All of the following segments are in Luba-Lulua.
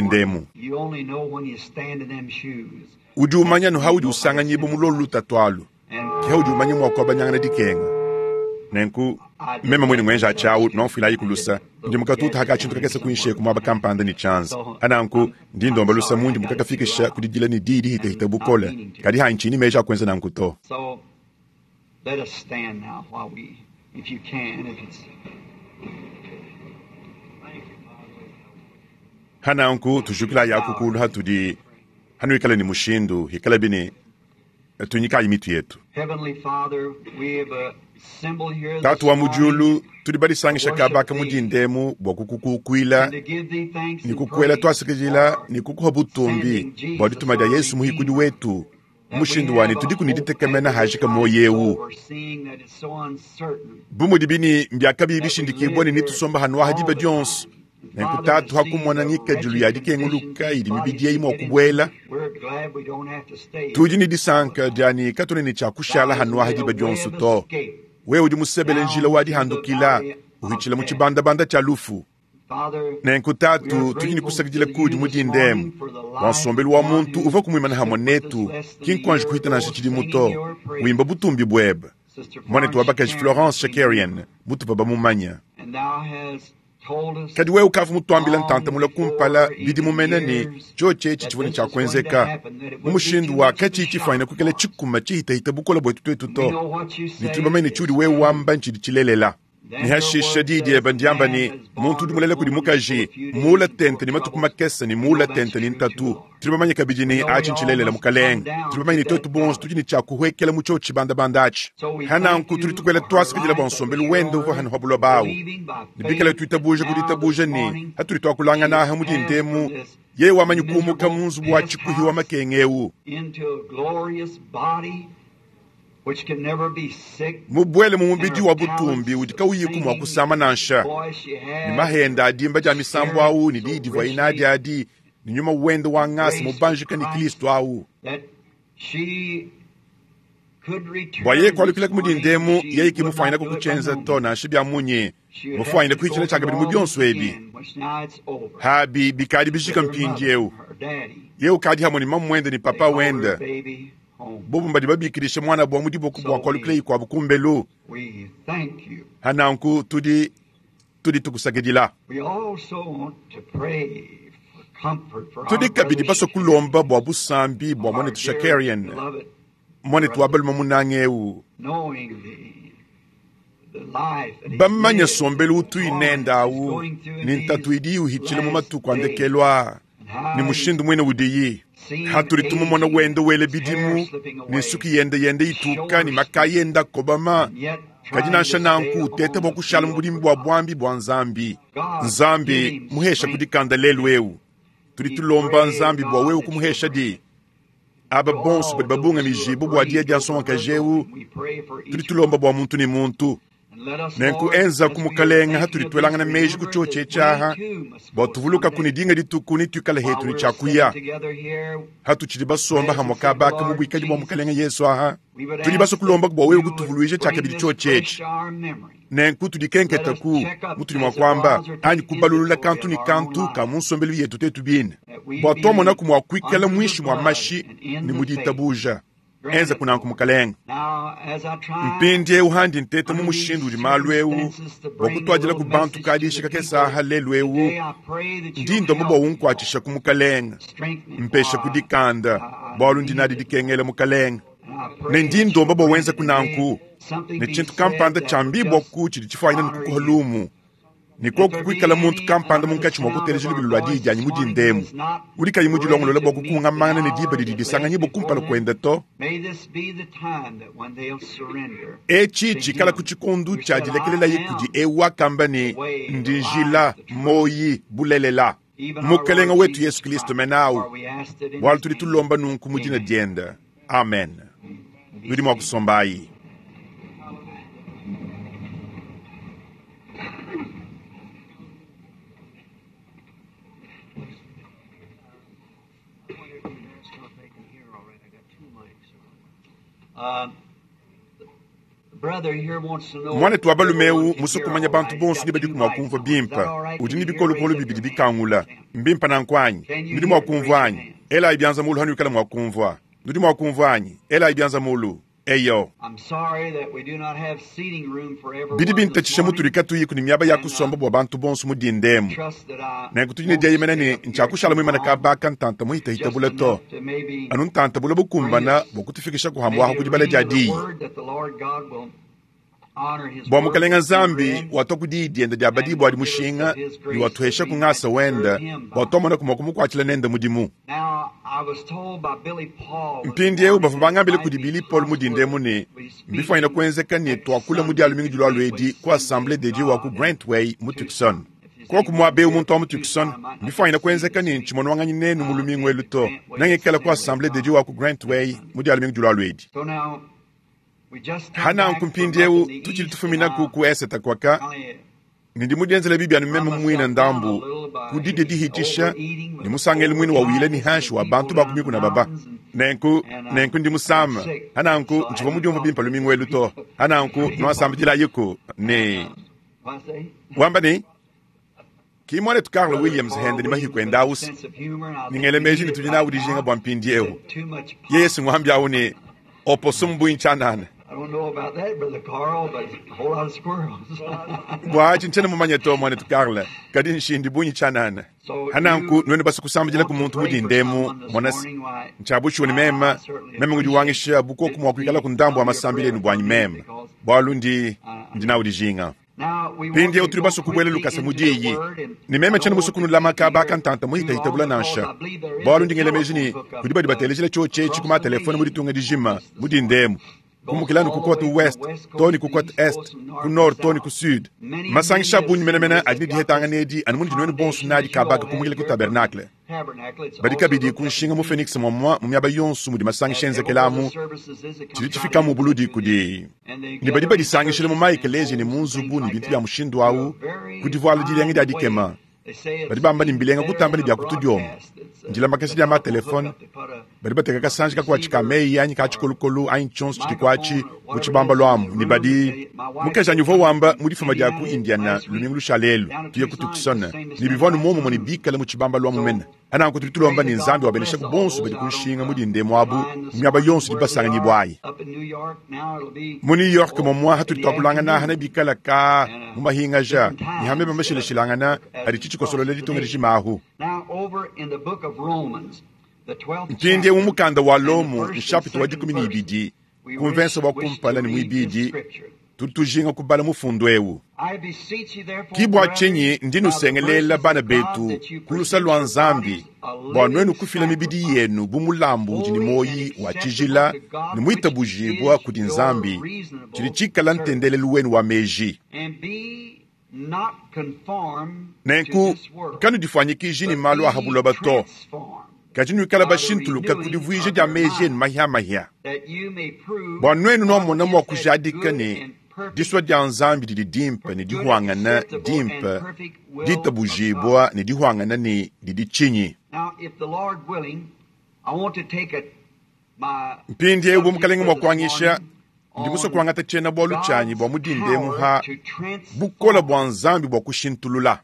dinda emu. You only know when you stand in them shoes. Udi umanya anu haudi usanganyibua mu lolu lutatu alu, And ke haudi umanya mua kuabanyangana dikenga. Nenku meme mwine ngwenja achi awu nomfwilayi kulusa ndi mukatuta haka tshintu kakese kuinsheku mwaba kampanda ne tshianza. Ananku ndi ndomba lusa mundi mukakafikisha kudidila ne diyi dihitahita bukole, kadi hanchini meji akwenza nanku to. So let us stand now while we, if you can, if it's Hananku tujukila yakukulu hatudi hanuikala ni mushindu hikala bine tunyikayi mitu yetu. Heavenly Father, we have assembled here this Tatu wa morning mujulu tudi badisangisha kabaka mudindemu bua kukukukuila and to give thee thanks ni and kukuela praise twasikijila for ni kukuha butumbi bua dituma dia Yesu muhikudi wetu that we mushindu wani have a tudi hope kuniditekemena after this hajika life's moyo over, seeing that it's so uncertain bumudi bini mbyakabi that we bishindikibwa live ni here nitusomba hanu aha all diba the time. dionso And nenku Father, to tatu see hakumona the ngikadilu wretched ya condition dikenguluka these idi bodies mibidi eyi can mua get into, kubuela we're glad we don't have to stay here tudi ni all the disanka time. diani katone ni Thou tshiakushala hast hanu aha made a diba way dionso of to escape wewe udi musebele njila down wa to the dihandukila valley of uhitshila mu death. tshibandabanda tshia lufu. Father, Nenku we are tatu tudi ni grateful to kusakidila kudi you mu this dindemu morning for the bua life nsombelu of wa one muntu who uva kumuimana hamwe stood with us netu less than a kinkuanji year kuhita ago, nansha tshidimu singing to your wimba praises. butumbi buebe Sister mwanetu wa Florence bakaji Shakarian, Florence we knew Shakarian her. mutupa bamumanya And thou hast told us kadi wewe ukavu mutuambila ntanta long mula kumpala before bidi even mumene ni years tshotshi etshi that tshivua ne this was going to tshiakuenzeka happen, that it mu would be mushindu too wa much of a katshi shock tshifuanyina kuikala for us. tshikuma tshihitahita bukola bwetu twetu We to know what you ni say tuli bamanye is tshiudi wewe true. wamba ntshidi tshilelela Then ni your hashisha word diyi says dieba the ndiamba man ni is muntu born udi of mulele kudi woman is full mukaji of few days muula and full tente of ni matuku troubles. makese ni We know muula that's tente ni true too, ntatu Lord. tuli bamanye kabidi We ni know we achi all ntshilelela must come mukalenge down tuli to bamanye ni twetu that bonso valley. tudi ni tshiakuhwekela mu tshiotshi bandabanda achi So we thank hananku tuli you tukwela for her twasikidila bua life that was nsombelu wende shown uvua her, hanu ha buloba awu believing by ni bikala faith that tuitabuja now this kuditabuje ni morning hatuli she twakulangana has aha passed from mudindemu this ye wamanyi kuumuka miserable mu nzubu wa pest tshikuhi wa house makenge ewu into a glorious body which can never be sick, mubwele mu and mubidi her wa butumbi talents udi of kauyiku mua singing kusama and the nansha voice she ni has, mahenda adimba dia misambu shared awu ni so diyi divua inadi richly adi ni nyuma wende wa the ngasa grace of mubanjika ni Christ Kristo awu that she could bua yeye return this kualukila morning, kumudindemu she yeye would not kimufuanyina do it by kukutshenza no to means. nansha bia munyi She would have mufuanyina to go kuhitshila through tshiakabidi mu all this bionso ebi again, which now it's over, habi bikadi with bijika her mpindi mother, ewu her daddy. ye ukadi hamwe ni mamu wende ni They papa call her wende baby home. bobu mbadi babikilisha mwana bua mudiboku bua So kualukila we ikuabu kumbelu we thank you. hananku tudi tudi tukusakidila We also want to pray for comfort for tudi our kabidi brother baso Shakarian, kulomba bua busambi bua our mwanetu dear Shakarian beloved mwanetu wa brother, balume munange ewu knowing the life that he's bamanya lived sombelu and the utu inenda torments he's awu going through in ni ntatu these idi uhitshila mu last matuku days, andekelwa and ni how he's mushindu mwene udiyi seen hatuli tumumona aging, wende wele his hair bidimu slipping ni away, nsuki yende yende his ituka ni shoulders makayenda kobama and yet kadi trying to nansha stay nanku utete on bua the kushala mu field budimi for bua God. bwambi bua nzambi God, give nzambi him muhesha strength kudikanda lelu today. ewu tudi He tulomba pray, nzambi bua God, wewe that you'll kumuhesha grant di aba to bonso all badi babunga those who are mijibu bua diya grieved dia over her nsongakaji ewu going. We pray for tudi each tulomba one. bua muntu ni muntu And let us, nenku Lord, enza as we are kumukalenga thinking hatuli of this, twelangana meji remember ku tshiotshi that we etshiaha too must bua go tuvuluka kuni someday. dinga dituku ni tuikala While hetu ni we're tshiakuya sitting together here, hatutshidi basomba hamwe presence of the kabaka mu Lord buikadi bua Jesus, mukalenga Yesu aha we would tudi baso ask that kulomba bua wewe you would kutuvuluija bring tshiakabidi this tshiotshi fresh etshi to our memory. nenku Let tudikenketa us ku check up mutudi mua as the kuamba rods are anyi taking kubalulula inventory kantu of ni our own kantu ka lives, mu nsombelu yetu tetu bine that we bua twamona be ku mua kuikala under the mwishi mua blood mashi and in ni the faith. muditabuja Grant enza it, kunanku Lord. mukalenga Now, as I try mpindi handi nteta mu under these mushindu udi malu ewu circumstances to bua bring a kutuadila little ku bantu message to the kadishika people kesaha lelu ewu today, I pray that ndi you'll ndomba bua help me, Lord. unkwatshisha ku mukalenga Strengthen me, mpesha for I, kudikanda I, I bualu ndi need nadi it, Lord. dikengela mukalenga And I ne pray ndi that ndomba you'll bua grant wenza it and may kunanku something ne be tshintu said kampanda that tshia would mbibua just ku tshidi tshifuanyina ni honor kukuha you. lumu ni If koku there be kuikala muntu any kampanda under the munkatshi mua sound of kuteleja our lubilu lua diyi voice dianyi this morning who mudindemu is not udi kayi ready mudilongolola to bua meet the kukungamana ne diba hour didi that lays disanganyibua before kumpala them, kuenda to may this be the time that when they'll surrender etshi to tshikala ku Him tshikundu who tshia said, I dilekelelayi kudi am ewu akamba the ni way, the ndi life, njila the truth, moyi bulelela even our mukalenga Lord wetu Jesus Yesu Kristo Christ. menawu For we asked it in bualu His tudi name. tulomba nunku mu dina Amen. dienda amen Be nudi mua seated. kusombayi Brother here wants to know mwanetu wa if balume everyone ewu can hear musukumanya all bantu right. He's bonso got ni badi two kumwa mics kumvua on. Is that bimpa all right? udi Can ni you hear? bikolokolo Raise up bibidi your hand. bikangula mbimpa nankwanyi Can you nudi mua hear? Raise kumvua your anyi hand. elayi byanza mulu hanu ikala mua kumvua nudi mua kumvua anyi elayi byanza mulu. Eyo. Bidi bintatshisha mutudi katuyiku ne miaba ya kusomba bua bantu bonso mu dinda emu. Nenku tudi ne dieyemena ne, ntshiakushala muimane kaba aka ntanta muhitahita bule to, anu ntanta bule bukumbana bua kutufikisha kuhambuaha ku dibala dia diyi. Bua Mukalenga Nzambi watua ku diyi diende dia badibua adi mushinga ne watuheshaku ngasa wende bua tuamonaku mua kumukuatshila nende mudimu. Mpindieu bavua bangambile kudi Billy Paul mu dinda emu ne, mbifuanyine kuenzeka ne tuakule mu Dia lumingu dilualua edi ku Assemblee de Dieu wa ku Grantway mu Tucson. Koku muaba eu muntu wa mu Tucson, mbifuanyine kuenzeka ne ntshimonwanganyi nenu mu lumingu elu to, nengikale ku Assemblee de Dieu wa ku Grantway mu Dia lumingu dilualua edi. Hananku mpindieu tutshidi tufuminaku ku esete kuaka, ne ndi mudienzele bibi anu meme muine ndambu ku didia dihitshisha ne musangelu muine wa wila ne hanshi wa bantu ba ku mikuna baba. Nenku, nenku ndi musama. Hananku ntshivua mudiumvue bimpe lumingu elu to. Hananku nuasambidilayiku ne wamba ne, Ki muanetu Carl Williams hende ne mahiku ende ausa, ne ngela meji ne tudi nawu dijinga bua mpindieu. Yeye si nguambi awu ne opossum bungi tshianana. Bua atshi ntshiena mumanye to, muanetu Carl, kadi nshindi bungi tshianana. Hananku nuenu basue kusambidilaku muntu mu dinda emu, mona se, ntshia bushuwa ne meme, meme ngudi wangisha bu koku mua kuikalaku ndambu wa masambila enu buanyi meme, bualu ndi, ndi nawu dijinga. Mpindieu tudi basue kubuela lukasa mu diyi, ne meme tshiena musue kunulama kaba aka ntanta muhitahitabula nansha, bualu ndi ngela meji ne kudi badi batelejila tshiotshi etshi ku matelefone mu ditunga dijima mu dinda emu, kumukila anu ku cote ouest too ne ku cote est, ku nord too ne ku sud. Masangisha a bungi menemene adi ne dihetangana edi anu munudi nuenu bonso nadi kaba aka kumukila ku tabernacle. Badi kabidi ku nshinga mu Phoenix muamua mu miaba yonso mudi masangisha enzekela amu, tshidi tshifikamu buludi kudi ne badi badisangishila mu maekeleziya ne mu nzubu ne bintu bia mushindu au ku divuala dilenga dia dikema. Badi bamba ne mbilenga kutamba ne bia ku tudiomba, ndilamakasha dia ma-telefone, badi bateka kasanji kakuatshi ka meyi anyi ka tshikolokolo anyi tshionso tshidi kuatshi mu tshibambalu amu ne badi mukajanyi uvua wamba mu difuma dia ku Indiana lumingu lushale elu tuye ku Tucson ne bivua anu muomumue ne bikale mu tshibambalu amu mene. Nanku tudi tulomba ne Nzambi wabeneshaku bonso badi ku nshinga mu dinda emu abu mu miaba yonso idi basanganyibua ayi. Mu New York momua hatudi tuakulangana aha nebikala ka mu mahingaja ne ha meba mashilashilangana adi tshitshikosolola ditunga dijima ahu. Mpindieu mu mukanda wa Lomo, nshapita wa 12, ku mvensa wa kumpala ne muibidi, tudi tujinga kubala mufundu eu. Ki bua tshinyi ndi nusengelela, bana betu, ku lusa lua Nzambi, bua nuenu kufila mibidi yenu bu mulambu udi ne muoyi wa tshijila ne muitabujibua kudi Nzambi, tshidi tshikala ntendelelu wenu wa meji. Nenku kanudifuanyikiji ne malu a ha buloba to, kadi nuikala bashintuluka ku divuija dia meji enu mahia-mahia, bua nuenu nuamona mua kujadika ne disua dia Nzambi didi dimpe ne dihuangana dimpe, ditabujibua ne dihuangana ne didi tshinyi. Mpindieu bu Mukalenge mua kuanyisha, ndi musue kuangata tshiena-bualu tshianyi bua mu dinda emu ha bukole bua Nzambi bua kushintulula.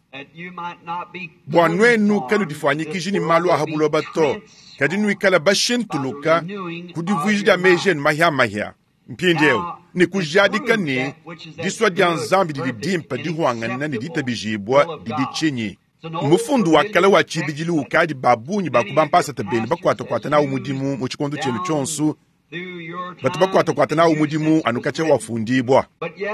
Bua nuenu kanudifuanyikiji ne malu a ha buloba to, kadi nuikale bashintuluka ku divuija dia meji enu mahia-mahia mpindieu ne kujadika ne disua dia Nzambi didi dimpe, dihuangana ne ditabijibua didi tshinyi. Mufundu wa kale wa tshibidilu ukadi ba bungi ba ku bampasata benu bakuatakuata nawu mudimu mu tshikondo tshienu tshionso, batu bakuatakuata nawu mudimu anu katshia wafundibua.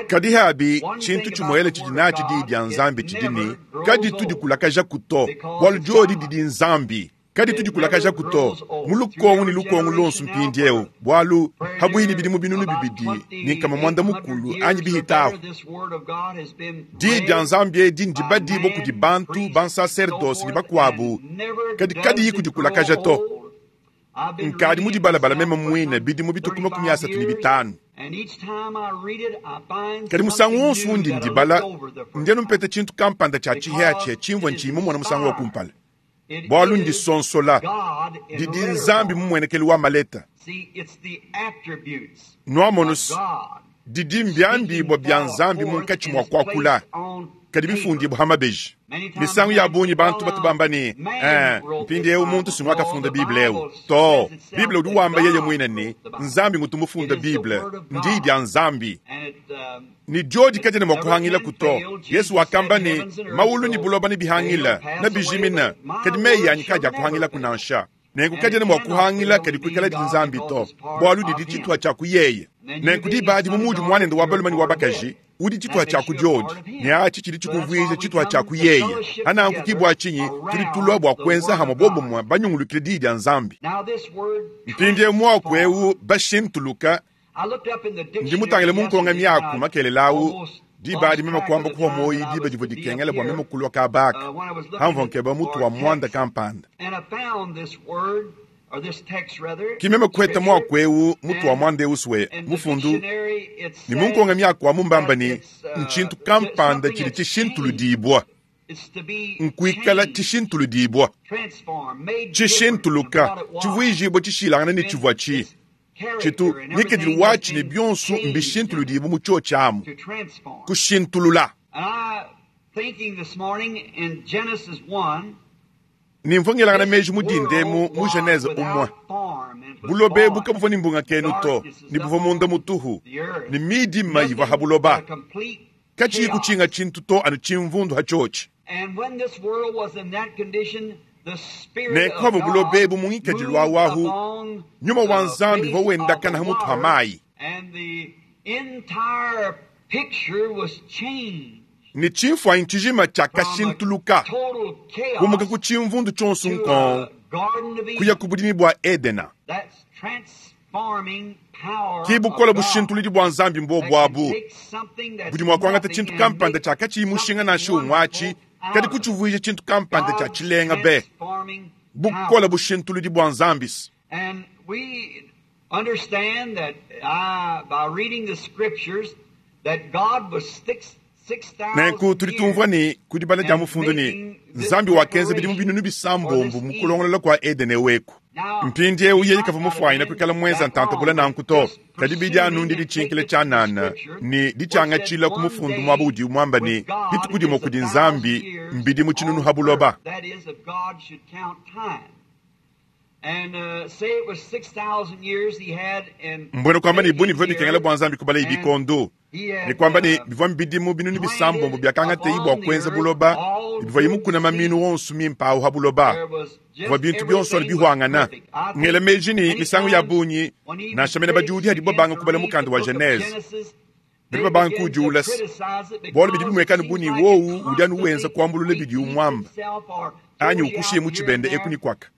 Kadi habi tshintu tshimuele tshidi natshi Diyi dia Nzambi tshidi ne, kaditu dikulakajaku to, bualu diodi didi Nzambi. Kaditu dikulakajaku to mu lukongu ne lukongu luonso mpindieu, bualu pabuipi ne bidimu 2500 anyi bihitahu, Diyi dia Nzambi edi ndibadibua kudi bantu, bansaserdose ne bakuabu, kadi kadiyi kudikulakaja to. Nkadi mu dibalabala meme muine bidimu bitue ku 35. Kadi musangu wonso undi ndibala, ndi anu mpeta tshintu kampanda tshia tshihiatshia tshimvua ntshiyi mumona musangu wa kumpala. Bualu ndisonsola didi Nzambi mumuenekelu wa maleta. Nuamonu, didi mbiambibua bia Nzambi munkatshi mua kuakula. Kadi bifundibua ha mabeji. Misangu ya bungi bantu batu bamba ne, Ee, mpindieu muntu si nguakafunda Bible eu to. Bible udi wamba yeye muine ne, Nzambi ngutu mufunda Bible. Ndiyi dia Nzambi. Ne diodi kadiena mua kuhangilaku to. Yesu wakamba ne, Maulu ne buloba nebihangile, nebijimine, kadi meyi anyi kadiakuhangilaku nansha. Nenku kadiena mua kuhangila kadi kuikala di Nzambi to, bualu didi tshituha tshia ku yeye. Nenku diba adi bu muudi muanende wa balume ne wa bakaji, udi tshituha tshia ku diodi, ne atshi tshidi tshikuvuija tshituha tshia ku yeye. Hananku ki bua tshinyi tudi tulua bua kuenza hamue bobumue banyungulukile Diyi dia Nzambi. Mpindieu muaku eu bashintuluka, ndi mutangile mu nkonga miaku makelela au, diba adi meme kuamba kupua muoyo diba divua dikengela bua meme kulua kaba aka, pamvua nkeba mutu wa muanda kampanda. Ki meme kuheta muaku eu mutu wa muanda eu sue mufundu, ne mu nkonga miaku amu mbamba ne, ntshintu kampanda tshidi tshishintuludibua. Nkuikala tshishintuludibua, tshishintuluka, tshivuijibua tshishilangane ne tshivua tshi tshitu ngikadilu watshi ne bionso mbishintuludibue mu tshiotshi amu, kushintulula. Ne mvua ngelangana meji mu dinda emu mu Genese umue. Buloba ebu kabuvua ne mbungakenu to, ne buvua munda mutuhu, ne midima ivua ha buloba, katshiyi kutshinga tshintu to anu tshimvundu ha tshiotshi. Nenku pavua buloba ebu mu ngikadilu awu ahu, Nyuma wa Nzambi uvua wendakana ha mutu ha mayi. Ne tshimfuanyi tshijima tshiakashintuluka, kumuka ku tshimvundu tshionso nkong kuya ku budimi bua Edena. Ki bukole bushintuludi bua Nzambi mbuobu abu budi mua kuangata tshintu kampanda tshia katshiyi mushinga nansha umue atshi, kadi kutshivuija tshintu kampanda tshia tshilenga be. Bukole bushintuludi bua Nzambi. Nenku tudi tumvua ne ku dibala dia mufundu ne, Nzambi wakenza bidimu binunu bisambombo mu kulongolola kua Edene eu eku. Mpindieu yeye kavua mufuanyine kuikala muenza ntanta bule nanku to, kadi bidi anu ndiditshinkila tshianana ne ditshiangatshila ku mufundu muaba udiwu muamba ne, dituku dimue kudi Nzambi mbidimu tshinunu ha buloba. Mbuena kuamba ne, bu ne bivua bikengela bua Nzambi kubalaye bikondo, ne kuamba ne, bivua mbidimu binunu bisambombo biakangateyi bua kuenza buloba ne bivuaye mukuna maminu onso mimpe au ha buloba, buvua bintu bionso anu bihuangana. Ngela meji ne, misangu ya bungi, nansha mene badiudi hadibo babanga kubala mukanda wa Genese, badi babanga kuudiula bualu bidi bimueka anu bu ne wowu udi anu wenza kuambulula bidiwu muamba anyi ukushiye mu tshibende eku ne kuaka.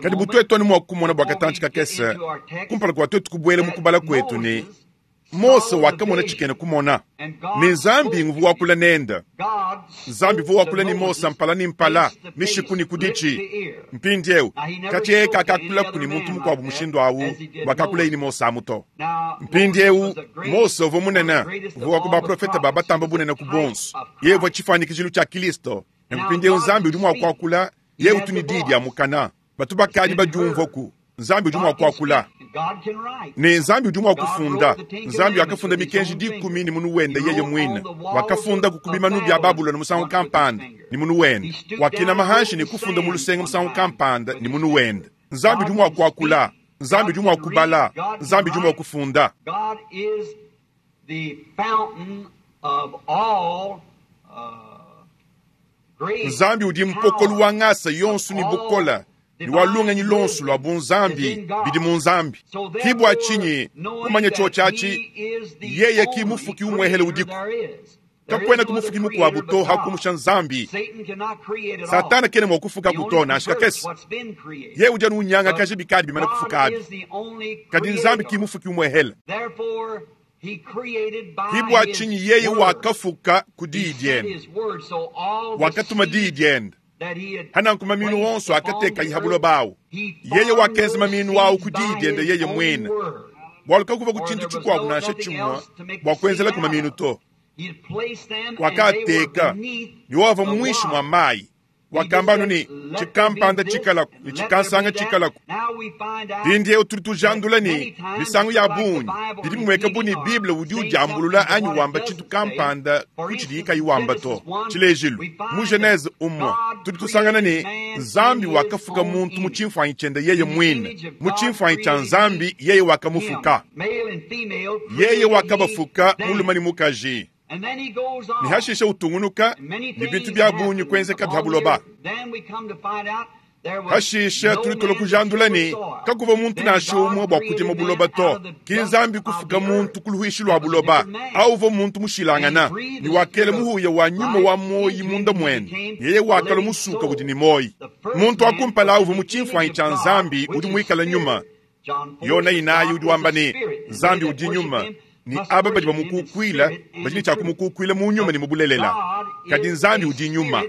Kadi bu tuetu anu mua kumona bua katantshi kakese kumpala kua tuetu kubuela mu kubala kuetu ne, Mose wakamona tshikena kumona, ne Nzambi nguvua wakula nende. Nzambi uvua wakula ne Mose mpala ne mpala, mishiku ne ku ditshi. Mpindieu, katshia yeye kakakulaku ne muntu mukuabu mushindu au wakakulaye ne Mose amu to. Mpindieu, Mose uvua munene, uvua wa ku baprofete ba batamba bunene ku bonso. Yeye uvua tshifuanyikijilu tshia Kristo. Nenku mpindieu Nzambi udi mua kuakula, yeye utu ne diyi dia mukana. Batu bakadi badiumvuaku. Nzambi udi mua kuakula, ne Nzambi udi mua kufunda. Nzambi wakafunda Mikenji Dikumi ne munu wende yeye muine. Wakafundaku ku bimanu bia Babulona musangu kampanda ne munu wende. Wakinama hanshi ne kufunda mu lusenga musangu kampanda ne munu wende. Nzambi udi mua kuakula, Nzambi udi mua kubala, Nzambi udi mua kufunda. Nzambi udi mpokolu wa ngasa yonso ne bukole ne wa lungenyi luonso lua bunzambi bidi mu Nzambi. Ki bua tshinyi kumanya tshiotshi atshi, yeye ki mufuki umuehele udiku. Kakuenaku mufuki mukuabu to ha kumusha Nzambi. Satana kena mua kufukaku to nansha kakese. Yeye udi anu unyangakaja bikadi bimane kufuka abi. Kadi Nzambi ki mufuki umuehele. Ki bua tshinyi yeye wakafuka ku diyi diende. Wakatuma diyi diende. Hananku maminu onso akatekaye ha buloba awu, yeye wakenza maminu awu ku diyi diende yeye muine, bualu kakuvua ku tshintu tshikuabu nansha tshimue bua kuenzelaku maminu to. Wakaateka, ne wowu avua muinshi mua mayi. Wakamba anu ne, Tshikampanda tshikalaku, ne tshikansanga tshikalaku. Mpindieu tudi tujandula ne, misangu ya bungi bidi bimueka bu ne, Bible udi udiambulula anyi wamba tshintu kampanda ku tshidiye kayi wamba to. Tshilejilu, mu Genese umue tudi tusangana ne, Nzambi wakafuka muntu mu tshimfuanyi tshiende yeye muine, mu tshimfuanyi tshia Nzambi yeye wakamufuka. Yeye wakabafuka mulume ne mukaji. Ne hashishe utungunuka ne bintu bia bungi kuenzeka bia buloba. Hashishe tudi tulua kujandula ne, kakuvua muntu nansha umue bua kudima buloba to. Ki Nzambi kufuka muntu ku luhuishi lua buloba. Au uvua muntu mushilangana, ne wakela muhuya wa nyuma wa muoyi munda muende, yeye wakalua musuka udi ne muoyi. Muntu wa kumpala uvua mu tshimfuanyi tshia Nzambi udi muikale nyuma. Yona inayi udi wamba ne, Nzambi udi nyuma, ne aba badi bamukukuila badi ne tshia kumukukuila mu nyuma ne mu bulelela. Kadi Nzambi udi nyuma.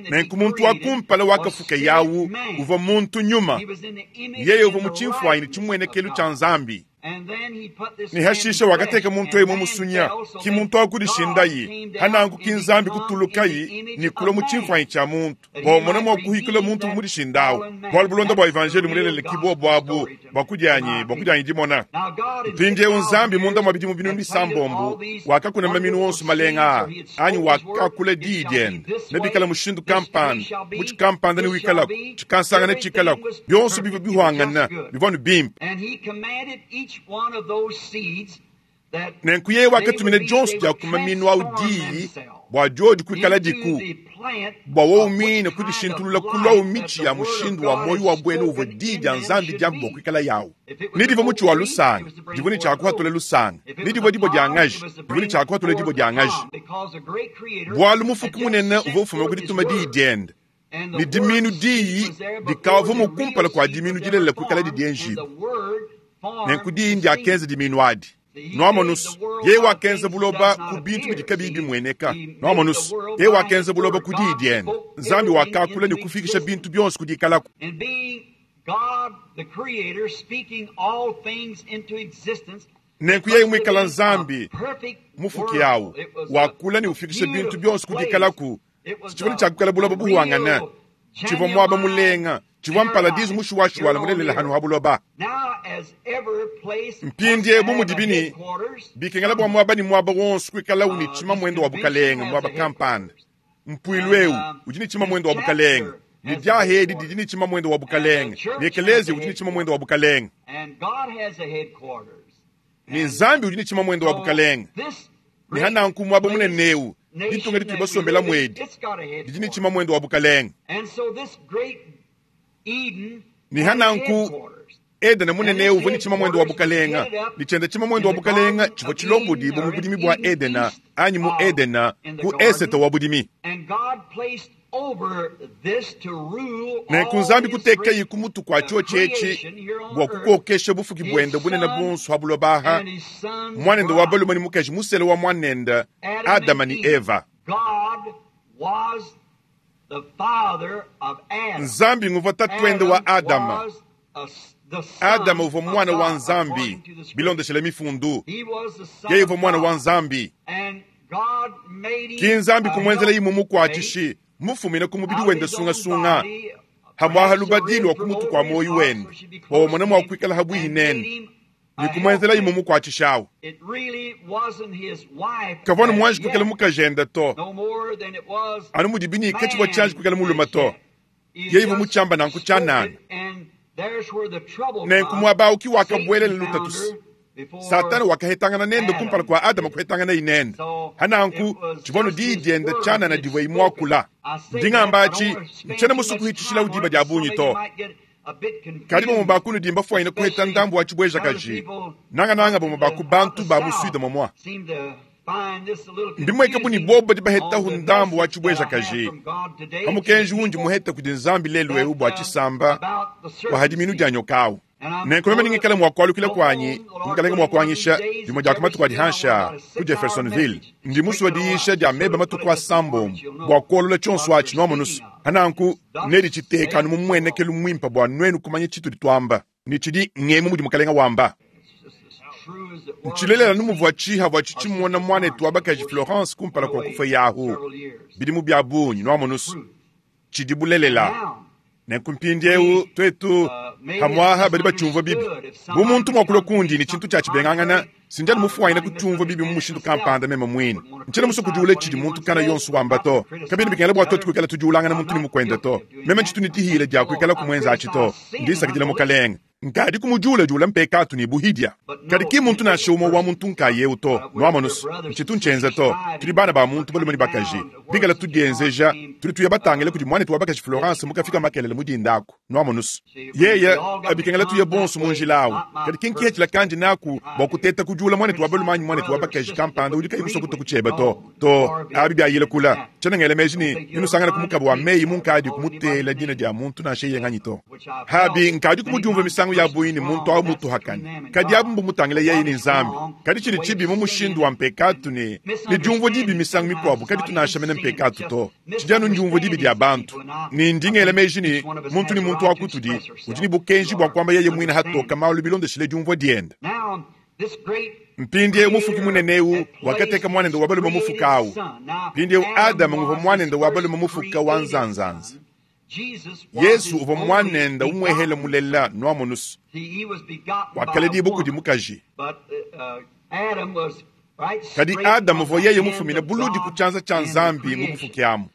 Nenku muntu wa kumpala wakafuka yawu uvua muntu nyuma. Yeye uvua mu tshimfuanyi ne tshimuenekelu tshia Nzambi. Ne hashishe wakateka muntu eyi mu musunya, ki muntu wa kudishindayi, hananku ki Nzambi kutulukayi ne kulua mu tshimfuanyi tshia muntu, bua umona mua kuhikula muntu bu mudishindawu. Bualu bulonda bua evanjeliyo mulelela ki buobu abu, bua kudianyi, bua kudianyi dimona. Mpindieu Nzambi munda mua bidimu binunu bisambombo wakakuna maminu onso malenga aa, anyi wakakula diyi diende, nebikale mushindu kampanda, mutshi kampanda newikalaku, tshikansanga netshikalaku, bionso bivua bihuangana, bivua anu bimpe. Nenku yeye wakatumina dionso dia ku maminu au diyi bua diodi kuikaladiku, bua wowu muine kudishintulula kuluawu mitshi ya mushindu wa muoyo wa buena uvua diyi dia Nzambi diambe bua kuikala yawu. Ne divua mutshi wa lusanga, divua ne tshia kuhatula lusanga, ne divua dibue dia ngaji, divua ne tshia kuhatula dibue dia ngaji. Bualu Mufuki Munene uvua ufuma ku dituma diyi diende, ne diminu diyi dikavua kumpala kua diminu dilelela kuikaladi dienjibua. Nenku diyi ndiakenza diminu adi. Nuamonus, yeye wakenza buloba ku bintu bidi kabiyi bimueneka. Nuamonus, yeye wakenza buloba ku diyi diende. Nzambi wakakula ne kufikisha bintu bionso ku dikalaku. Nenku yeye muikala Nzambi mufuki awu, wakula ne ufikisha bintu bionso ku dikalaku, tshivua tshia kuikala buloba buhuangana, tshivua muaba mulenga, tshivua mparadizu mushuwashuwala mulelela hanu ha buloba. Mpindiewu bu mudibi ne bikengela bua muaba ne muaba wonso kuikalawu ne tshimamuende wa bukalenge muaba kampanda, mpuilu eu udi ne tshimamuende wa bukalenge, ne diaha edi didi ne tshimamuende wa bukalenge, ne ekeleziya udi ne tshimamuende wa bukalenge, ne Nzambi udi ne tshimamuende wa bukalenge. Ne hananku muaba munene eu, ditunga ditudi basombela muedi didi ne tshimamuende wa bukalenge. Ne hananku Edene munene eu uvua ne tshimamuende wa bukalenge, ne tshiende tshimamuende wa bukalenge tshivua tshilombodibua mu budimi bua Edena anyi mu Edena ku esete wa budimi. Nenku Nzambi kutekaye ku mutu kua tshiotshi etshi bua kukokesha bufuki buende bunene buonso ha buloba aha, muanende wa balume ne mukaji musele wa muanende Adama ne Eva. Nzambi nguvua tatuende wa Adama. Adama uvua muana wa Nzambi bilondeshele mifundu. Yeye uvua muana wa Nzambi. Ki Nzambi kumuenzela imue mukuatshishi mufumine ku mubidi wende sungasunga, hamwaha lubadi lua ku mutu kua muoyo wende bua umone mua kuikala habuihi nende, ne kumuenzela imue mukuatshishi awu. Kavua ne muanji kuikala mukajende to, anu mudibi ne katshivua tshianji kuikala mulume to. Yeye uvua mutshiamba nanku tshianana. Nenku muaba awu ki wakabuelela lutatu. Satana wakahetangana nende kumpala kua Adama kuhetanganaye nende. Hananku tshivua nu diyi diende tshianana divua imuakula. Ndi ngamba atshi, ntshiena musue kuhitshishila diba dia bungi to. Kadi bamue ba kunudi mbafuanyine kuheta ndambu wa tshibuejakaji, nangananga bamue ba ku bantu ba mu Sude momua. Mbimueke bu ne bobu badi bahetahu ndambu wa tshibuejakaji pa mukenji undi muhete kudi Nzambi lelu eu bua tshisamba bua hadiminu dia nyoka awu. Nenku meme ningikale mua kualukila kuanyi, Mukalenge mua kuanyisha, dimue dia ku matuku adi hanshi aa, ku Jeffersonville. Ndi musue diyisha dia meba matuku asambombo bua kuolola tshionso atshi, nuamonusu. Pananku neditshiteka anu mu mmuenekelu muimpe bua nuenu kumanya tshitudi tuamba, ne tshidi ngemu mudi Mukalenge wamba. Ntshilelela anu muvua tshihavua tshitshimona muanetu wa bakaji Florence kumpala kua kufua yahu bidimu bia bungi, nuamonusu. Tshidi bulelela. Nenku mpindiewu twetu pamwaha badi bacyumvwa bibi. Bu muntu mwa kulwa kundi ne cintu cya cibengangana, sindi anu mufwanyine kucyumvwa bibi mu mushindu kampanda meme mwine. Ncyena muswe kudyula cidi muntu kana yonso wamba to. Kabyena bikengela bwa twetu kwikala tudyulangana muntu ne mukwende to. Meme ncitu ne dihiila dya kwikala kumwenza aci to. Ndi nsakidila Mukalenge. Nkadi kumudyuladyula mpekaatu ne buhidya. Kadi ki mmuntu nansha umwe wa muntu nkaye ewu to. Nwamonu's, ncitu ncyenza to. Tudi bana ba muntu balume ne bakaji. Bikala tudyenzeja, tudi tuya batangile kudi mwanetu wa bakaji Florence mukafika makelela mu dinda aku. Nwamonu's? Yeye, bikengela tuye bonso mu njila awu. Kadi ki nkihetshila kandi naku bwa kuteta kudyula mwanetu wa balume anyi mwanetu wa bakaji kampanda udi kayi muswe kutua ku cyebe to. To, abi byayila kula. Tshiena ngela meji ne nenusangane ku mukaba wa meyi munkadi kumuteela dina dia muntu nansha yeye nganyi to. Habi nkadi kumudiumvua misangu ya bungi ne muntu awu mutuhakane. Kadi abu mbumutangila yeye ne Nzambi. Kadi tshidi tshibi mu mushindu wa mpekatu ne ne diumvua dibi misangu mikuabu kaditu nansha mene mpekatu to. Tshidi anu ndiumvua dibi dia bantu. Ne ndi ngela meji ne muntu ne muntu wa kutudi udi ne bukenji bua kuamba yeye muine hatoka malu bilondeshile diumvua diende. Mpindieu Mufuki munene eu wakateka muanende wa balume mufuka au. Mpindieu Adama nguvua muanende wa balume mufuka wa nzanzanza. Yezu uvua muanende umuehele mulela nwamonu's, wakaledibua kudi mukaji. Kadi Adama uvua yeye mufumine buludi ku tshianza tshia Nzambi mu bufuki amu.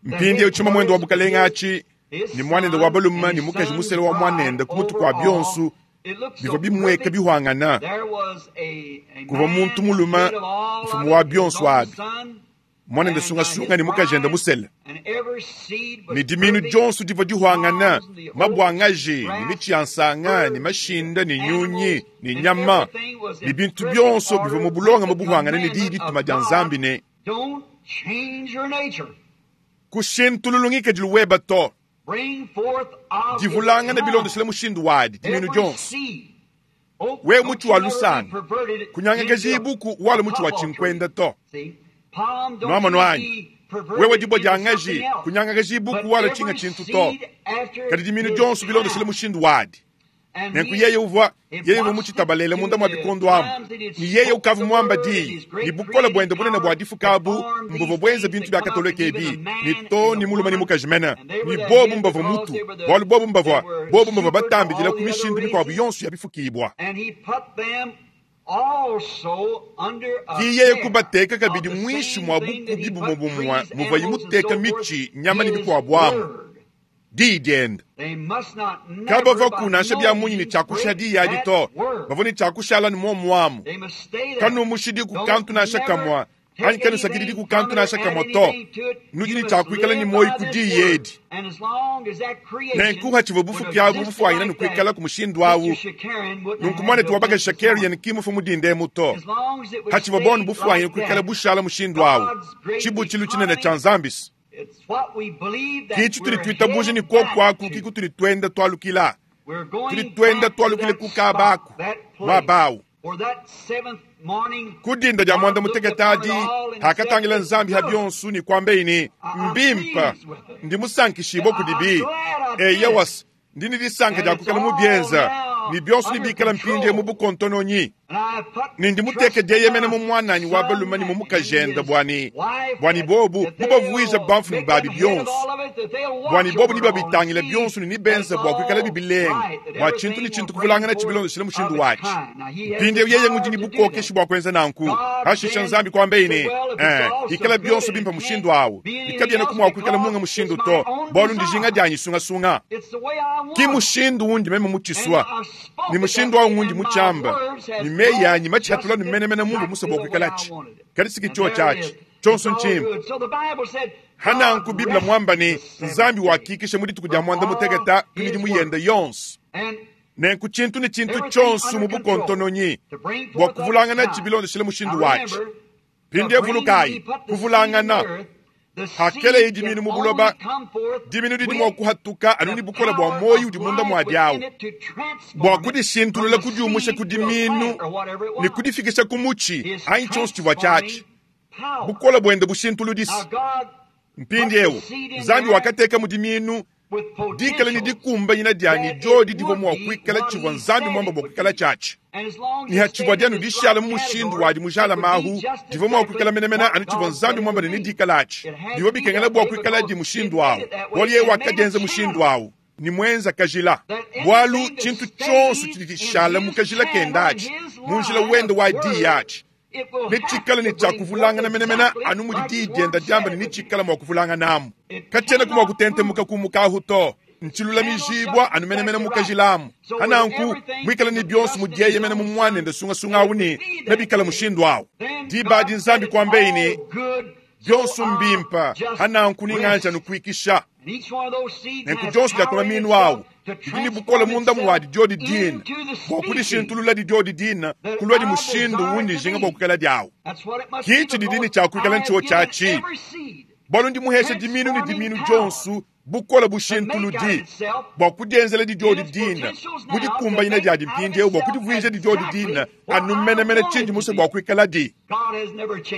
Mpindieu tshimamuende wa bukalenge atshi ne muanende wa balume ne mukaji musela wa muanende ku mutu kua bionso bivua bimueka bihuangana. Kuvua muntu mulume mfumu wa bionso abi, muanende sungasunga ne mukajende musele, ne diminu dionso divua dihuangana, mabuangaji ne mitshi ya nsanga ne mashinda ne nyunyi ne nyama ne bintu bionso bivua mu bulongame buhuangane ne diyi dituma dia Nzambi ne, Kushintululu ngikadilu weba to. Divulangana bilondeshile mushindu wadi, diminu dionso. Wewe mutshi wa lusanga, kunyangakajibu ku wala mutshi wa tshinkwenda to. Nwamonu anyi? Wewe dibua dia ngaji, kunyangakajibu ku wala tshinga tshintu to. Kadi diminu dionso bilondeshile mushindu wadi. Nenku yeye uvua, yeye uvua mucitabalele munda mwa bikondo amu, ne yeye ukavua muamba diyi, ne bukole buende bunene bua difuka abu mbuvua buenza bintu bia Katolike ebi, ne too ne mulume ne mukaji mene, ne bobu mbavua mutu, bualu bobu mbavua, bobu mbavua batambidila ku mishindu mikuabu yonso ya bifukibua. Ki yeye kubateka kabidi muinshi mua bukubi bumue bumue muvuaye muteka mitshi, nyama ne bikuabu amu. Diyi diende. Kabavua nansha bia munyi ne tshia kushiha diyi adi to, bavua ne tshia kushala ne muomu amu. Kanumushidiku kantu nansha kamue, anyi kanusakididiku kantu nansha kamue to. Nudi ne tshia kuikala ne muoyo ku diyi edi. Nenku hatshivua bufuki abu bufuanyine ne kuikalaku mushindu awu, nunku muanetu wa bakaji Shakarian ki mufue mu dinda emu to. Hatshivua bonu bufuanyine kuikala bushala mushindu awu, tshibutshilu tshinene tshia Nzambi. Ki tshitudi tuitabuja ne kuoku aku ki kutudi tuenda tualukila. Tudi tuenda tualukila ku kaba aku, muaba awu. Ku dinda dia muanda mutekete adi, hakatangila Nzambi ha bionso ne kuambeyi ne, Mbimpe, ndi musankishibue kudibi. Eyowa, ndi ne disanka dia kuikala mubienza, ne bionso nebikale mpindieu mu bukontononyi. Ne ndi muteke dieyemena mu muananyi wa balume ne mu mukajende bua ne, bua ne bobu mubavuije bamfumu babi bionso, bua ne bobu nebabitangile bionso ne nebenze bua kuikalabi bilenga, bua tshintu ne tshintu kuvulanganatshi bilondeshile mushindu watshi. Mpindieu yeye ngudi ne bukokeshi bua kuenza nanku. Pashishe Nzambi kuambaye ne, Ee, ikala bionso bimpe mushindu au, ne kabienaku mua kuikala munga mushindu to, bualu ndijinga dianyi sungasunga. Ki mushindu undi meme mutshisua, ne mushindu au ngundi mutshiamba, ne meyi anyi matshihatula ne menemene mumvua musue bua kuikalatshi. Kadi si ki tshiotshi atshi. Tshionso ntshimpe. Hananku Bible muamba ne, Nzambi wakikisha mu dituku dia muanda mutekete ku midimu yende yonso. Nenku tshintu ne tshintu tshionso mu bukontononyi bua kuvulanganatshi bilondeshile mushindu watshi. Mpindieu vulukayi, kuvulangana. Hakeleye diminu mu buloba, diminu didi mua kuhatuka anu ne bukole bua muoyo udi munda muadi au, bua kudishintulula kudiumusha ku diminu ne kudifikisha ku mutshi anyi tshionso tshivua tshiatshi. Bukole buende bushintuludisi. Mpindieu Nzambi wakateka mu diminu dikale ne dikumbanyina dia ne diodi divua mua kuikala tshivua Nzambi muambe bua kuikala tshiatshi. Ne hatshivua dianu dishala mu mushindu wadi mujalame ahu, divua mua kuikala menemene anu tshivua Nzambi muamba ne nedikala atshi. Bivua bikengela bua kuikaladi mushindu awu, bualu yeye wakadienza mushindu awu ne muenza kajila. Bualu tshintu tshionso tshidi tshishala mu kajila kende atshi, mu njila wende wa diyi atshi, netshikale ne tshia kuvulangana menemene anu mudi diyi dienda diamba ne netshikale mua kuvulanganamu. Katshienaku mua kutentemuka kumuka ahu to. Ntshilulamijibua anu menemene mu kajila amu. Pa nanku, muikale ne bionso mu dieyemena mu Muanende sungasunga awu ne nebikale mushindu awu. Diba adi Nzambi kuambeyi ne, Bionso mbimpe, pa nanku ninganji anu kuikisha. Nenku dionso dia ku mamiinu awu didi ne bukole munda muadi diodi dine bua kudishintululadi diodi dine kuluadi mushindu undi njinga bua kuikaladi awu. Ki tshididi ne tshia kuikala ntshiotshi atshi, bualu ndi muheshe dimiinu ne dimiinu dionso bukole bushintuludi bua kudienzeladi diodi dine mu dikumbanyina diadi mpindieu bua kudivuijadi diodi dine anu menemene tshindi musue bua kuikaladi.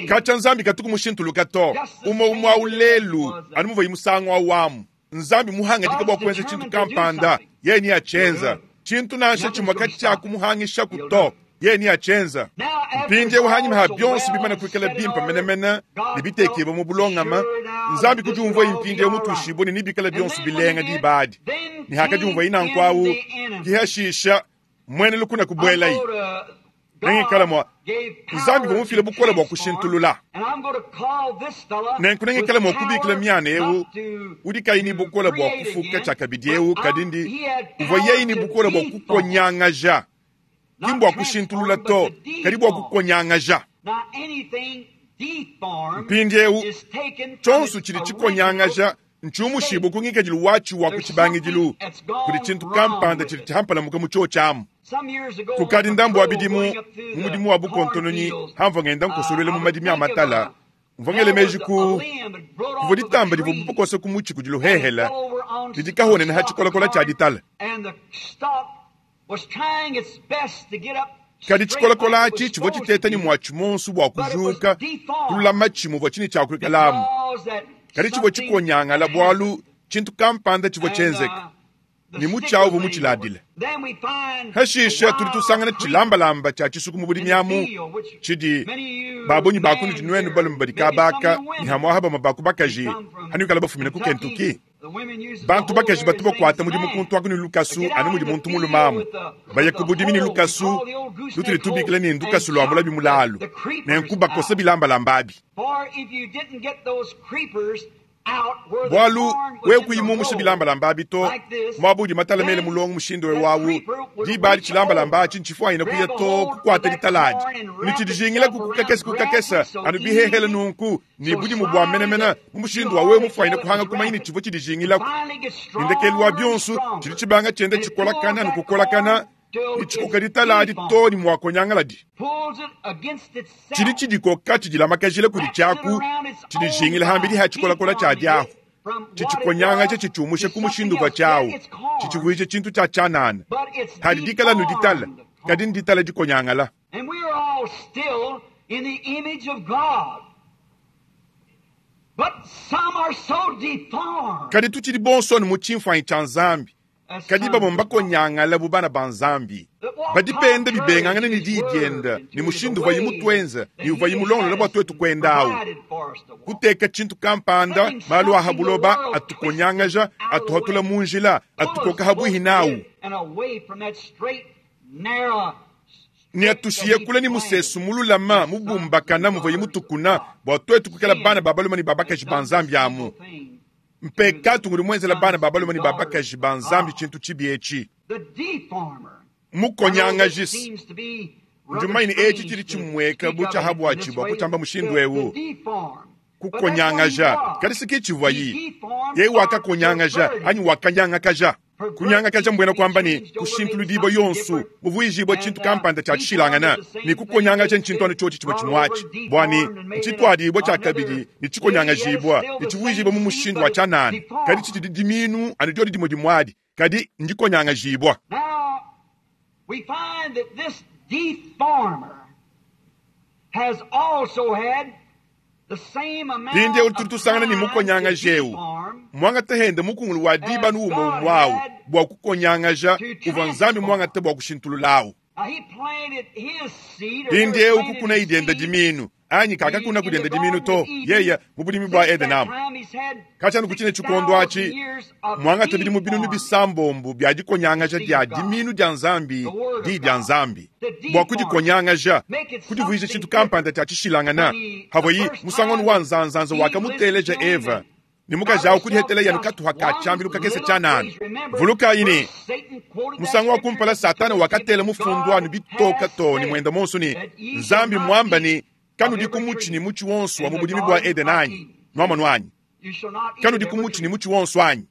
Katshia Nzambi katuku mushintuluka to, umue umue au lelu anu muvuaye musangu au amu. Nzambi muhangadike bua kuenza tshintu kampanda, yeye neatshienza. Tshintu nansha tshimue katshiakumuhangishaku to, yeye neatshienza. Mpindieu hanyima ha bionso bimane kuikala bimpe menemene ne bitekibue mu bulongame, Nzambi kudiumvuaye mpindieu mutuishibue ne nebikale bionso bilenga diba adi. Ne hakadiumvuaye nanku au, ke hashisha muena lukuna kubuelaye. Nengikale mua Nzambi uvua mufile bukole bua kushintulula. Nenku nengikale mua kubikila miana eu udi kayi ne bukole bua kufuka tshiakabidi eu, kadi ndi uvua yeye ne bukole bua kukonyangaja, ki mbua kushintulula to, kadi bua kukonyangaja. Mpindieu, tshionso tshidi tshikonyangaja ntshiumushibue ku ngikadilu watshi wa ku tshibangidilu kudi tshintu kampanda tshidi tshihampalamuka mu tshiotshi amu. Kukadi ndambu wa bidimu, mu mudimu wa bukontononyi hamvua ngenda nkosoluela mu madimi a matala, mvua ngela meji ku kuvua ditamba divua bukose ku mutshi kudi luhehela didi kahonene ha tshikolakola tshia ditala. Kadi tshikolakola atshi tshivua tshiteta ne muatshi muonso bua kujuka kululama tshimuvua tshine tshia kuikalamu. Kadi tshivua tshikonyangala bualu tshintu kampanda tshivua tshienzeka ne mutshi au uvua mutshiladile. Hashishe tudi tusangana tshilambalamba tshia tshisuku mu budimi amu tshidi babunyi ba kunudi nuenu balume badi kabaka ne hamuaha bamue ba ku bakaji hanuikala bafumine ku Kentucky. Bantu bakaji batu bakuata mudimu kuntu aku ne lukasu anu mudi muntu mulume amu. Baya ku budimi ne lukasu lutudi tubikila ne ndukasu lua mulabi mulalu, nenku bakosa bilambalamba abi. Bualu wewe kuyi mumushe bilambalamba abi to, muaba udi matala mele mulongo mushindu eu au, diba adi tshilambalamba atshi ntshifuanyine kuya to kukuata ditala adi ne tshidijingilaku ku kakese ku kakese anu bihehele nunku ne budimu bua menemene mu mushindu wa wewe mufuanyine kuhanga kumanya ne tshivua tshidijingilaku. Ne ndekelu wa bionso tshidi tshibanga tshienda tshikolakana ne kukolakana ne tshikoka ditala adi too ne muakonyangaladi. Tshidi tshidikoka tshidilamakajila kudi tshiaku tshidijingila hambidi ha tshikolakola tshia diahu, tshitshikonyangaja tshitshiumusha ku mushindu uvua tshiawu, tshitshivuija tshintu tshia tshianana. Hadi dikala anu ditala, kadi nditala dikonyangala. And we are all still in the image of God. But some are so deformed. Kadi tutshidi bonso anu mu tshimfuanyi tshia Nzambi, as kadi sons bamue of God. mbakonyangale bu bana ba Nzambi. Badi benda bibengangana ne diyi diende ne mushindu uvuaye mutuenze ne uvuaye mulongolole bua tuetu kuenda awu. Kuteka tshintu kampanda, malu a ha buloba atukonyangaja, atuhatula mu njila, atukoka habuihi nawu. And away from that straight, narrow Ne atushiye kule ne musesu mululama mubumbakana muvuaye mutukuna bua tuetu kuikala bana ba balume ne ba bakaji ba Nzambi amu. Mpekatu ngudi muenzela bana ba balume ne ba bakaji ba Nzambi tshintu tshibi etshi. The deformer. Mukonyangajisi. Ndi mumanye ne etshi tshidi tshimueka bu tshiahabuatshi bua kutshiamba mushindu eu. Kukonyangaja. Kadi si ke tshivuayi. Yeye wakakonyangaja anyi wakanyangakaja. Kunyangakaja mbuena kuamba ne kushintuludibua yonso, muvuijibua tshintu kampanda tshia tshishilangana, ne kukonyangaja ntshintu anu tshiotshi tshimue tshimue atshi, bua ne ntshituadibua tshiakabidi ne tshikonyangajibua ne tshivuijibua mu mushindu wa tshianana, kadi tshitshidi dimiinu anu diodi dimue dimue adi, kadi ndikonyangajibua. Now, we find that this deformer has also had the same amount Mpindieu of tudi tusangana ne time to mukonyangaji eu deform muangate hende mukungulu wa diba anu umue umue au bua kukonyangaja uvua Nzambi muangate bua kushintulula au. Mpindiewu kukunayi diende dimiinu anyi kakakuna ku diende dimiinu to, yeye mu budimi bua Edene amu. Katshia anu ku tshine tshikondo atshi, muangate bidimu binunu bisambombo bia dikonyangaja dia dimiinu dia Nzambi, Diyi dia Nzambi, bua kudikonyangaja, kudivuija tshintu kampanda tshia tshishilangana. Pavua musangu anu wa nzanzanza wakamuteleja Eva ne mukaji awu kudihetela yanu katuha ka tshiambilu kakese tshianana. Vulukayi ne, musangu wa kumpala Satana wakatela mufundu anu bitoka too ne muenda muonso ne, Nzambi muamba ne, Kanudi ku mutshi ne mutshi wonso wa mu budimi bua Edene anyi? Nuamonu anyi? Kanudi ku mutshi ne mutshi wonso anyi?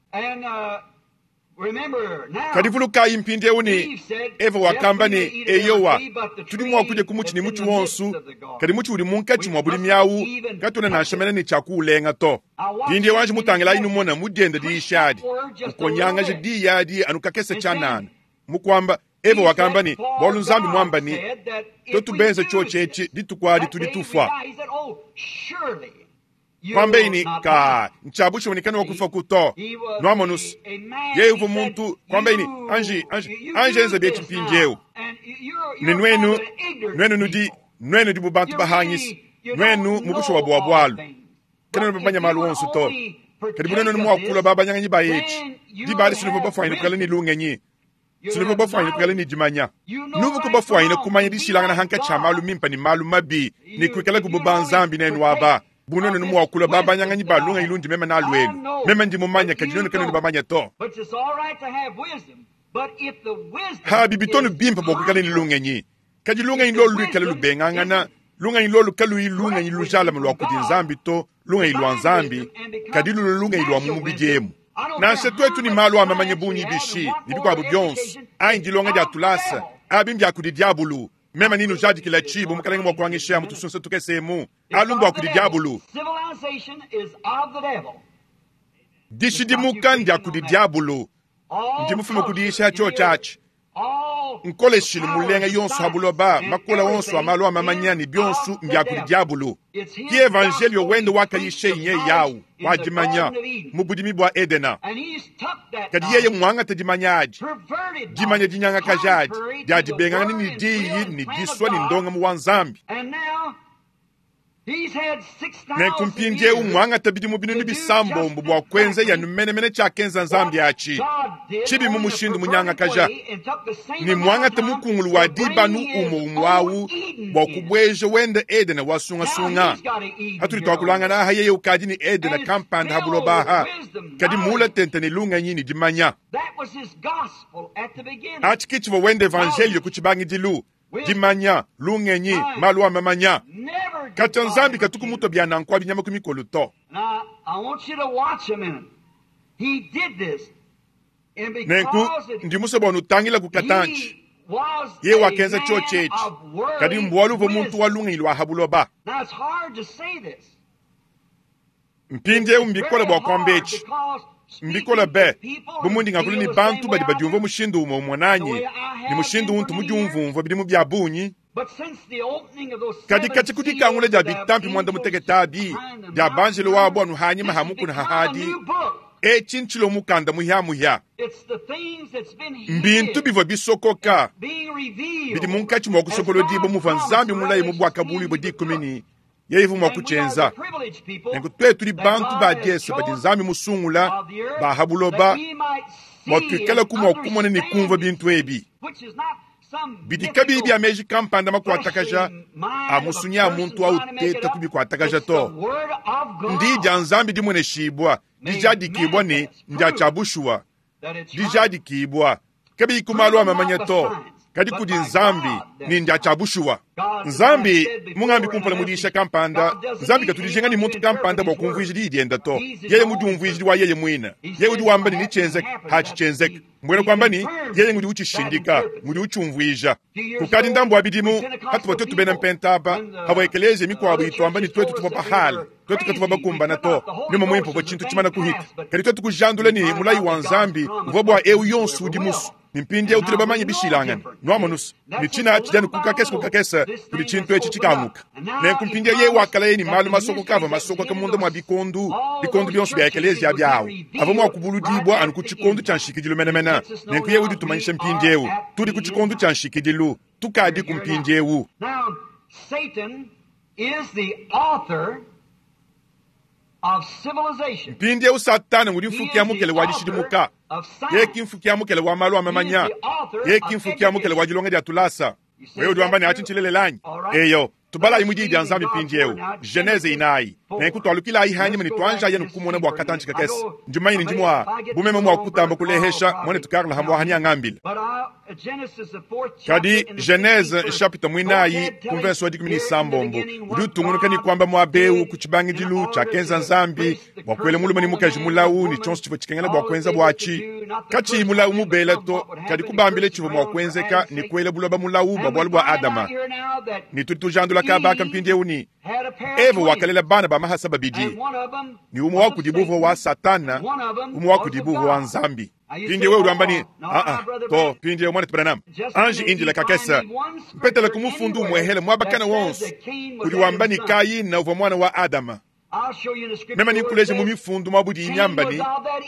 Kadi vulukayi mpindieu ne, Eva wakamba ne, Eyowa, tudi mua kudia ku mutshi ne mutshi wonso, kadi mutshi udi munkatshi mua budimi awu katuena nansha mene ne tshia kuulenga to. Mpindieu anji mutangilayi numona mu dienda diyisha adi, ukonyangaja diyi adi anu kakese tshianana, mu kuamba, Eva wakamba ne, Bualu Nzambi muamba ne, tuetu benze tshiotshi etshi, dituku adi tudi tufua. Kuambeyi ne, Kaa, ntshia bushuwa ne kanuakufaku to. Nuamonus, yeye uvua muntu. Kuambeyi ne, Anji, anji, anji enza bietshi mpindiewu. Ne nuenu, nuenu nudi, nuenu nudi bu bantu bahangisa, nuenu mu bushuwa bua bualu. Kanuena bamanya malu onso to. Kadi bu nuenu mua kulua babanyanganyi ba etshi, diba adi sinuvua bafuanyine kuikala ne lungenyi. Sinuvua bafuanyine kuikala ne dimanya. Nuvua bafuanyine kumanya dishilangana hankatshi ha malu mimpe ne malu mabi, ne kuikala bu banzambi nenu aba, bu nuenu mua kulua babanyanganyi ba lungenyi lundi meme nalu elu. Meme ndi mumanye, kadi nuenu kanuena bamanye to. Habi bitonu bimpe bua kuikala ne lungenyi, kadi lungenyi lolu luikale lubengangana, lungenyi lolu kaluyi lungenyi lujalame lua kudi Nzambi to, lungenyi lua Nzambi, kadi lulu lungenyi lua mu mubidi emu. Nansha tuetu ne malu a mamanya bungi bishi ne bikuabu bionso, anyi dilonga dia tulasa, abi mbia kudi diabulu. Meme ni nujadikila tshi bu mukalenge mua kuangisha mu tusunsa tukese emu, alu mbua kudi diabulu. Dishidimuka ndia kudi diabulu. Ndi mufume ku diyisha tshiotshi atshi. Nkoleshilu mulenga yonso ha buloba, makola onso a malu a mamanya ne bionso mbia kudi diabulu. Ki evanjelio wende wakayisha nye yawu wa dimanya mu budimi bua Edena. Kadi yeye muangate dimanya adi, dimanya dinyangakaja adi, dia dibengangana ne diyi ne disua ne ndongamu wa Nzambi. Nenku mpindieu muangate bidimu binunu bisambombo bua kuenza yanu menemene tshiakenza Nzambi atshi tshibi mu mushindu munyangakaja, ne muangate mukungulu wa dibanu umue umue awu bua kubueja wende Edene wa sungasunga. Hatudi tuakulangana aha, yeye ukadi ne Edene kampanda ha buloba aha, kadi muula tente ne lungenyi ne dimanya. Atshi ke tshivua wende evanjelio ku tshibangidilu. Dimanya, lungenyi, malu a mamanya. Katshia Nzambi katuku mutua bia nanku abi nyama ku mikolo to. Nenku ndi musue bua nutangilaku katantshi. Yeye wakenza tshiotshi etshi, kadi mbualu uvua muntu wa lungenyi lua ha buloba. Mpindieu mbikole bua kuamba etshi. Mbikole be, bu mundi ngakula ne bantu badi badiumvua mushindu umue umue nanyi ne mushindu untu mudiumvumvua bidimu bia bungi. Kadi katshia ku dikangula dia bitampi muanda-mutekete abi dia banjelo wabu anu hanyima ha mukuna hahadi, etshi ntshilua mukanda muhia-muhia. Mbintu bivua bisokoka bidi munkatshi mua kusokolodibua muvua Nzambi mulaye mu Buakabuluibua dikumi ne yeye uvua mua kutshienza. Nenku tuetu tudi bantu ba diese badi Nzambi musungula ba ha buloba bua tuikalaku mua kumona ne kumvua bintu ebi bidi kabiyi bia meji kampanda makuatakaja a musunyi a muntu au teta kubikuatakaja to. Ndiyi dia Nzambi dimueneshibua, dijadikibua ne ndia tshia bushuwa, dijadikibua kabiyi ku malu a mamanya to, kadi kudi Nzambi ne ndia tshia bushuwa. Nzambi mungambi kumpala mu diyisha kampanda, Nzambi katu dijinga ne muntu kampanda bua kumvuija diyi diende to. Yeye mudiumvuiji wa yeye muine. Yeye udi wamba ne netshienzeke, hatshi tshienzeke. Mbuena kuamba ne, yeye ngudi utshishindika, ngudi utshiumvuija. Kukadi ndambu wa bidimu, hatuvua tuetu bena mpenta aba, pavua ekeleziya mikuabu ituamba ne tuetu tuvua bahala, tuetu katuvua bakumbana to. Nyuma Muimpe uvua tshintu tshimana kuhita. Kadi tuetu kujandula ne mulayi wa Nzambi uvua bua eu yonso udi musue. Ne mpindieu tudi bamanye bishilangane. Nwamonus, ne tshina tshidi anu ku kakese ku kakese kudi tshintu etshi tshikanguka. Nenku mpindieu yeye wakalaye ne malu masokoka avua masokoka munda mua bikondu, bikondu bionso bia ekeleziya biawu, avua mua kubuludibua anu ku tshikondo tshia nshikidilu menemene. Nenku yeye udi utumanyisha mpindieu, tudi ku tshikondo tshia nshikidilu. Tukadiku mpindieu. Now, Satan is the author of civilization. Mpindieu Satana udi mfuki ya mukele wa dishidimuka. Yeye ki mfuki ya mukele wa malu a mamanya. Yeye ki mfuki ya mukele wa dilonga dia tulasa. Wewe udi wamba ne, Atshi ntshilelela anyi? Eyo, tubalayi mu Diyi dia Nzambi mpindieu, Genese inayi. Nenku tualukilayi hanyima ne tuanjayi anu kumona bua katantshi kakese. Ndi mumanye ne ndi mua, bu meme mua kutamba kulehesha, muanetu Carl Hamwaha neangambile. Kadi Genese nshapita muinayi ku mvese wa 16 udi utungunuka ne kuamba muaba eu ku tshibangidilu tshiakenza Nzambi bua kuela mulume ne mukaji mulawu ne tshionso tshivua tshikengela bua kuenza buatshi, katshiyi mulawu mubela to, kadi kubambila tshivua mua kuenzeka ne kuela buloba mulawu bua bualu bua Adama. Ne tudi tujandula kaba aka mpindieu ne, Eva wakalela bana ba mahasa babidi, ne umue wa kudibu uvua wa Satana, umue wa kudibu uvua wa Nzambi. Mpindieu wewe udi wamba ne, Aa, to, mpindieu muanetu Branham, anji indila kakese, mpetela ku mufundu umuehele muaba kana wonso udi wamba ne Kayina uvua muana wa Adama. Meme nenkuleje mu mifundu mua budiyi miamba ne,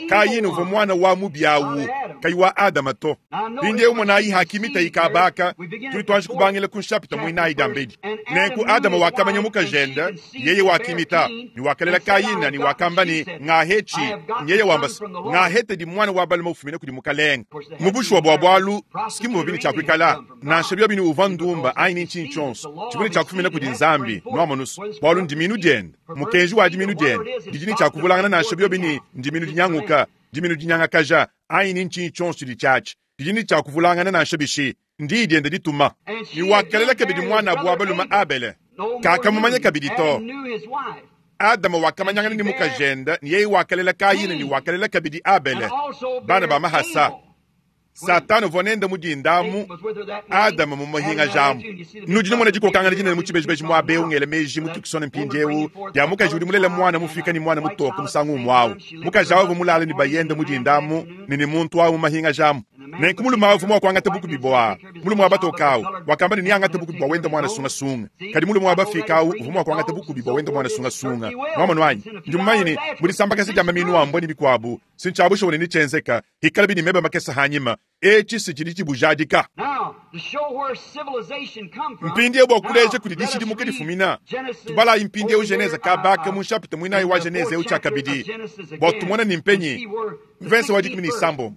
Kayina uvua muana wa mubi awu, kayi wa Adama to. Mpindieu monayi hakimita ikaba aka, tudi tuanji kubangila ku nshapita muinayi diambedi. Nenku Adama wakamanya mukajende, yeye wakimita, ne wakalela Kayina, ne wakamba ne, Ngahetshi, nyeye wamba se, Ngahetedi muana wa balume ufumina kudi Mukalenge. Mu bushuwa bua bualu, si muvua bine tshia kuikala, nansha biobi ne uvua ndumba anyi ne ntshinyi tshionso, tshivua ne tshia kufumina kudi Nzambi, nwamonus, bualu ndimiinu diende, mukenji wa dimiinu diende, didi ne tshia kuvulangana nansha biobi ne ndimiinu dinyanguka, dimiinu dinyangakaja, anyi ne ntshinyi tshionso tshidi tshiatshi, didi ne tshia kuvulangana nansha bishi, ndiyi diende dituma. Ne wakalela kabidi muanabu wa balume Abele, kakamumanya kabidi to. Adama wakamanyangana ne mukajende, ne yeye wakalela Kayina ne wakalela kabidi Abele, bana ba mahasa. Satana uvua nende mu dinda amu, Adama mumuhingajamu. Nudi numona dikokangana dinene mu tshibejibeji muaba eu, ngela meji mu Tucson mpindieu, dia mukaji udi mulele muana mufika ne muana mutoke musangu umue au. Mukaji au uvua mulale ne bayende mu dinda amu ne ne muntu au mumahingajamu. Nenku mulume au uvua mua kuangata bukubi bua mulume wa batoke au, wakamba ne neangate bukubi bua wende muana sungasunga. Kadi mulume wa bafika au uvua mua kuangata bukubi bua wende muana sungasunga. Nwamonu anyi? Ndi mumanye ne, mu disambakasa dia maminu a mbua ne bikuabu, si ntshia bushuwa ne netshienzeka, hikalabi ne meba makese hanyima, etshi si tshidi tshibujadika. Mpindieu bua kuleja kudi dishidimuka difumina, tubalayi mpindieu Genese kabaka mu nshapita muinayi wa Genese eu tshiakabidi, bua tumone ni mpenyi mvese wa 16.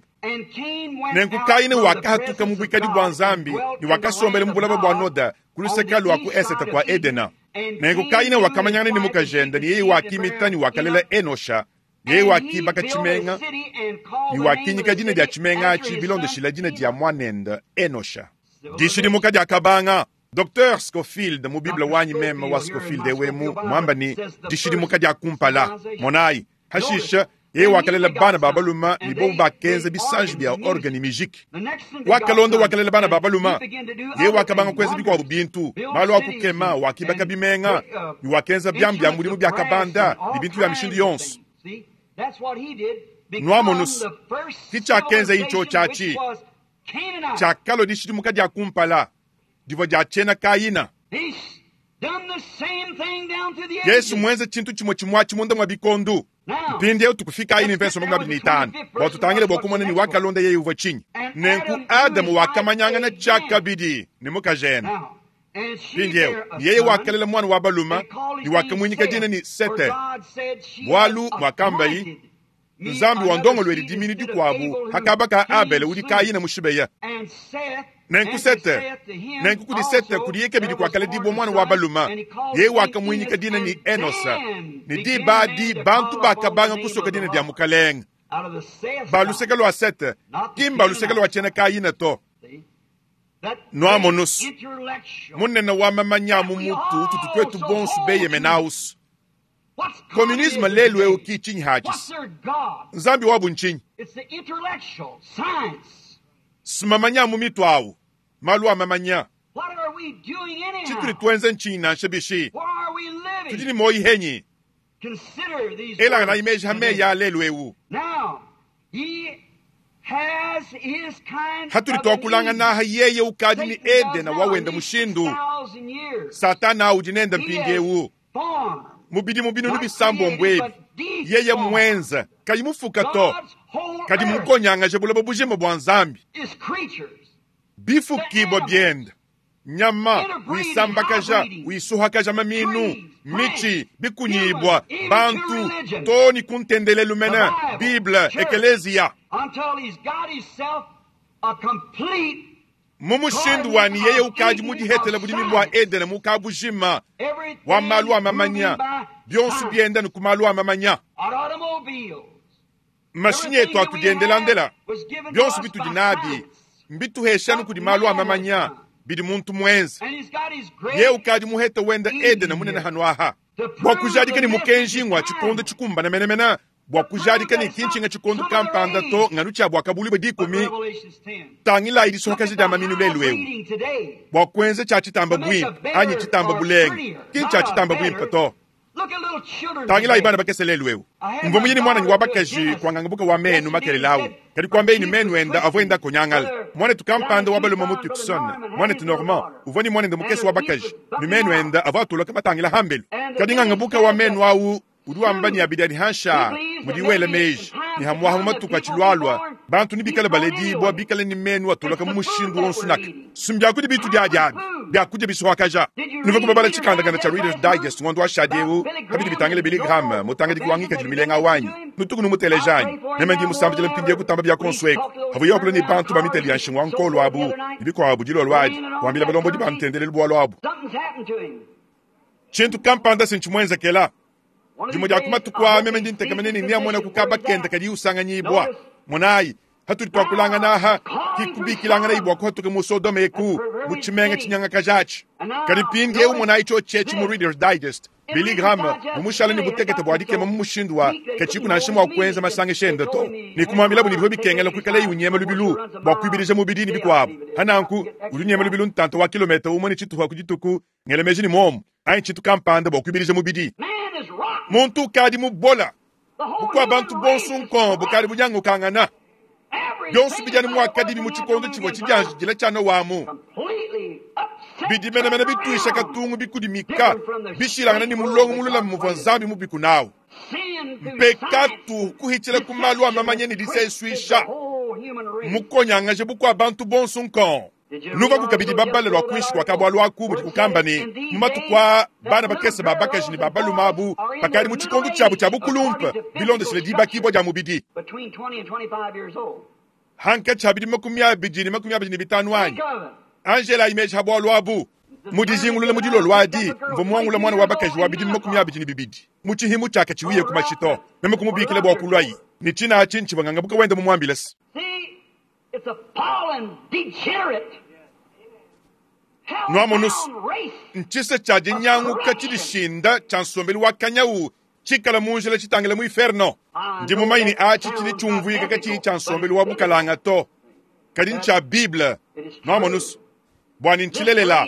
Nenku Kayina wakahatuka mu buikadi bua Nzambi ne wakasombela mu bulaba bua Noda ku luseke lua ku esete kua Edena. Nenku Kayina wakamanyangana ne mukajende, ne yeye wakimita ne wakalela Enosha. Yeye wakibaka tshimenga ne wakinyika dina dia tshimenga atshi bilondeshila dina dia muanende Enosha. Dishidimuka diakabanga. Docteur Scofield mu Bible wanyi meme wa Scofield eu emu muamba ne, Dishidimuka dia kumpala. Monayi, hashishe yeye wakalela bana ba balume ne bobu bakenza bisanji bia orgue ne mijiki. Wakalonda wakalela bana ba balume, yeye wakabanga kuenza bikuabu bintu, malu a kukema, wakibaka bimenga ne wakenza biamu bia mudimu bia kabanda ne bintu bia mishindu yonso. Nuamonus, ki tshiakenza intsho tshiatshi tshiakalua dishidimuka dia kumpala divua dia tshiena Kayina. Yesu muenze tshintu tshimue tshimue atshi munda mua bikondu. Mpindieu tukufikayi ne mvese 25 bua tutangile bua kumona ne wakalonda yeye uvua tshinyi. Nenku Adamu wakamanyangana tshiakabidi ne mukajende. Mpindieu yeye wakalela muana wa balume ne wakamuinyika dina ne Sete, bualu muakambayi, Nzambi wa ndongoluedi diminu dikuabu hakaba ka Abele udi Kayina mushibeya. Nenku Sete, nenku kudi Sete kudiye kabidi kuakaledibua muana wa balume, yeye wakamuinyika dina ne Enosa, ne diba adi bantu bakabanga kusoka dina dia Mukalenge. Ba luseke lua Sete, ki mba luseke lua tshiena Kayina to. Nuamonus, munene wa mamanya mu mutu ututu tuetu bonso beyemena-us. Communisme lelu eu ki tshinyi hatshisi? Nzambi wabu ntshinyi? Simamanya mu mitu awu, malu a mamanya. Tshitudi tuenza ntshinyi nansha bishi? Tudi ne muoyi henyi? Elanganayi meji ha meyi a lelu eu. Hatudi tuakulangana yeye ukadi ni Edena wawenda mushindu. Satana udi nenda mpindieu. Mubidi mubinu bisambo ebi. Yeye mwenza kayi mufuka to. Kadi mukonyangaje buloba bujima bua Nzambi. Bifukibwa byenda. Nyama wisambakaja wisuhakaja maminu michi bikunyibwa bantu toni kuntendelelu mena Bible ekelezia. Mu mushindu wani yeye ukadi mudihetela budimi bua Edene mukabujima wa malu a mamanya byonso byenda ni ku malu a mamanya. Mashinyi etu atudiendelandela byonso bitudi nabi mbituheshanu kudi malu a mamanya bidi muntu mwenza. Ye ukadi muhete wenda Edene munene hanu aha bua kujadika ni mukenji ngwa chikondo chikumbana menemena bua kujadika ni kinchinga chikondo kampanda to nganu cha bua kabuli bwe dikumi tangila idi sokaji da maminu lelu ewu bua kuenza cha chitamba bwimpe anyi chitamba bulenge kincha chitamba bwimpe to tangila ibana bakese lelu ewu mvo muyini mwana ni wabakaji kwangangabuka wa menu makelelawu kadi kwambe ni menu enda avo konyangala mwana tukampanda wabaluma mu Tucson mwana tu Normand uvoni mwana enda mukesi wabakaji ni menu enda avo atoloka batangila hambelu kadi ngangabuka wa menu awu udi wamba ni abidani hansha mudiwele meji ni hamwaha matuka chilwalwa bantu ni bikale baledibwa bikale ni menu atoloka mu mushindu wonsunaka sumbyakudi bitu dyadyabi byakudya bisuhakaja nuva kubabala chikandakanda cha Reader's Digest ngondo wa shadiewu kabidi bitangile Billy Graham mutangidi kuwangika jilumilenga wanyi nutuku numutelejanyi neme ndi musambijila mpindiye kutamba bya konsweko havu yokula ni bantu bamiteli ya nshingwa nkolo abu nibikwabo dilolwadi wambila balombodi bantendelelu bwalo abu chintu kampanda sinchimwenzekela jimo dia kumatukwa meme ndi ntekamene ni niamona kukaba kenda kadi usanganyibwa monayi hatuli twakulangana aha kikubikilangana ibwa kuhatuka mu Sodoma eku mu chimenga chinyanga kajachi kadi pindi eu monayi cho chechi mu Reader's Digest Billy Graham mumushala ni butekete bwa dikema mu mushindu wa kachiku na shimo wa kuenza masange shenda to ni kumwambila buni biho bikengela kuikala yunyema lubilu bwa kuibirija mubidini bikwabo hananku ulinyema lubilu ntanto wa kilometa umwe ni chituha kujituku ngelemeji ni momu ayi chitu kampanda bwa kuibirija mubidi muntu ukadi mubola bukwa bantu bonso nkombo bukali bunyangukangana byonso bijani mwakadibi mu chikondo chimwe chijanjijila chano wamu bidimenemene bitwisha katungu bikudimika bishilangana ni mulongo mulula muvwa nzambi mubiku nawu mpekatu kuhichila kumalu amamanye ni diseswisha mukonyangaje bukwa bantu bonso nkombo nuva kukabidi babale lwa kuishi kwa kabwa lwaku budi kukamba ni mumatukwa bana bakese babakaji ni babaluma abu bakali mu chikondo chabu cha bukulumpa bilondesele dibakibwa dia mubidi hanka chabidi 25 anyi Angela imeji habwa lwabu mudizingulule mudilo lwadi mvo mwangula mwana wa bakaji wa bidi 22 muchihimu chaka chiwiye kumachito meme kumubikile bwa kulwayi ni china achinchi bangangabuka wenda mumwambilesi. It's a fallen, degenerate, Nwamonusu nchisa cha dinyanguka chilishinda cha nsombelu wa kanyau chikala munjila chitangila mu inferno ndi mumaini achi chili chumvuika kachi cha nsombelu wa bukalanga to kadi ncha Bible nwamonusu bwani nchilelela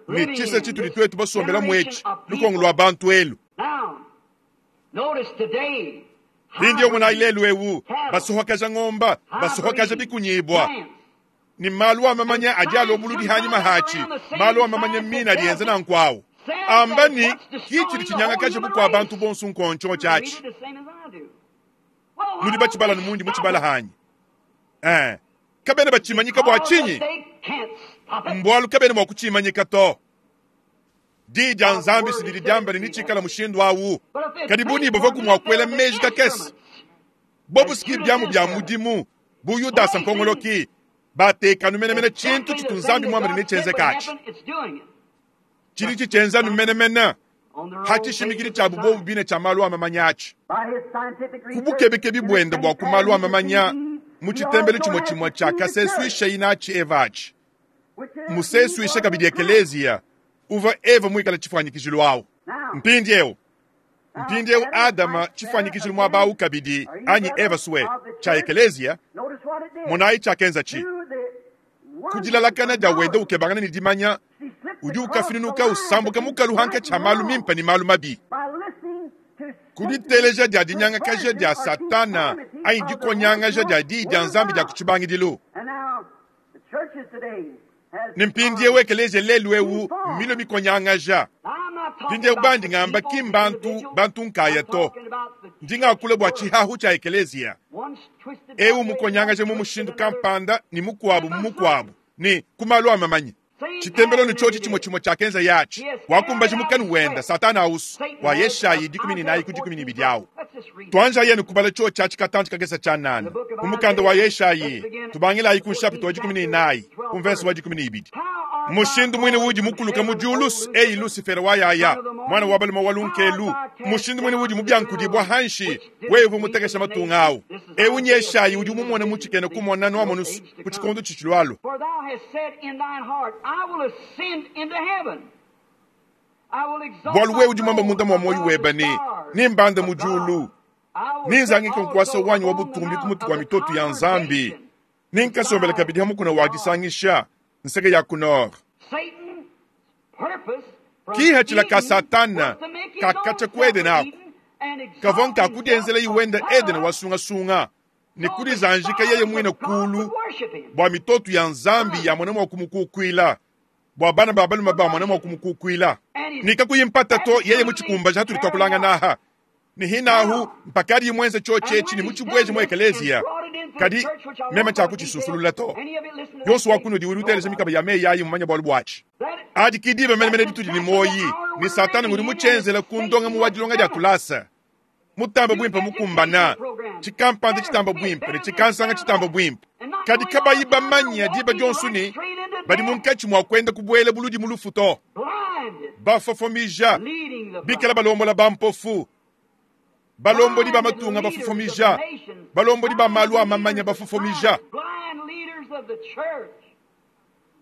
ni chisa chituli twetu basombela mwechi lukongo lwa bantu elu Hindi omuna ilelu ewu basuhakaja ng'omba basuhakaja bikunyibwa ni malu amamanya ajalo omuludi hanyuma hachi malu amamanya mina alienza na nkwawu amba ni kichili chinyangakaje bukwa abantu bonso nkoncho chachi nudi bachibala numundi muchibala hanyi kabene bachimanyika bwa chinyi mbwalu kabene mwa kuchimanyika to dija nzambi sidili jamba ni nichikala mushindu awu karibuni bava kumwakwela meji kakesi bobu siki byamu bya mudimu buyudasa mpongoloki batekanu menemene chintu chitu nzambi mwamene nichenzekachi chili chichenza numenemene hachishimikili cha bubobu bine cha malu amamanyachi kubukebekebi bwenda bwa kumalu amamanya muchitembele chimwe chimwe cha kaseswisha inachi evachi museswisha kabidi ekelezia uva eva mwikala chifanyikizilo awo mpindi Adama chifanyikizilo mwabawu kabidi anyi eva suwe cha ekelezia monayi chakenza chi kudilalakana dia wenda ukebangana ni dimanya udi ukafinunuka usambuka mukalu hanka cha malu mimpa ni malu mabi kuditeleja dia dinyangakaja dia satana anyi dikonyangaja dia diyi dia Nzambi dia ku tshibangidilu. Ne mpindieu ekeleziya lelu eu mmilue mikonyangaja. Mpindieu bandi ngamba ki mbantu bantu nkaya to, ndi ngakula bua tshihahu tshia ekeleziya. Eu mukonyangaja mu mushindu kampanda ne mukuabu mu mukuabu ne ku malu a mamanya. Tshitembelo ne tshiotshi tshimue tshimue tshiakenza yatshi wakumbaja mukanu wenda Satana ausu wa Yeshayi 14 ku 12 awu. Tuanjayi ne kubala tshiotshi atshi katantshi kakese tshianana mu mukanda wa Yeshayi, tubangilayi ku nshapita wa 14 ku mvese wa 12. Mushindu muine udi mukuluka mu diulu, eyi Lusifera wa yaya, mwana wa balume wa lunkelu, mushindu muine udi mubiankudibua hanshi, wewe uvua mutekesha matunga awu. Eu nyeshayi udi mumone mu tshikena kumona nuamonusu ku tshikondo tshitshilualua. For thou hast said in thine heart, I will ascend into heaven. I will exalt Bualu my wewe udi mwamba throne munda mwa moyo above weba the ne stars nimbanda mu of God. diulu I will ninzangika sit nkuasa also wanyi wa upon the butumbi ku mount mutu of wa the mitoto ya Nzambi congregation. ninkasombela kabidi ha mukuna wa disangisha nseke ya ku nord. Satan's purpose from Kihachila ka Eden Satana was to make his kakacha own ku Edeni self ako. Eden and exalt Kavua nka himself kudienzela iwenda Edeni above wa sungasunga ne so the kudizanjika yeye stars mwine of God kulu would worship him. bua mitoto ya Nzambi ya mwana mwa kumukukwila bua bana ba balume ba mwana mwa kumukukwila nikakuyimpata to yeye muchikumbaja hatuli twakulanga naha ni hinahu mpakadi imwenze chochechi ni muchibweje mu ekeleziya kadi meme chakuchisusulula to yonso wakuno diwiri utelesha mikaba ya meyi ayi mumanya bwalu bwachi adi kidiba menemene ditudi ni moyi ni satana ngudi muchenzela kundonga mu wadilonga dia tulasa mutamba bwimpe mukumbana chikampanda chitamba bwimpe ne chikansanga chitamba bwimpe kadi kabayi bamanya diba dionso ni badi munkatshi mua kwenda kubwela buludi mu lufu to Blinded, bafofomija leading the blind. bikala balombola bampofu balomboli ba matunga bafofomija balomboli ba malu a mamanya bafofomija Blind leaders of the church.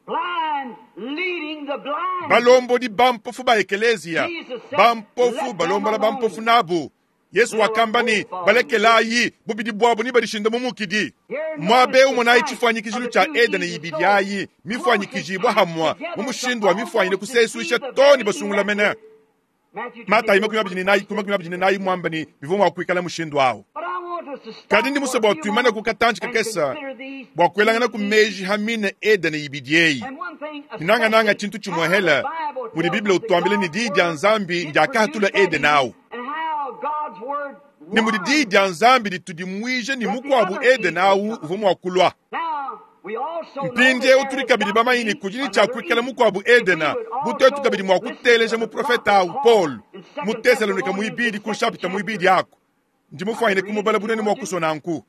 Blind leading the blind. balomboli bampofu ba ekeleziya bampofu balombola bampofu nabu Yesu wakamba ni balekelayi bubidi bwabo ni badishinda mu mukidi mwabe umonayi chifwanyikijilu cha Edeni ibidi ayi mifwanyikijibwa hamwa mu mushindu wa mifwanyine kusesuisha toni basungula mene Matayi 24 mwamba ni bivua mua kuikala mushindu awu But I want us to stop kadi ndi musa for bua a few tuimane moments ku katanji and kakesa consider these bua kuelangana ku two meji hamine Edeni ibidi eyi And one thing ninangananga especially, chintu how chimwehela the Bible mudi tells Biblia us that utuambile ni God's diyi dia word Nzambi did ndiakahatula produce that Edeni awu Eden and how God's word ni mudi diyi warned dia Nzambi ditudimuije ni mukuabu Edeni awu uvua mua kulua Now, we also know that mpindieu there tuli has kabidi got to bamanyi be ni kudini tshia another kuikala Eden. mukuabu If we Edena would butetu also kabidi mua listen to kuteleja the muprofeta prophet awu Paul Paul in 2 mu Tesalonika Thessalonians, muibidi the ku second nshapita muibidi chapter. ako ndimufwanyine kumubala bunene mua kusona nku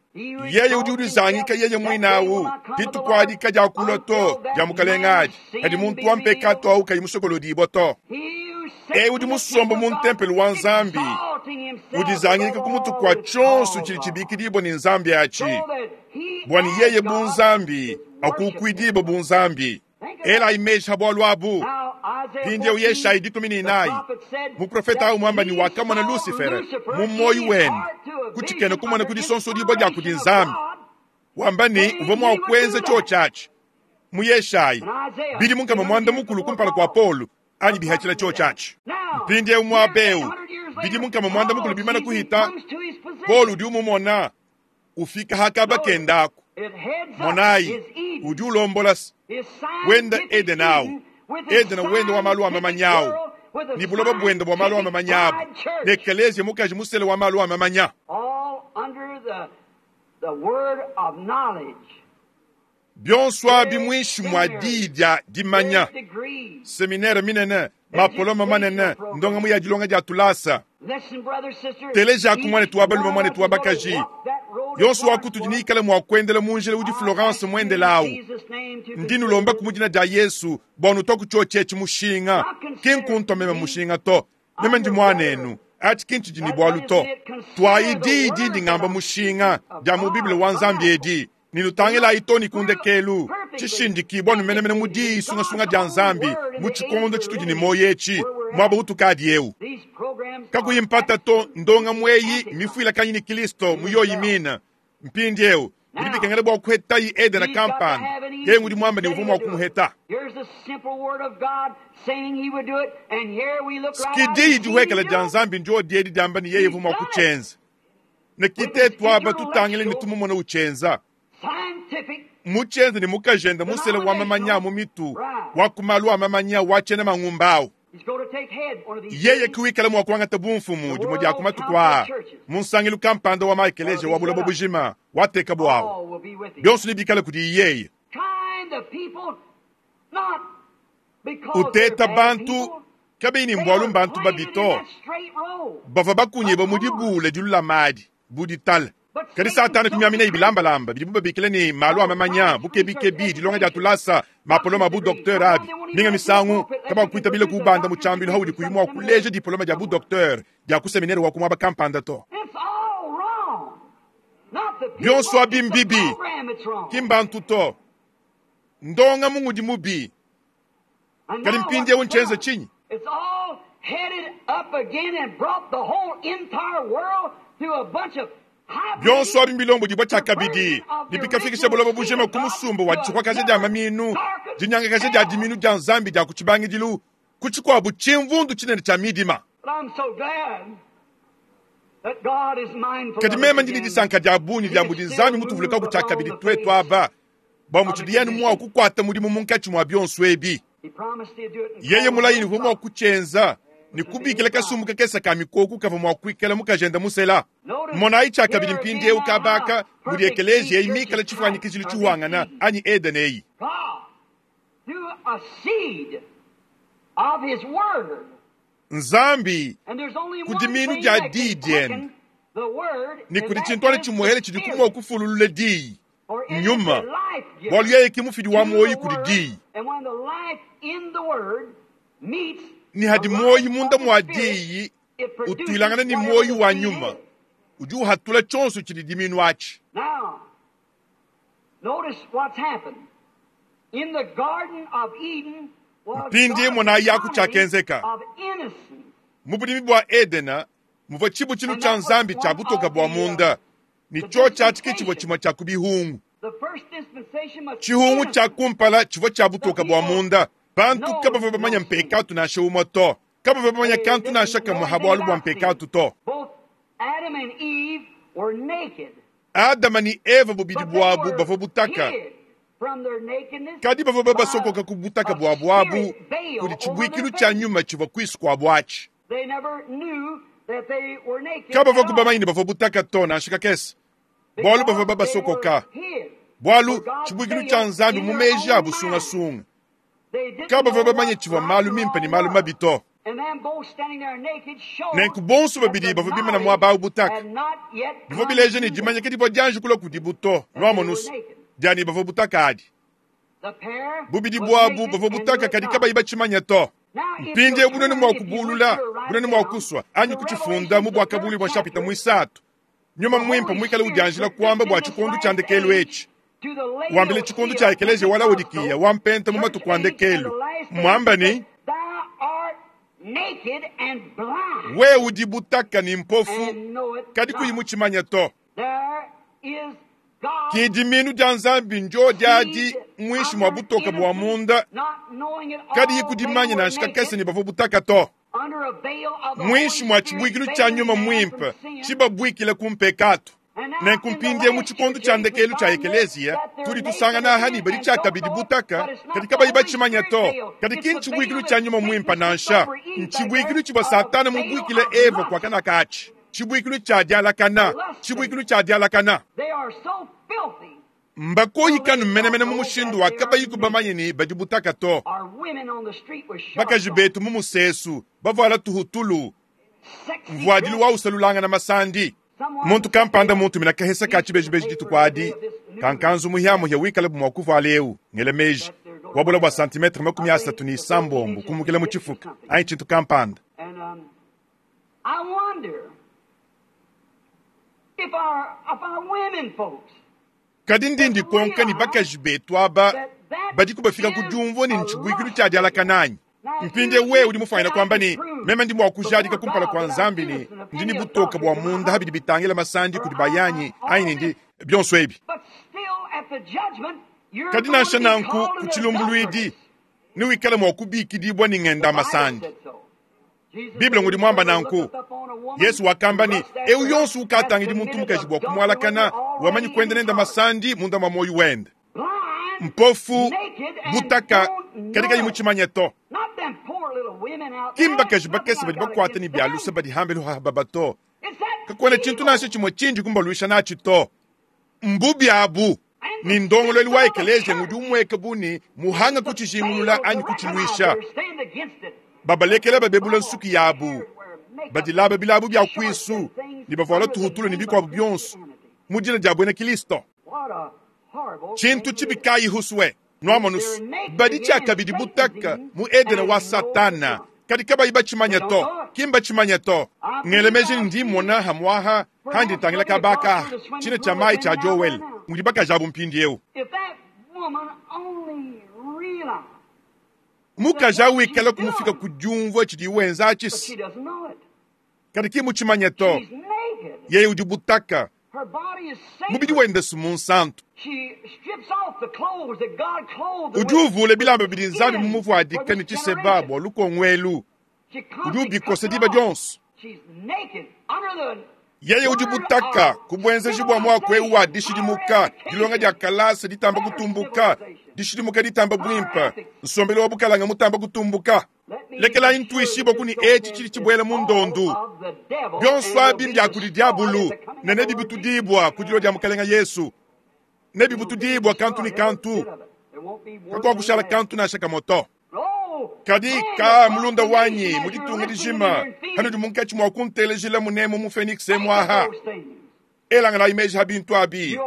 yeye udi ulizangika yeye mwine awu ditukuadika dia kulua to dia mukalenga adi kadi muntu wa mpekato awu kayi musokolodibwa to He who sits ewu udi in the musomba temple mu of God, ntempelo wa Nzambi exalting himself udizangika above ku mutu all kwa that is tshionso called tshidi God, tshibikidibwa ni Nzambi achi so that he bwani as yeye God bunzambi is worshiped. akukwidibwa bunzambi ela imeji bwalu abu Now, Isaiah mpindieu 14, Yeshayi the 14 prophet said muprofeta that awu mwamba ni he wakamona saw Lusifere Lucifer mu in moyi his wene heart to a kuchikena vision kumona under kudisonsodibwa dia kudi inspiration of Nzambi God. wamba ni uvua mua kuenza chochachi mu Yeshayi And Isaiah, bidi munkama mwanda mukulu kumpala kua Paulo anyi bihachila chochachi mpindieu mwabeu bidi munkama mwanda mukulu bimana kuhita Paulo udi umumona ufika hakaba kendako monayi udi ulombola wenda Edeni awu Edeni wenda wa malu a mamanyawu ni buloba bwenda bwa malu a mamanyabu ne ekeleziya mukaji musele wa malu a mamanya all under the word of knowledge. bionso abi mwinshi mwa diyi dia dimanya Great degrees. seminere minene mapoloma manene ndongamu ya dilonga dia tulasa Listen, brother, sister, teleja ku mwane each tuwa balume one mwane of us tuwa is gonna bakaji walk that road yonso of wakutu Florence dinikale mua kuendela mu njila udi Florence muendela awu ndinulomba ku mudina dia Yesu bua nutwa ku tshiotshetshi mushinga ki nkuntua meme mushinga to meme ndi muanenu ati ki ntshidi ne bualu to tuayi diyi dindi ngamba mushinga dia mu Biblia wa Nzambi edi ninutangilayi to ni kundekelu tshishindikibwa numenemene mu diyi sungasunga dia Nzambi mu tshikondo tshitudi ne moyo etshi muaba utukadi eu These programs kakuyi mpata to ndonga mweyi mifuilakanyi ni Kristo muyoyi mina mpindieu bidi bikengela bua kuhetayi Edena He's got to kampanda have an ye ngudi mwamba ni Eden uvua mua said he would do it. kumuheta Here's the simple word of God saying he would do it, and here we look right out kidiyi and see dihuekela him dia do it. Nzambi ndio diedi diamba ni yeye uvua mua kutshenza Ne ki tetu aba tutangile ne tumumona utshienza. Mutshienza ne mukajende musele wa mamanya a mu mitu wa ku malu a mamanya wa tshiena mangumba awu. Yeye ki wikala mua kuangata bumfumu dimue dia ku matuku aa mu nsangilu kampanda wa maekeleziya wa buloba bujima watekabu awu. Bionso nebikale kudiyi yeye. Uteta bantu kabiyi ne mbualu mbantu babi to. Bavua bakunyibue mu dibuula dilulama adi bu ditala. Kadi Satana kumiaminaye bilambalamba bidibu babikila ne, malu a mamanya, bukebikebi, dilonga dia tulasa, mapoloma a bu-doktere abi. Minga misangu, kabakuitabila kuubanda mu tshiambilu audi kuyi mua kuleja dipoloma dia bu-doktere dia ku seminere wa ku muaba kampanda to. Bionso abi mbibi, ki mbantu to. Ndongamu ngudi mubi. Kadi mpindieu ntshienze tshinyi? Bionso abi mbilombodibua tshiakabidi ne bikafikisha buloba bujima ku musumba wa ditshikwakaja dia mamiinu, dinyangakaja dia dimiinu dia Nzambi dia ku tshibangidilu, ku tshikuabu tshimvundu tshinene tshia midima. Kadi meme ndi ne disanka dia bungi dia mudi Nzambi mutuvulukaku tshiakabidi tuetu aba, bua mutshidi anu mua kukuata mudimu munkatshi mua bionso ebi. Yeye mulayi ne uvua mua kutshienza ne kubikila kasumbu kakese ka mikoko kavua mua kuikala mukajende musela. Monayi tshiakabidi mpindieu kaba aka mudi ekeleziya eyi mikale tshifuanyikijilu tshihuangana anyi Edene eyi. Nzambi, ku dimiinu dia Diyi diende, ne kudi tshintu anu tshimuehele tshidiku mua kufululula Diyi, Nyuma, bualu yeye ke mufidi wa muoyo kudi Diyi. Ne hadi muoyo munda mua Diyi utuilangana ne muoyo wa Nyuma, udi uhatula tshionso tshidi diminu atshi. Mpindieu monayi aku tshiakenzeka. Mu budimi bua Edena muvua tshibutshilu tshia Nzambi tshia butoke bua munda, ne tshiotshi atshi ke tshivua tshimue tshia ku bihungu. Tshihungu tshia kumpala tshivua tshia butoke bua munda. Bantu kabavua bamanye mpekatu nansha umue to. Kabavua bamanye kantu nansha kamue ha bualu bua mpekatu to. Adama ne Eva bubidi buabu bavua butaka, kadi bavua babasokoka ku butaka buabu abu kudi tshibuikilu tshia nyuma tshivua kuisu kuabu atshi. Kabavua bamanye ne bavua butaka to nansha kakese, bualu bavua babasokoka, bualu tshibuikilu tshia Nzambi mu meji abu sungasunga. Kabavua bamanye tshivua malu mimpe ne malu mabi to. Nenku bonso babidi bavua bimana muaba au butaka. Bivua bileja ne, dimanya ke divua dianji kulua kudibu to, nuamonu's, dia ne bavua butaka adi. Bubidi buabu bavua butaka kadi kabayi batshimanya to. Mpindieu bunene mua kubulula, bunene mua kusua, anyi kutshifunda mu Buakabuluibua bua nshapita muisatu, Nyuma Muimpe muikale udianjila kuamba bua tshikondo tshia ndekelu etshi, wambila tshikondo tshia ekeleziya wa Laodikiya wa mpenta mu matuku a ndekelu, muamba ne, Wewe udi butaka ne mpofu, kadi kuyi mutshimanya to. Ki dimiinu dia Nzambi ndiodi adi muinshi mua butoke bua munda, kadiyi kudimanya nansha kakese ne bavua butaka to. Muinshi mua tshibuikilu tshia Nyuma Muimpe tshibabuikile ku mpekatu. Nenku mpindieu mu tshikondo tshia ndekelu tshia ekeleziya, tudi tusangana aha ne badi tshiakabidi butaka, kadi kabayi batshimanya to. Kadi ki ntshibuikilu tshia Nyuma Muimpe nansha. Ntshibuikilu tshivua Satana mubuikile Eva kua kana katshi. Tshibuikilu tshia dialakana, tshibuikilu tshia dialakana. Mbakoyikanu menemene mu mushindu wa kabayiku bamanye ne badi butaka to. Bakaji betu mu musesu bavuala tuhutulu, mvuadilu wa usalulangana masandi. Muntu kampanda muntumina kahesa ka tshibejibeji dituku adi, ka nkanzu muhiamuhia wikalabu mua kuvuala eu, ngela meji, wa bula bua santimetre 36 kumukila mu tshifuka anyi tshintu kampanda. Kadi ndi ndikonka ne bakaji betu aba badiku bafika ku diumvua ne ntshibuikilu tshia dialakana anyi? Mpindieu wewe udi mufuanyine kuamba ne, Meme ndi mua kujadika kumpala kua Nzambi ne, ndi ne butoke bua munda ha bidi bitangila masandi kudi bayanyi anyi ne ndi bionso ebi. Kadi nansha nanku ku tshilumbuluidi newikale mua kubikidibua ne ngenda masandi. Bible ngudi muamba nanku. Yesu wakamba ne, eu yonso ukatangidi muntu mukaji bua kumualakana, wamanyi kuenda nenda masandi munda mua muoyo wende. Mpofu, butaka, kadi kayi mutshimanye to. Ki mbakaji bakese badi bakuata ne bia luse badi hambelu ha baba to. Kakuena tshintu nansha tshimue tshindi kumbaluisha natshi to. Mbubi abu ni ndongoluelu wa ekeleziya ngudi umueka bu ne muhanga kutshijingulula anyi kutshiluisha. Babalekela babebula nsuki yabu, badilaba bilabu bia kuisu ne bavuala tuhutulu ne bikuabu bionso mu dina dia buena Kristo. Tshintu tshibi kayi huswe nuamonusu badi tshiakabidi butaka mu Edene wa Satana, kadi kabayi batshimanya to, ki mbatshimanya to. Ngele meji ndi mmona hamuaha handi ntangila kabaka tshina tshia mayi tshia Joel mudi bakaji abu mpindieu. Mukaji awu ikala kumufika ku diumvua tshidi wenza atshi, kadi ki mutshimanya to. Yeye udi butaka, mubidi wende si munsantu. Udi uvula bilamba bidi Nzambi mumuvuadika ne tshiseba bua lukongo elu, udi ubikosa diba dionso. Yeye udi butaka ku buenzeji bua muaku eu wa dishidimuka, dilonga dia kalasa ditamba kutumbuka, dishidimuka ditamba buimpe, nsombelu wa bukalanga mutamba kutumbuka. Lekelayi ntuishibue ku ne etshi tshidi tshibuela mu ndondu. Bionso abi mbia kudi diabulu ne nebibutudibua ku dilua dia Mukalenga Yesu. Nebibutudibua kantu ne kantu, kakuakushala kantu nansha kamue to. Kadi ka mulunda wanyi mu ditunga dijima, hanudi munkatshi mua kuntelejila munemu mu Phoenix emuaha, elanganayi meji ha bintu abi,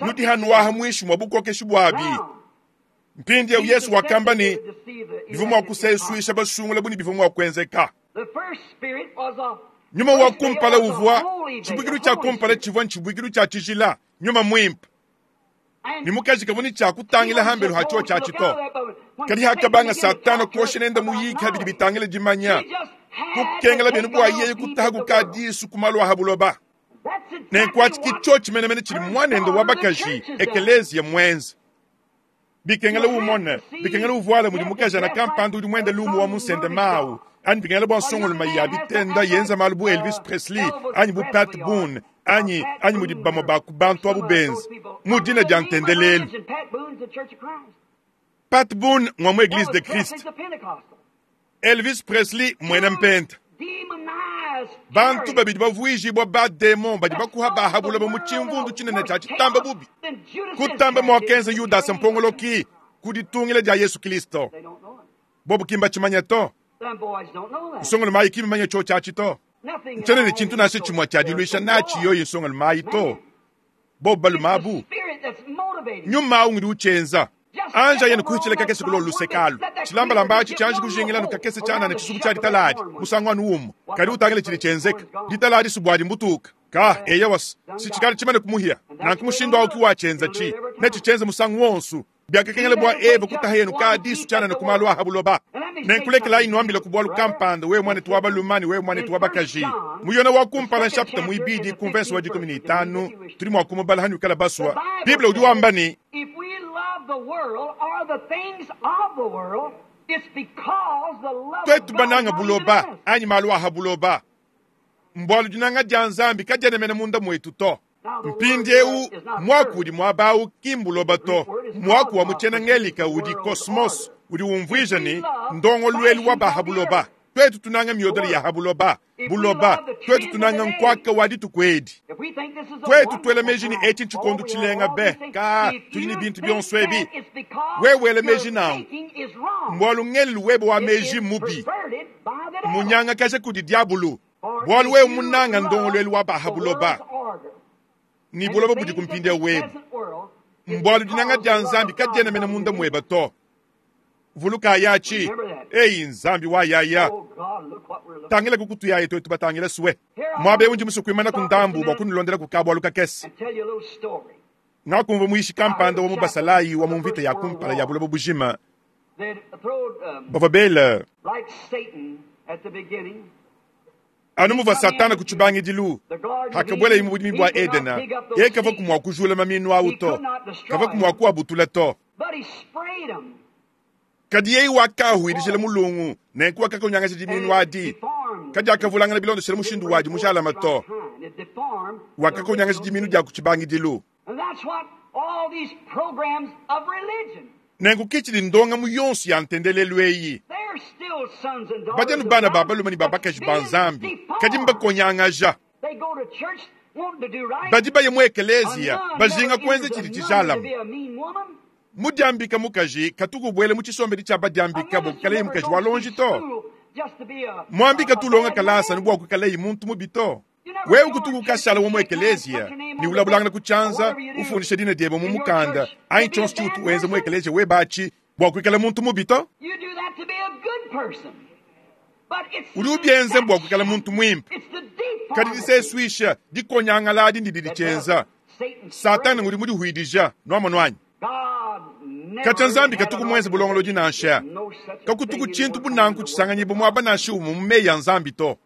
nudi hanuaha muinshi mua bukokeshi buabi. Mpindieu Yesu wakamba ne bivua mua kusesuisha basungula bu ne bivua mua kuenzeka. Nyuma wa kumpala uvua tshibuikilu tshia kumpala tshivua ntshibuikilu tshia tshijila, nyuma muimpe. Ne mukaji kavua ne tshia kutangila hambelu ha tshio tshiatshi to. Kadi hakabanga Satana kuosha nende muyiki habidi bitangila dimanya, kukengela bienu bua yeye kutaha ku disu ku malu a ha buloba. Nenku atshi ki tshio tshimenemene tshidi muanende wa bakaji ekeleziya muenze. Bikengela umone, bikengela uvuala mudi mukajana kampanda udi muende lumu wa munsende mawu, anyi bikengela bua nsongoluma ya bitenda yenza malu bu Elvis Presley anyi bu Pat Boone anyi anyi mudi bamue ba ku bantu abu benza mu dina dia ntendelelu. Pat Boone ngwa mu Eglise de Christ, Elvis Presley muena mpenta. Bantu babidi bavuijibua ba demon badi bakuha bahabulaba mu tshimvundu tshinene tshia tshitamba bubi. Kutamba muakenza Yudasa mpongoloki ku ditungila dia Yesu Kristo. Bobu kimba tshimanya to. Nsongolo mayi kimimanya tshio tshiatshi to. Ntshiena ne tshintu nansha tshimue tshia diluisha natshi yoyi nsongolo mayi to. Bobu balume abu nyuma awu ngudi utshienza. Anja yene kuhitshila kakese kulo lusekalu. Tshilambalamba atshi tshianji kujingila nu kakese tshianana tshisuku tshia ditaladi musangu anu umue. Kadi utangile tshidi tshienzeka. Ditaladi subuadi mbutuka. Ka eya was si tshikali tshimane kumuhia. Nanku mushindu awu ki watshienza tshi. Netshitshienze musangu wonso. Biakakengela bua Eva kutaha yenu ka disu tshianana ku malu a ha buloba. Nenkulekelayi nuambila ku bualu kampanda, wewe muanetu wa balume ne wewe muanetu wa bakaji. Mu Yona wa kumpala nshapita muibidi ku mvese wa 15, tudi mua kumubala hanuikala basua. Bible udi wamba ne, Tuetu bananga buloba anyi malu a ha buloba, mbualu dinanga dia Nzambi kadiena mene munda muetu to. Mpindieu muaku udi muaba awu ki mbuloba to. Muaku wa mu tshiena Ngelika udi kosmos, udi umvuija ne ndongoluelu wa ba ha buloba. Tuetu tunanga miodele ya ha buloba, buloba, tuetu tunanga nkuaka wa dituku edi. Tuetu tuela meji ne etshi ntshikondo tshilenga be, ka tudi ne bintu bionso ebi. Wewe wela meji nanku, mbualu ngelelu webe wa meji mubi, munyangakaja kudi diabulu. Bualu wewe munanga ndongoluelu wa ba ha buloba ne buloba budi ku mpindieu webu, mbualu dinanga dia Nzambi kadiena mene munda muebe to. Vulukayi atshi, eyi Nzambi wa yaya, tangila kukutuyaye tuetu batangila sue. Muaba eu ndi musue kuimana ku ndambu bua kunulondela ku kabualu kakese. Ngakumvua muyishi kampanda wa mu basalayi wa mu mvita ya kumpala ya buloba bujima bavua bela anu muvua Satana ku tshibangidilu hakabuelaye mu budimi bua Edena, yeye kavua mua kujula maminu awu to, kavua mua kuabutula to. Kadi yeye wakahuidijila mulungu, nenku wakakonyangaja diminu adi. Kadiakavulangana bilondeshele mushindu wadi mujalame to. Wakakonyangaja dimiinu dia ku tshibangidilu. Nenku ke tshidi ndongamu yonso ya ntendelelu eyi. Badi anu bana ba balume ne ba bakaji ba Nzambi, kadi mbakonyangaja. Badi baya mu ekeleziya bajinga kuenza tshidi tshijalame. Mudiambika mukaji katuku ubuela mu tshisombedi tshia badiambika bua kuikalaye mukaji wa lonji to. Muambi katu ulonga kalasa anu bua kuikalaye muntu mubi to. Wewe kutuku ukashala wa mu ekeleziya ne ulabulangana ku tshianza, ufundisha dina diebe mu mukanda anyi tshionso tshiutu wenza mu ekeleziya webe atshi bua kuikala muntu mubi to. Udi ubienza bua kuikala muntu muimpe. Kadi disesuisha, dikonyangala adi ndidi ditshienza. Satana ngudi mudihuidija, nuamonu anyi? Katshia Nzambi katuku muenze bulongolodi nansha. Kakutuku tshintu bu nanku tshisanganyibua muaba nansha umue mu meyi a Nzambi to.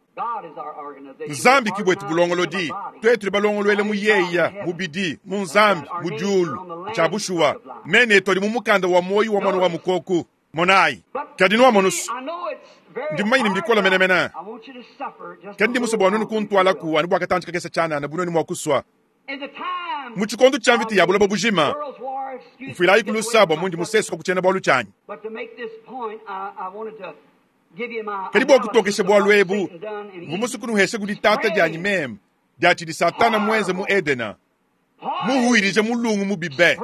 Nzambi ki buetu bulongolodi, tuetu tudi balongoluela mu yeya, mubidi, mu Nzambi, mu diulu. Ntshia bushuwa, mena etu adi mu mukanda wa muoyo wa Muana wa Mukoku. Monayi! Kadi nuamonu's, ndi mumanye ne mbikole menemene. Kadi ndi musue bua nuenu kuntualaku anu bua katantshi kakese tshianana bu nuenu mua kusua. Mu tshikondo tshia mvita ya buloba bujima, mfuilayiku lusa bua mundi musesuka ku tshiena-bualu tshianyi. Kadi bua kutokesha bualu ebu, mvua musue kunuhesha ku ditata dianyi meme dia tshidi Satana muenze mu Edena, muhuidije mulungu mubi be.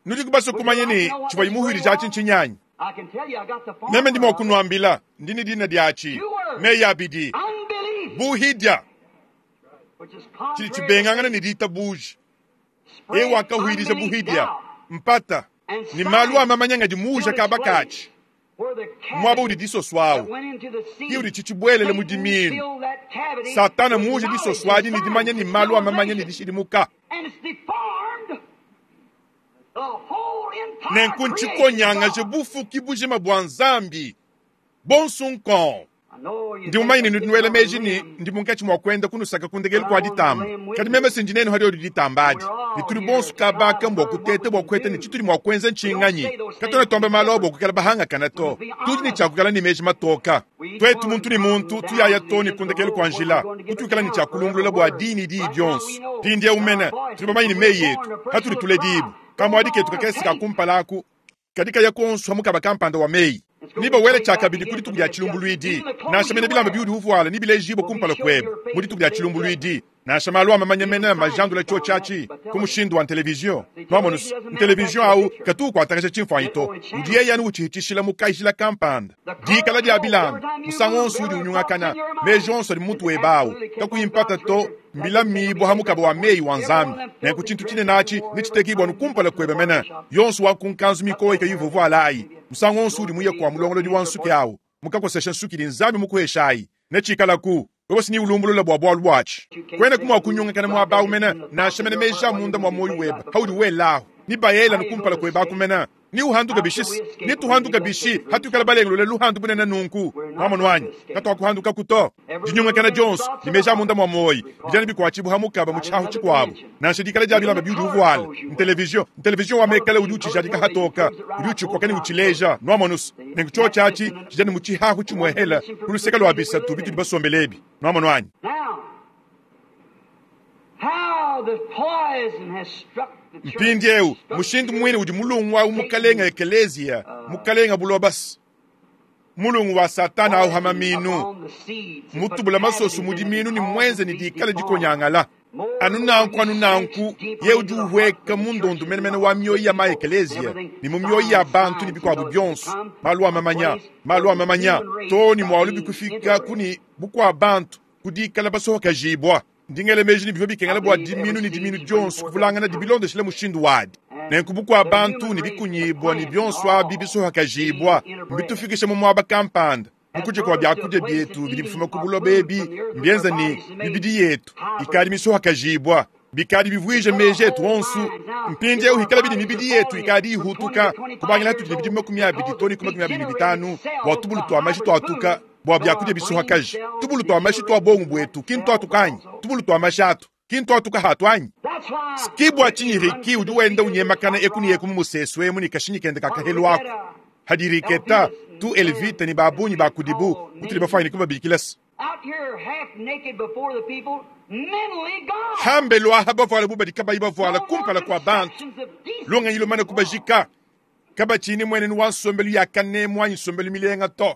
Nudiku basue kumanya ne tshivuaye muhuidije atshi ntshinyi anyi? Meme ndi mua kunuambila, ndi ne dina diatshi, meyi abidi, buhidia, tshidi tshibengangana ne ditabuja. Yeye wakahuidija buhidia, mpata, ne malu a mamanya ngadi muuja kaba katshi. Muaba udi disoso awu, ke udi tshitshibuelele mu dimiinu. Satana muuje disoso adi ne dimanya ne malu a mamanya ne dishidimuka. Nenku ntshikonyangaje bufuki bujima bua Nzambi bonso nkong. Ndi mumanye ne nudi nuela meji ne ndi munkatshi mua kuenda kunusaka ku ndekelu kua ditamba, kadi meme si ndi nenu hadiodi ditamba adi, ne tudi bonso kabaka mbua kuteta bua kuheta ne tshitudi mua kuenza ntshinganyi? Katuena tuamba malu a bua kuikala bahangakana to, tudi ne tshia kuikala ne meji matoka. Tuetu muntu ne muntu tuyaya to ne ku ndekelu kua njila, kutuikala ne tshia kulumbulula bua diyi ne diyi dionso. Mpindieu mene tudi bamanye ne meyi etu hatudi tuledibua, kamuadi ketu kakese ka kumpala aku kadi kaya kuonso ha mukaba kampanda wa meyi, ne bawele tshiakabidi ku dituku dia tshilumbuluidi. Nansha mene bilamba biudi uvuala nebilejibue kumpala kuebe mu dituku dia tshilumbuluidi. Nansha malu a mamanya mene majandula tshiotshi atshi ku mushindu wa ntelevizion. Nuamonu's, ntelevizion au katu ukuatakaja tshimfuanyi to, udi yeye anu utshihitshishila mu kajila kampanda. Dikala dia bilamba, musangu wonso udi unyungakana, meji onso adi mu mutu webe au, kakuyi mpata to, mbilamibua ha mukaba wa meyi wa Nzambi. Nenku tshintu tshinene atshi netshitekibua anu kumpala kuebe mene. Yonso wa ku nkanzu mikoyi kayivua uvuala ayi, musangu wonso udi muye kua mulongolodi wa nsuki au, mukakosesha nsuki idi Nzambi mukuhesha ayi, netshikalaku. Wewe si neulumbulule bua bualu buatshi. Kuenaku mua kunyungakana muaba au mene, nansha mene meji a munda mua muoyo webe audi welahu, ne baela anu kumpala kuebe aku mene. Neuhanduke bishi? Netuhanduke bishi hatuikala balengulule luhandu bunene nunku? Nwamonu anyi? Katuakuhandukaku to. Dinyungakana dionso ne meji a munda mua muoyo bidi anu bikuatshibua ha mukaba mu tshiahu tshikuabo. Nansha dikala dia bilamba biudi uvuala, ntelevizion, ntelevizion wa mekala udi utshijadika hatoka, udi utshikoka ne utshileja. Nwamonu's? Nenku tshiotshi atshi tshidi anu mu tshihahu tshimuehela ku luseke lua bisatu bitudi basombele ebi. Nwamonu anyi? Mpindieu, mushindu muine udi mulungu au mukalenga ekeleziya, mukalenga bulobas, mulungu wa Satana au ha maminu, mutubula masoso mu diminu ne muenze ne dikala dikonyangala. Anu nanku, anu nanku, ye udi uhueka mu ndondu menemene wa mioyo ya ma-ekeleziya ne mu mioyo ya bantu ne bikuabu bionso, malu a mamanya, malu a mamanya, too ne mualu bikufika ku ne bukua bantu ku dikala basohokajibua. Ndi ngela meji ne bivua bikengela bua diminu ne diminu dionso kuvulangana bilondeshile mushindu wadi. Nenku bukua bantu ne bikunyibua ne bionso abi bisohakajibua mbitufikishe mu muaba kampanda. Mu kudia kua biakudia bietu bidi bifuma ku buloba ebi mbienza ne mibidi yetu ikadi misohakajibua, bikadi bivuije meji etu onso. Mpindieu hikalabi ne mibidi yetu ikadi ihutuka kubangila hatudi ne bidimu 20 too ne ku 25 bua tubulu tua mashi tuatuka bua biakudia bisohakaji. Tubulu tua mashi tua bongo buetu ki ntuatuka anyi? Tubulu tua mashi atu ki ntuatuka hatu anyi? Ski bua tshinyi Ricky udi wenda unyemakana eku ne eku mu musesu emu ne kashinyi kende ka kahelu aku? Hadi Riketa, tu Elvita ne ba bungi ba kudibu mutudi bafuanyine kubabikila se. Hambelu aha bavuala bu badi kabayi bavuala kumpala kua bantu, lungenyi lumane kubajika, kabatshiyi muenenu wa nsombelu ya kanemu anyi nsombelu milenga to.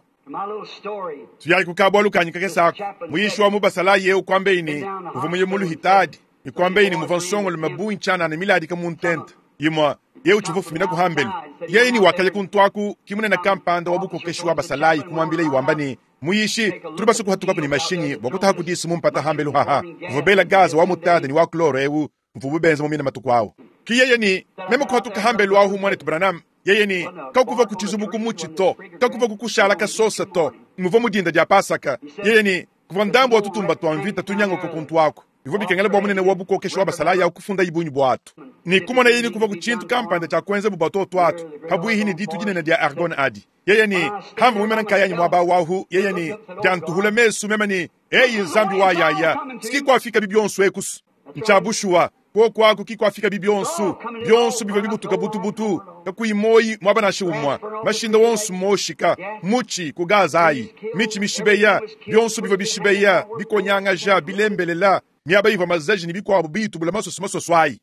Tuyayi ku kabualu kanyi kakese aku. Muyishi wa mu basalayi eu kuambeyi ne, uvua muye mu luhitadi, ne kuambeyi ne muvua nsongolume bungi tshianana miladika mu ntenta imue. Yeye utshivua ufumina ku hambelu. Yeye ne wakaya kuntu aku, ki munene kampanda wa bukokeshi wa basalayi kumuambilayi wamba ne, Muyishi, tudi basue kuhatukaku ne mashinyi bua kutaha ku disu mu mpata hambelu haha. Uvua bela gaze wa mutade ne wa chlore eu mvubu benza mu mina matuku awu. Ki yeye ne, Meme kuhatuka hambelu ahu, muanetu Branham. Yeye ne, Kakuvua ku tshizubu ku mutshi to, kakuvua ku kushala kasosa to. Muvua mu dinda dia Pasaka. Yeye ne, Kuvua ndambu wa tutumba tua mvita tunyanguka kuntu aku. Bivua bikengela bua munene wa bukokeshi wa basalayi au kufundayi bungi buatu ne kumonaye ni kuvua ku tshintu kampanda tshia kuenza bu batoto atu pabuihi ne ditu dinene dia Argone adi. Yeye ne, Hamvua muimana nkayanyi muaba wahu, yeye ne, diantuhula mesu meme ne, Eyi Nzambi wa yaya, si kuafikabi bionso ekusu. Ntshia bushuwa, kuoku aku ki kuafikabi bionso, bionso bivua bibutuka butubutu, kakuyi muoyi muaba nansha umue, mashinda wonso moshika, mutshi ku gaza ayi, mitshi mishibeya, bionso bivua bishibeya, bikonyangaja, bilembelela, miaba ivua mazaji ne bikuabu biyitubula masoso masoso ayi.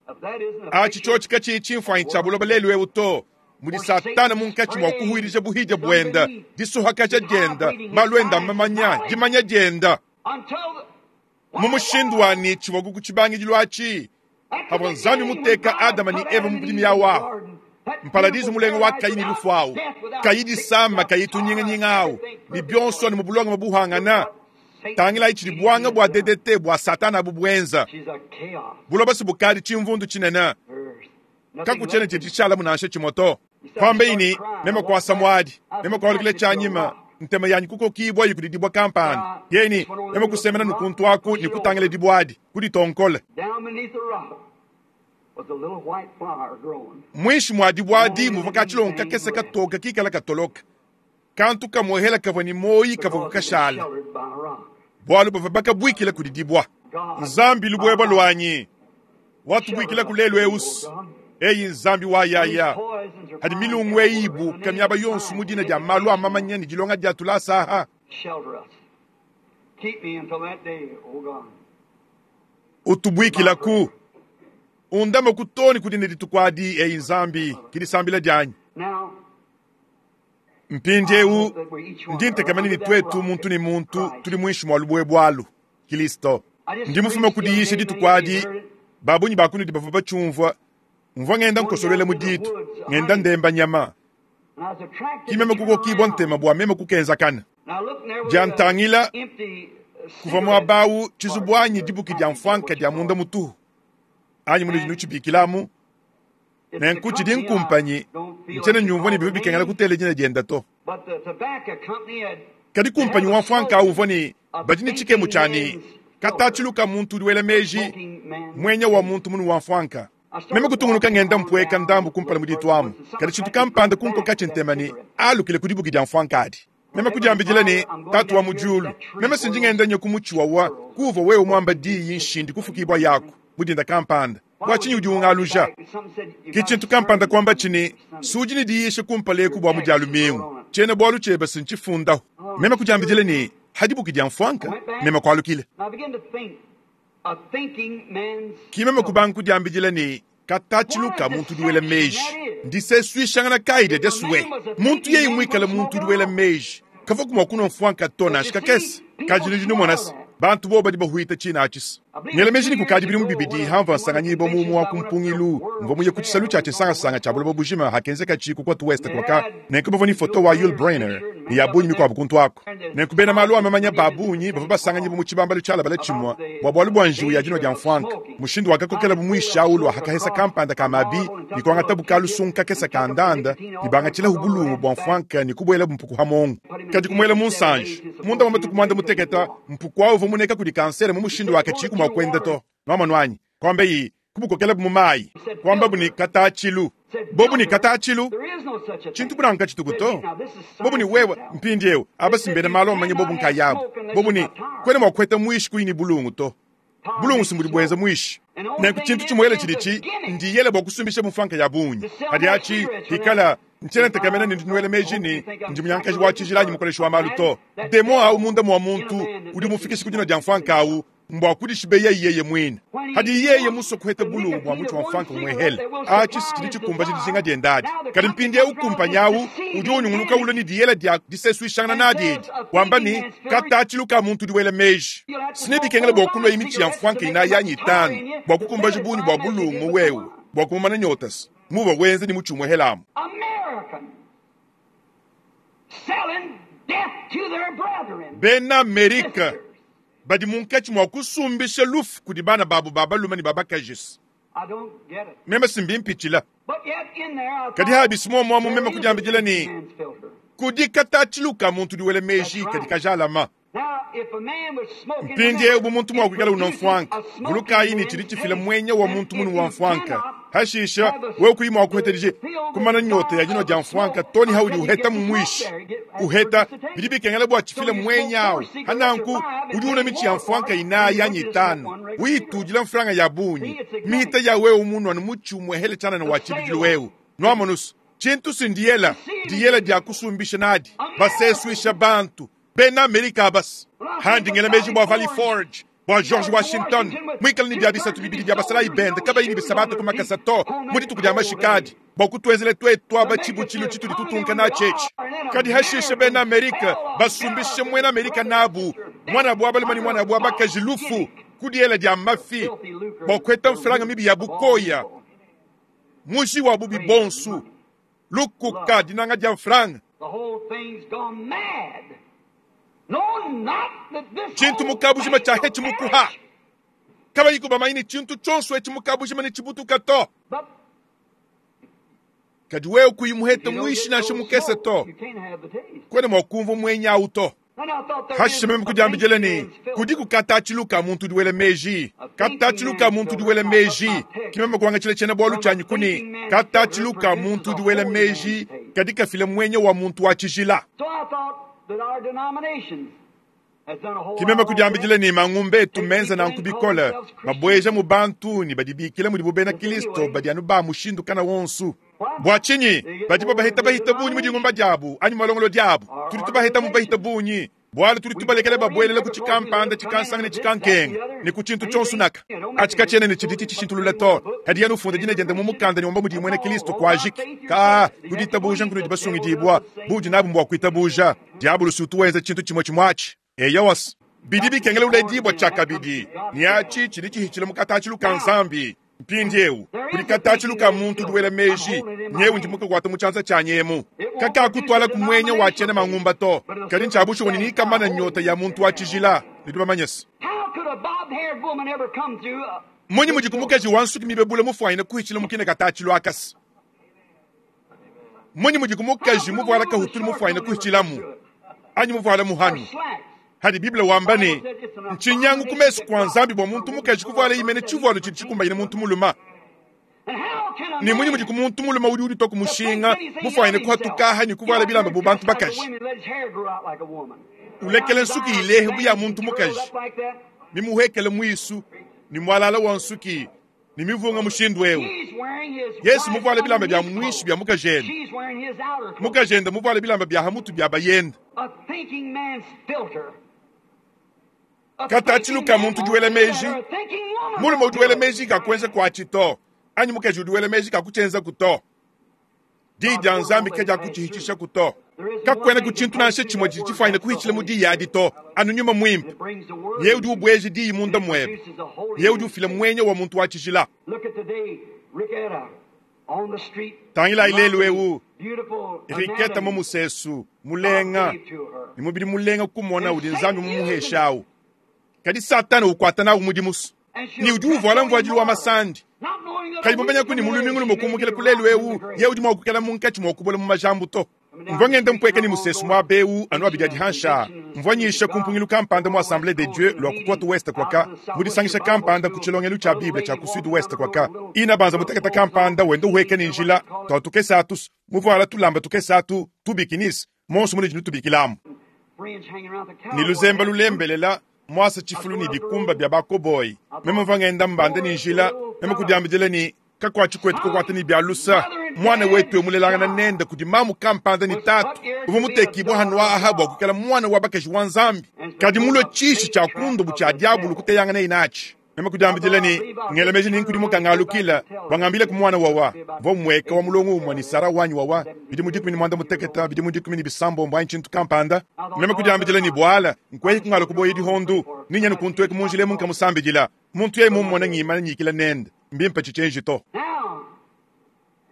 Atshi tshiotshi katshiyi tshimfuanyi tshia buloba lelu eu to, mudi Satana munkatshi mua kuhuilija buhidia buenda, disuhakaja dienda, malu enda mamanya, dimanya dienda. Mu mushindu wa ne tshivua ku tshibangidilu atshi, pavua Nzambi muteka Adama ne Eva mu budimi awu ahu, mparadizu mulenga wa kayi ne lufu awu, kayi disama, kayi tunyinganyinga awu, ne bionso anu mu bulongame buhangana. Tangilayi tshidi buanga bua DDT bua Satana abu buenza. Buloba si bukadi tshimvundu tshinene. Kakutshiena tshidi tshishalamu nansha tshimue to. Kuambeyi ne, Meme kuasa muadi, meme kualukila tshianyima, ntema yanyi kukokibua yi kudi dibua kampanda. Yeye ne, Meme kusemena ne kuntu aku ne kutangila dibua adi, kuditonkola. Muinshi mua dibua adi muvua katshilongo kakese katoke kikala katoloka. Kantu kamuehela kavua ne muoyi kavua kashala, bualu bavua bakabuikila kudi dibua. Nzambi lubuebua luanyi, watubuikilaku lelu eusu. Eyi Nzambi wa yaya, hadi milungu eyi ibuka miaba yonso mu dina dia malu a mamanya ne dilonga dia tulasa aha. Utubuikilaku, undame ku too ne ku dina dituku adi. Eyi Nzambi, ki disambila dianyi. Mpindieu ndi ntekemena ne tuetu muntu ne muntu tudi muinshi mua lubuebue alu, Kilisto. Ndi mufume ku diyisha dituku adi, ba bungi ba kunudi bavua batshiumvua. Mvua ngenda nkosoluela mu ditu, ngenda ndemba nyama. Ki meme kukokibua ntema bua meme kukenzakana. Diantangila, kuvua muaba awu tshizubu anyi dibuki dia mfuanka dia munda mutuhu, anyi munudi nutshibikilamu. Nenku tshidi nkumpanyi, ntshiena nyumvua ne bivua bikengela kutela dina dienda to. Kadi kumpanyi wa mfuanka awu uvua ne badi ne tshikemu tshia ne, katatshilu ka muntu udi wela meji, muenya wa muntu munu wa mfuanka. Meme kutungunuka ngenda mpueka ndambu kumpala mu ditu amu, kadi tshintu kampanda kunkokatshi ntema ne, alukile ku dibuki dia mfuanka adi. Meme kudiambidila ne, Tatu wa mu diulu, meme si ndi ngenda nya ku mutshi wawa kuuvua wewe muamba diyi nshindi kufukibua yaku mu dinda kampanda. Bua tshinyi udi ungaluja? Ke tshintu kampanda kuamba tshi ne, Si udi ne diyisha kumpala eku bua mu Dia lumingu, tshiena-bualu tshiebe si ntshifundahu. Meme kudiambidila ne, Ha dibuki dia mfuanka, meme kualukila. Ki meme kubanga kudiambidila ne, Katatshilu ka muntu udi wela meji ndisesuishangana kayi dia diasue? Muntu yeye muikale muntu udi wela meji, kavuaku mua kunua mfuanka to nansha kakese. Kadi nudi numona se, bantu bobu badi bahuita tshina atshi. Ngela meji ne kukadi bidimu bibidi hamvua nsanganyibua mu umue wa ku mpungilu, mvua muye ku tshisalu tshia tshinsangasanga tshia buloba bujima hakenzekatshi ku Cote Ouest kuaka, nenku bavua ne foto wa Yul Brynner ne ya bungi mikuabu kuntu aku. Nenku bena malu a mamanya ba bungi bavua basanganyibua mu tshibambalu tshialabale tshimue bua bualu bua njiwu ya dinua dia mfuanka, mushindu wakakokelabu muishi au lua hakahesa kampanda ka mabi ne kuangatabu kalusungu kakese ka ndanda ne bangatshilahu bulungu bua mfuanka ne kubuelabu mpuku ha muongo. Kadi kumuela mu nsanji. Munda mua matuku muanda mutekete, mpuku au uvua muneka kudi kansere mu mushindu wakatshiyiku mua kuenda to. Nuamonu anyi? Kuambeyi, kubukokelabu mu mayi, kuambabu ne, Katatshilu! Bobu ne, Katatshilu! Tshintu bu nanku katshituku to. Bobu ne, Wewe, mpindieu, aba si mbena malu amanye bobu nkayabu. Bobu ne, Kuena mua kuheta muishi kuyi ne bulungu to. Bulungu si mbudi buenza muishi. Nenku tshintu tshimuele tshidi tshi ndiyele bua kusumbisha mfuanka ya bungi. Kadi atshi hikala. Ntshiena ntekemena ne ndi nuela meji ne, ndi munyankaji wa tshijila anyi mukoleshi wa malu to. Demon awu munda mua muntu udi umufikisha ku dinua dia mfuanka awu mbua kudishibeya yeye muine. Hadi yeye musue kuheta bulungu bua mutshi wa mfuanka umuehele, atshi si tshidi tshikumbaja dijinga diende adi. Kadi mpindieu kumpanyi au udi unyunguluka ulua ne diyela dia disesuishangana nadi edi, wamba ne, Katatshilu ka muntu udi wela meji. Si nebikengele bua kunua mitshi ya mfuanka inayi anyi itanu bua kukumbaja bungi bua bulungu wewe bua kumumana nyota se muuvua wenza ne mutshi umuehele amu. Bena Amerika badi munkatshi mua kusumbisha lufu kudi bana babu ba balume ne ba bakaji. Meme si mbimpitshila. Kadi habisi muomuamu meme kudiambidila ne, kudi katatshilu ka muntu udi wela meji kadi kajalama. Mpindieu bu muntu mua kuikala unua mfuanka, vulukayi ne tshidi tshifila muenya wa muntu munu wa mfuanka. Hashisha wewe kuyi mua kuheta dije kumana nyota ya dinua dia mfuanka to ne haudi uheta mu muishi uheta bidi bikengela bua tshifile muenya awu. Hananku udi unua mitshi ya mfuanka inayi anyi itanu, uyitudila mfranga ya bungi mihita ya wewe munua ne mutshi umuehele tshianana wa tshibidilu wewe nuamonusu. Tshintu si ndiyela, ndiyela dia kusumbisha nadi basesuisha bantu bena Amerika abasi. Handi ngela meji bua Valley Forge, bua George Washington muikale ne bia bisatu bibidi bia basalayi bende kabayi ne bisabata ku makasa to mu dituku dia mashikadi bua kutuenzela tuetu aba tshibutshilu tshitudi tutunka natshi etshi. Kadi hashishe bena Amerika basumbishe muena Amerika nabu, muanabu wa balume ne muanabu wa bakaji lufu ku diela dia mafi bua kuheta mfranga mibi ya bukoya, muji wa bubi bonso, lukuka, dinanga dia mfranga. Tshintu mu kabujima tshia hetshi mukuha kabayi kubamanya ne tshintu tshionso etshi mu kabujima ne tshibutuka to. Kadi wewe kuyi muhete muishi nansha mukese to, kuena mua kumvua muenya awu to. Hashishe meme kudiambidila ne, kudiku katatshilu ka muntu udi wela meji, katatshilu ka muntu udi wela meji. Ke meme kuangatshila tshiena-bualu tshianyi ku ne, katatshilu ka muntu udi wela meji kadi kafila muenya wa muntu wa tshijila. Ke meme kudiambidila ne, mangumba etu menza nanku bikole, mabueja mu bantu ne badibikila mudibu bena Kristo badi anu ba mushindu kana wonso. Bua tshinyi badi babahita bahita bungi mu dingumba diabu anyi mu malongolodi abu? Tudi tubahita mu bahita bungi bualu tudi tubalekela babuelela ku tshikampanda, tshikansanga ne tshikankenga ne ku tshintu tshionso naka. Atshi katshiena ne tshidi tshishintulula to. Kadi yena ufunda dina diende mu mukanda ne wamba mudiye muena Kristo kuajiki. Kaa, ku ditabuja nkunudi basungidibua, buudi nabu mbua kuitabuja. Diabolo si utu wenza tshintu tshimue tshimue atshi. Eyowa, bidi bikengela uledibua tshiakabidi, ne atshi tshidi tshihitshila mu katatshilu ka Nzambi. Mpindieu kudi katatshilu ka muntu udi wela meji, nyewu ndi mukakuata mu tshianza tshianyi emu. Kakakutuala ku muenya wa tshiena mangumba to, kadi ntshia bushuwa ne nikamana nyota ya muntu wa tshijila. Nudi bamanye se, Mmunyi mudiku mukaji wa nsuki mibebula mufuanyine kuhitshila mu kine katatshilu akase? Mmunyi mudiku mukaji muvuala kahutulu mufuanyine kuhitshilamu, anyi muvuala muhanu? Hadi Bible wamba ne, ntshinyangu ku mesu kua Nzambi bua muntu mukaji kuvuala imene tshivualu tshidi tshikumbanyine muntu mulume. Ne munyi mudi ku muntu mulume udi uditua ku mushinga mufuanyine kuhatukaha ne kuvuala bilamba bu bantu bakaji, ulekela nsuki ilehe bu ya muntu mukaji, mimuhekele muisu ne mualala wa nsuki ne mivunga mushindu eu? Yesu muvuale bilamba bia muinshi bia mukajende, mukajende muvuale bilamba bia hamutu bia bayende. Katatshilu ka muntu udi wela meji, mulume udi wela meji kakuenza kuatshi to, anyi mukaji udi wela meji kakutshienzaku to. Diyi dia Nzambi kadiakutshihitshishaku to. Kakuena ku tshintu nansha tshimue tshidi tshifuanyine kuhitshila mu diyi adi to, anu Nyuma Muimpe. Yeye udi ubueja diyi munda muebe. Yeye udi ufila muenya wa muntu wa tshijila. Tangilayi lelu eu, Riketa mu musesu mulenga ne mubidi mulenga kumona udi Nzambi mumuheshe awu. Kadi Satana ukuata nawu mudimu ne udi uvuala mvuadilu wa masandi. Kayi mumanyaku ne mu lumingu lumue kumukila ku lelu eu, yeye udi mua kuikala munkatshi mua kubola mu majambu to. Mvua ngenda mpueka ne musesu muaba eu anu abidi adi hanshi aa. Mvua nyisha ku mpungilu kampanda mu Assemblee de Dieu lua ku Cote Ouest kuaka, mu disangisha kampanda ku tshilongelu tshia Bible tshia ku Sud-Ouest kuaka. Ina banza mutekete kampanda wenda uhueka ne njila tua tukese atu, muvuala tulamba tukese atu, tu bikinis, monso munudi nutubikilamu. Ne luzemba lulembelela muasa tshifulu ne bikumba bia ba-cowboy. Meme mvua ngenda mbanda ne njila, meme kudiambidila ne, Kakuatshi kuetu kukuata ne bia lusa. Muana wetu emulelangana nende kudi mamu kampanda ne tatu uvua mutekibua hanu aha bua kuikala muana wa bakaji wa Nzambi, kadi mulue tshishi tshia kundubu tshia diabulu kuteyangana inatshi. Meme kudiambidila ne ngela meji ne nkudimuka ngalukila bangambile ku muana wawa mvua mueka wa mulongo umue ne Sara wanyi wawa bidimu 16 bidimu 16 anyi tshintu kampanda. Meme kudiambidila ne bwala nkweyi kungala kuboya dihondu ninyanu kuntueka mu njila emu nkamusambidila muntu yeye mummone ngimana nyikila nende mbimpe tshitshenji to.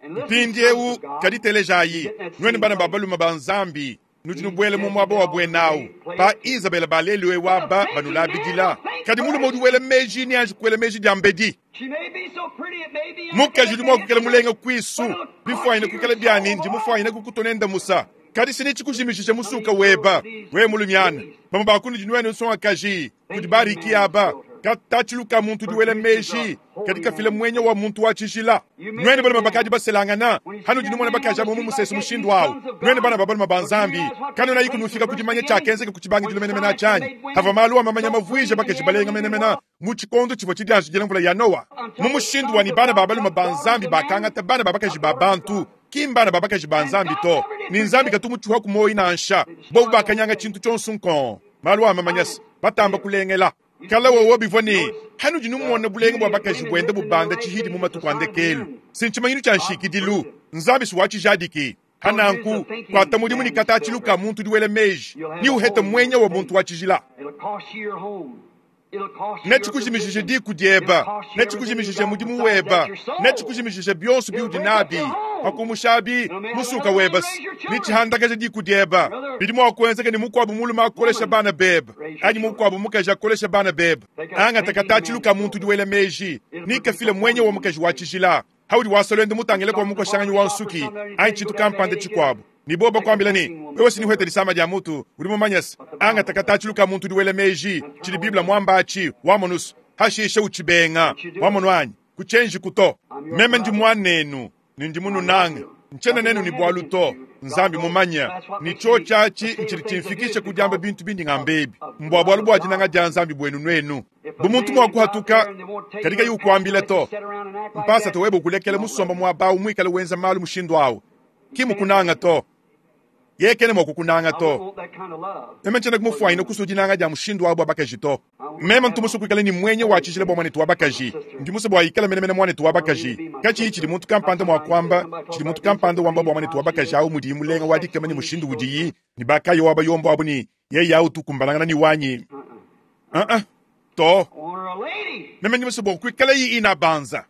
Mpindiewu kadi telejayi nuenu bana ba balume ba Nzambi nudi nubuela mu muaba wa buenau pa Isabela baleliwe waba banulabidila kadi mulume udi wela meji ni anji kuela meji dia mbedi mukaji udi mua kukela mulenga kuisu bifuanyine kukela biani ndi mufuanyine kukutonenda musa kadi sini tshikujimishishe musuka weba we mulumiana bamwe bakunudi nuenu nsongakaji kudi bariki aba katatshiluka muntu udi wela meji kadi kafila mwenya wa muntu wa tshijila nuenu balume bakadi baselangana hanudi numona bakaji abo mu musesu mushindu awu nuenu bana ba balume ba Nzambi kanuna yiku nufika kudimanya tshiakenzeka ku tshibangidilo menemene tshianyi hava malu a mamanya mavuija bakaji balenga menemene mu tshikondo tshivua tshidianjidila mvula ya Noa mu mushindu wa ni bana ba balume ba Nzambi bakangata bana ba bakaji ba bantu ki mbana ba bakaji ba Nzambi to ni Nzambi katumutshiwa ku moyi nansha bobu bakanyanga tshintu tshionso nkon malu a mamanyasa batamba kulengela kala wowo bivua ne hanudi numona bulenga bua bakaji buenda bubanda tshihidi mu matuku a ndekelu sintshimanyinu tshia nshikidilu Nzambi si watshijadiki hananku kuata mudimu ni katatshiluka muntu udi wela meji ni uheta mwenya wa muntu wa tshijila netshikujimishishe diku dieba netshikujimishishe mudimu weba netshikujimishishe bionso biudi nabi pakumushabi musuka weba nitshihandakaja diku dieba bidi mua kuenzeka ni mukuabu mulume akolesha bana beba anyi mukuabu mukaji akolesha bana beba angata katatshiluka muntu udi wela meji nikafile mwenye wa mukaji wa tshijila haudi wasolende mutangile kwa mukoshanganyi wa nsuki anyi tshintu kampanda tshikuabu ni boba kwambila ni wewe sinihwete lisama dia mutu udi mumanyasa angata katatshiluka muntu udi wela meji tshidi biblia mwambachi wamonusu hashishe utshibenga wamonu anyi kuchenji kuto meme ndi mwanenu ni ndi mununanga nchena nenu ni bwalu to Nzambi mumanya ni cho chachi nchili chimfikishe kudiamba bintu bindi ngambebi mbwa bwalu bwa dinanga dia Nzambi bwenu nwenu bumuntu mwakuhatuka kadika yukwambila to mpasa toweba ukulekela musomba mwabau mwikala wenza malu mushindu awu kimukunanga to yekene mwakukunanga to meme nchena kumufwanyina kusu dinanga dia mushindu awu bwa bakaji to meme ntumusu kuikala ni mwenye wa tshijila bwa mwanetu wa bakaji ndimusu bwa ikala menemene mwanetu wa bakaji kachi tshidi muntu kampanda mwa kwamba tshidi muntu kampanda wamba bwa mwanetu wa bakaji awu mudi mulenga wa dikema ni mushindu udiyi ni bakayo waba yombo abu ni yeye awu tukumbalangana ni wanyi to meme ndimusu bwa kuikala yi ina banza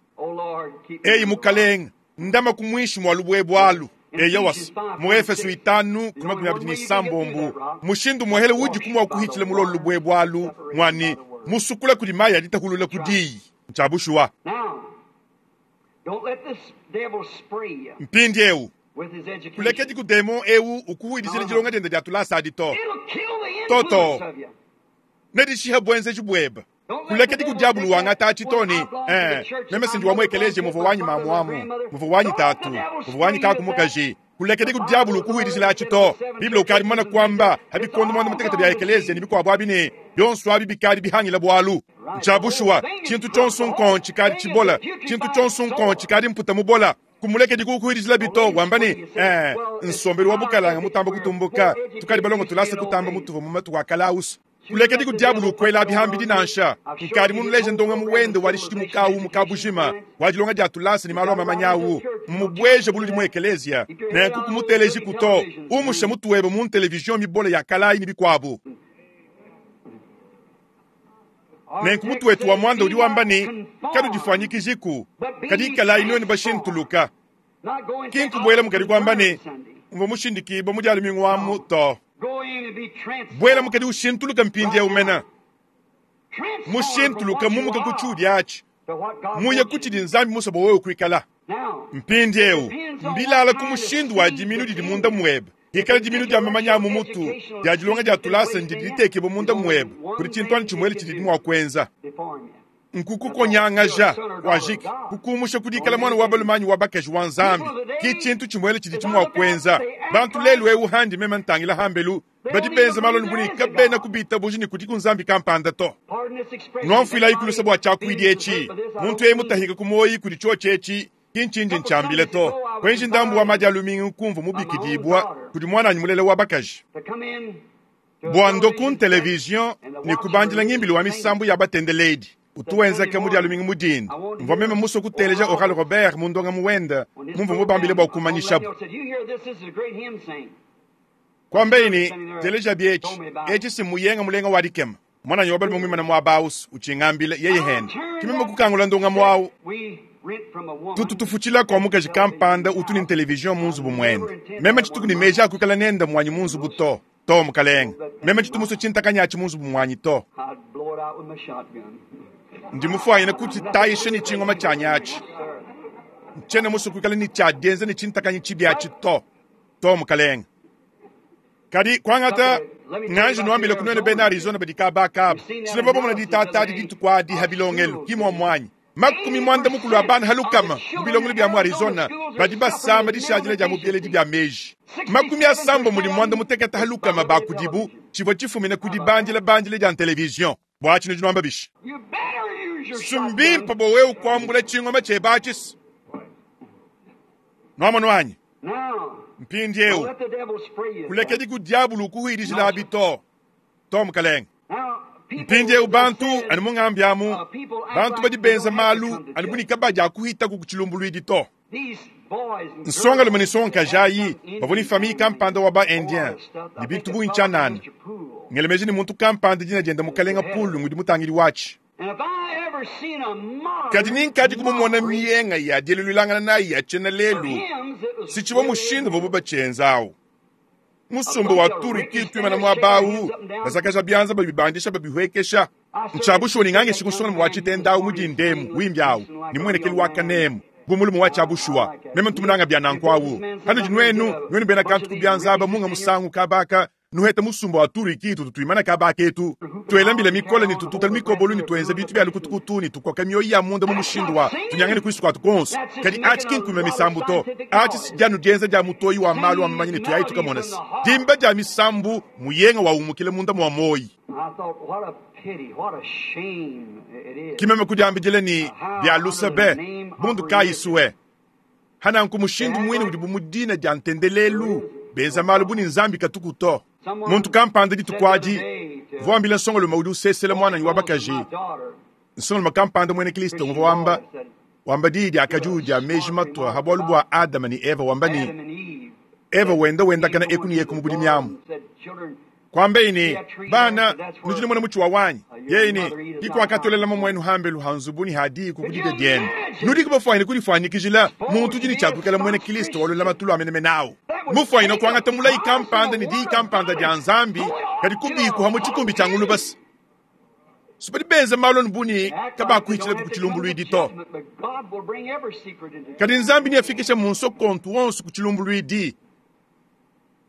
eyi mukalenga ndama kumwishi mwa lubwebwalu eya wasi mu Efeso 5:26 mushindu muhele udi kumwa kuhitshila mulolo lubwebwalu mwani musukula kudi maya ditahulula kudiyi ntshabushuwa mpindi ewu kulekedi ku demo ewu ukuhuidishile dilonga diende dia tulasa adi to toto nedishiha bwenzeji bweba kulekedi ku diabulu wangata atshitoni meme sindi wamwekeleje muvu wanyi mamuamu muvu wanyi tatu muvu wanyi kakumukaji kulekedi ku diabulu kuhuidishila atshito biblia ukadi mwana kwamba habikondo mwana mutekete bya ekelezia ni bikuabu abi ne bionso abi bikadi bihangila bwalu ntshabushuwa tshintu tshonso nkonchi tshikadi tshibola tshintu tshonso nkonchi tshikadi mputa mubola kumulekedi kukuhidishila bito wamba ni nsombelu wa bukalanga mutamba kutumbuka tukadi balongo tulasa kutamba mutuva mu matuku akalausa kulekedi ku diabulu ukwela bihambidi nansha nkadi munuleje ndonga muwende walishidi mukawu mukabujima wadilonga dia tulasa ni malu amamanyawu mubweje buludi mu ekelezia nenku kumuteleji kuto umushe mutuwebe mu televizion mibola ya kalayi ni bikuabu nenku mutu wetu wa mwanda udi wamba ni kadudifuanyikijiku kadi ikalayi nuenu bashintuluka kinkubwela mukadi kwamba ni mva mushindikibo mudialu mingwamu to bwela mukadi ushintuluka mpindi umena mushintuluka mumuka kuchudi achi muye kuchidi Nzambi musobo wewe kuikala mpindi eu mbilala ku mushindu wa diminu didi munda mwebe ikala diminu dia mamanya mu mutu dia dilonga dia tulasa ndidi ditekebwa munda mwebe kudi tshintwana tshimwele tshidi mua kuenza nkukukonyangaja wajiki kukumusha kudikala mwana wa balumanyi wa bakaji wa Nzambi ki tshintu tshimwele tshidi tshimua kuenza bantu lelu eu handi meme ntangila hambelu Badi benza malu anu bu ne kabena kubitabuja ne kudiku Nzambi kampanda to. Nuamfuilayi ku luse bua tshiakuidi etshi. Muntu yeye mutahika ku muoyi kudi tshiotshi etshi, ki ntshindi ntshiambila to. Kuenji ndambu wa madi a lumingu kumvua mubikidibua kudi muananyi mulela wa bakaji bua ndo ku televizion ne kubandila ngimbilu wa misambu ya batendeledi utu wenzeka mu dia lumingu mu dinda. Mvua meme musue kuteleja Oral Robert mu ndongamu wende mumvua mubambile bua kumanyishabu. Kuambaye ne, Telejabi etshi, etshi si mmuyenga mulenga wa dikema. Muananyi wa balume muimane muaba au utshingambila yeye hende. Ke meme kukangula ndongamu au. Tutu tufutshila kua mukaji kampanda utu ne televizion mu nzubu muende. Meme tshituku ne meji a kuikala nende muanyi mu nzubu to. To, mukalenge. Meme tshitu musue tshintakanyi atshi mu nzubu muanyi to. Ndi mufuanyine kutshitayisha ne tshingoma tshianyi atshi. Ntshiena musue kuikala ne tshia dienza ne tshintakanyi tshibi atshi to. To, mukalenge. Kadi kuangata nganji nuambile ku nuenu bena Arizona badi kaba kaba. Sile bamona ditata adi dituku adi ha bilongelu, ki muamuanyi. 80 a bana ha lukama mu bilongelu bia mu Arizona badi basama dishadila dia mu bieledi bia meji. 68 ha lukama ba kudibu tshivua tshifumina ku dibandila bandila dia televizion. Bua tshinudi nuamba bishi? Sumbimpa bua wewe kuambula tshingoma tshiebe atshi. Nuamonu anyi? Mpindieu kulekedi ku diabulu ukuhuidijilabi to. To, mukalenge. Mpindieu bantu anu mungambi amu, bantu badi benza malu anu bu ne kabadi akuhitaku ku tshilumbuluidi to. Nsongalume ne nsongakaji ayi bavua ne famiye kampanda wa ba-Indien ne bintu bungi tshianana. Ngela meji ne muntu kampanda dina diende Mukalenga Pool ngudi mutangidi watshi. Kadi ni nkadi kumumona mienga ya dieluluilangana nayi ya tshiena lelu, si tshivua mushindu uvuabu batshienza awu. Musumba wa turiki tuimana muaba awu, bazakaja bianza babibandisha babihuekesha. Ntshia bushuwa ne ngangeshi kusonga wa tshitenda awu mu dindemu wimbi awu ne muenekelu wa kanemu bu mulume wa tshia bushuwa. Meme ntumunanga bia nanku awu. Hanudi nuenu, nuenu bena kantu ku bianza aba munga musangu kabaka nuheta musumba wa turiki tutu tuimana kaba ketu tuela mbila mikole ne tututa mikobolu ne tuenza bintu bia lukutukutu ne tukoka mioyo ya munda mu mushindu wa tunyangane kuisu kuatu konso. Kadi atshi ki nkuimba misambu to, atshi si dianu dienza dia mutoyi wa malu a mamanya ne tuyayi tukamona se dimba dia misambu muyenga wa umukila munda mua moyi. Ki meme kudiambidila ne bia luse be, bundu kayi sue. Hananku mushindu muine udibu mu dina dia ntendelelu benza malu bu ne Nzambi katuku to. Muntu kampanda dituku adi uvua wambila nsongalume udi usesela muananyi wa bakaji, nsongalume kampanda muena Kristo uvua wamba wamba diyi dia kadiwu dia meji matua ha bualu bua Adama ne Eva, wamba ne Eva wenda wendakana eku ne eku mu budimi amu. Kuambeyi ne, Bana, nudi numona mutshi wa wanyi? Yeye ne, Kikuakatolela mamuenu hambelu ha nzubu ne ha diku ku didia dienu. Nudi kubafuanyine kudifuanyikijila muntu udi ne tshia kuikala muena Kristo wa lulamatu lua menemene awu. Mufuanyine kuangata mulayi kampanda ne diyi kampanda dia Nzambi, kadi kubikuha mu tshikumbi tshia ngulubasa. Si badi benza malu anu bu ne kabakuhitshila ku tshilumbuluidi to. Kadi Nzambi neafikishe munsokontu wonso ku tshilumbuluidi.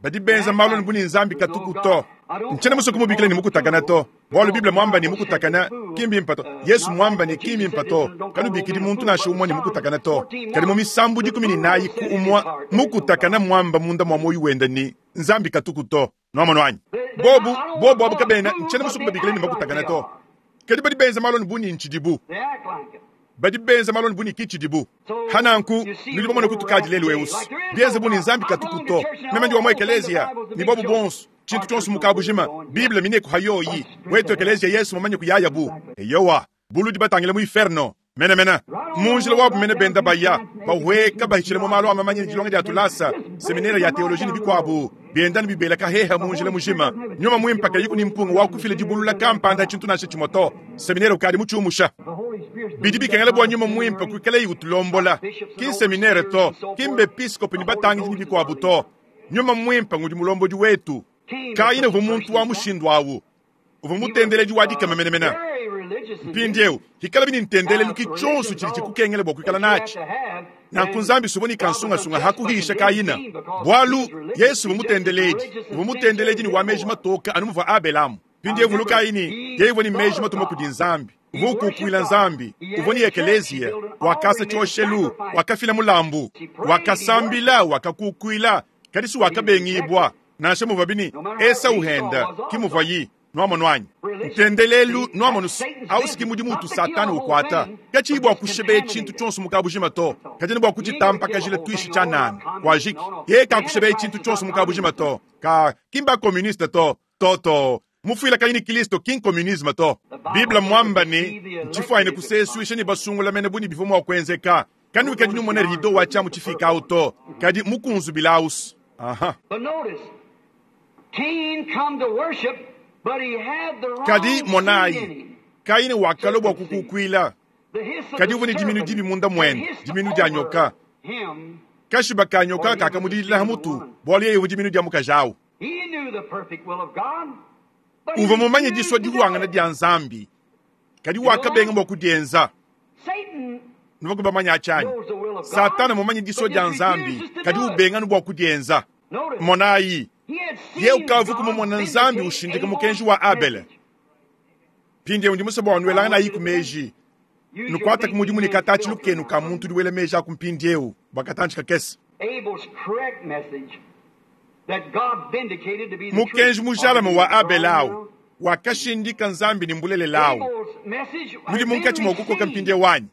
Badi benza malu anu bu ne Nzambi katuku to. Ntshiena musue kumubikila ne mukutakana to, bualu Bible muamba ne mukutakana ki mbimpe to. Yesu muamba ne ki mbimpe to. Kanubikidi muntu nansha umue ne mukutakana to. Kadi mu misambu 14 ku umue, mukutakana muamba munda mua muoyo wende ne Nzambi katuku to. Nuamonu anyi? Bobu, bobu abu kabena, ntshiena musue kubabikila ne makutakana to. Kadi badi benza malu anu bu ne ntshidibu. Badi benza malu anu bu ne ki tshidibu. Hananku, nudi bamone kutukadi lelu eu. Bienze bu ne Nzambi katuku to. Meme ndi wa mu ekeleziya, ne bobu bonso, tshintu tshionso mu kabujima, Bible mineku ha yoyi. Wetu ekeleziya Yesu mumanye kuyaya bu. Eyowa, buludi batangile mu inferno. Mene mene, mu njila wabu mene benda baya, bahueka bahitshila mu malu a mamanya ne dilonga dia tulasa, seminere ya teoloji ne bikuabu, bienda ne bibela kaheha mu njila mujima. Nyuma muimpe kayiku ne mpunga wa kufila dibulula kampanda tshintu nansha tshimue to. Seminere ukadi mutshiumusha. Bidi bikengela bua nyuma muimpe kuikalayi utulombola, ki nseminere to, ki mbepiskopi ne batangidi ne bikuabu to. Nyuma muimpe ngudi mulombodi wetu. Kayina uvua muntu wa mushindu awu. Uvua mutendeledi wa dikema menemene. Mpindieu hikalabi ne ntendelelu ki tshionso tshidi tshikukengela bua kuikala natshi. Nanku Nzambi suvua ne kansungasunga ha kuhisha Kayina, bualu Yesu uvua mutendeledi, uvua mutendeledi ne wa meji matoka anu muvua Abelamu. Mpindieu vulukayi ne, yeye uvua ne meji matuma kudi Nzambi, uvua ukukuila Nzambi, uvua ne ekeleziya, wakasa tshioshelu, wakafila mulambu, wakasambila, wakakukuila, kadi si wakabengibua. Nansha muvuabi ne Esau henda, ki muvuayi. Nwamonu anyi? Ntendelelu, nwamonu's, au's ki mudimu utu Satana ukwata. Kaciyi bwa kushibeya cintu cyonso mu kaabujima to, kadi ne bwa kucitampakajila twishi cyanaana. Kwajiki. Yeye kaakushibeya cintu cyonso mu kaabujima to. Kaa, ki mba-communiste to. To, to. Mufwilakanyi ne Kilisto ki ncommunisme to. Bible mmwamba ne, Ncifwanyine kuseeswisha ne basungula mene bu ne bivwa mwa kwenzeka. Kanwikadi numona rideau wa cyamu cifiike awu to, kadi mukunzubila awu's. Uh-huh. Kadi, monaayi, Kaine wakalwa bwa kukuukwila, kadi uvwa ne diminu dibi munda mwende, diminu dya nyoka. Kashiba kaa nyoka kaakamudidila ha mutu, bwalu yeye uvwa diminu dya mukaji awu. Uvwa mumanye diswa dihwangana dya Nzambi, kadi wakabenga bwa kudyenza. Nuvwaku bamanye aci anyi? Satana mmumanye diswa dya Nzambi, kadi ubenga anu bwa kudyenza. Monaayi, yeye ukavuku mumona Nzambi ushindika mukenji wa Abele. Mpindyewu ndi muswe bwa nwelanganayiku meeji. Nukwataku mudimu ne kataacilu kenu ka muntu udi wela meeji aku mpindyewu, bwa katanci kakese. Mukenji mujalame wa Abele awu wakashindika Nzambi ne mbulelela awu. Nudi munkaci mwa kukoka mpindyewu anyi?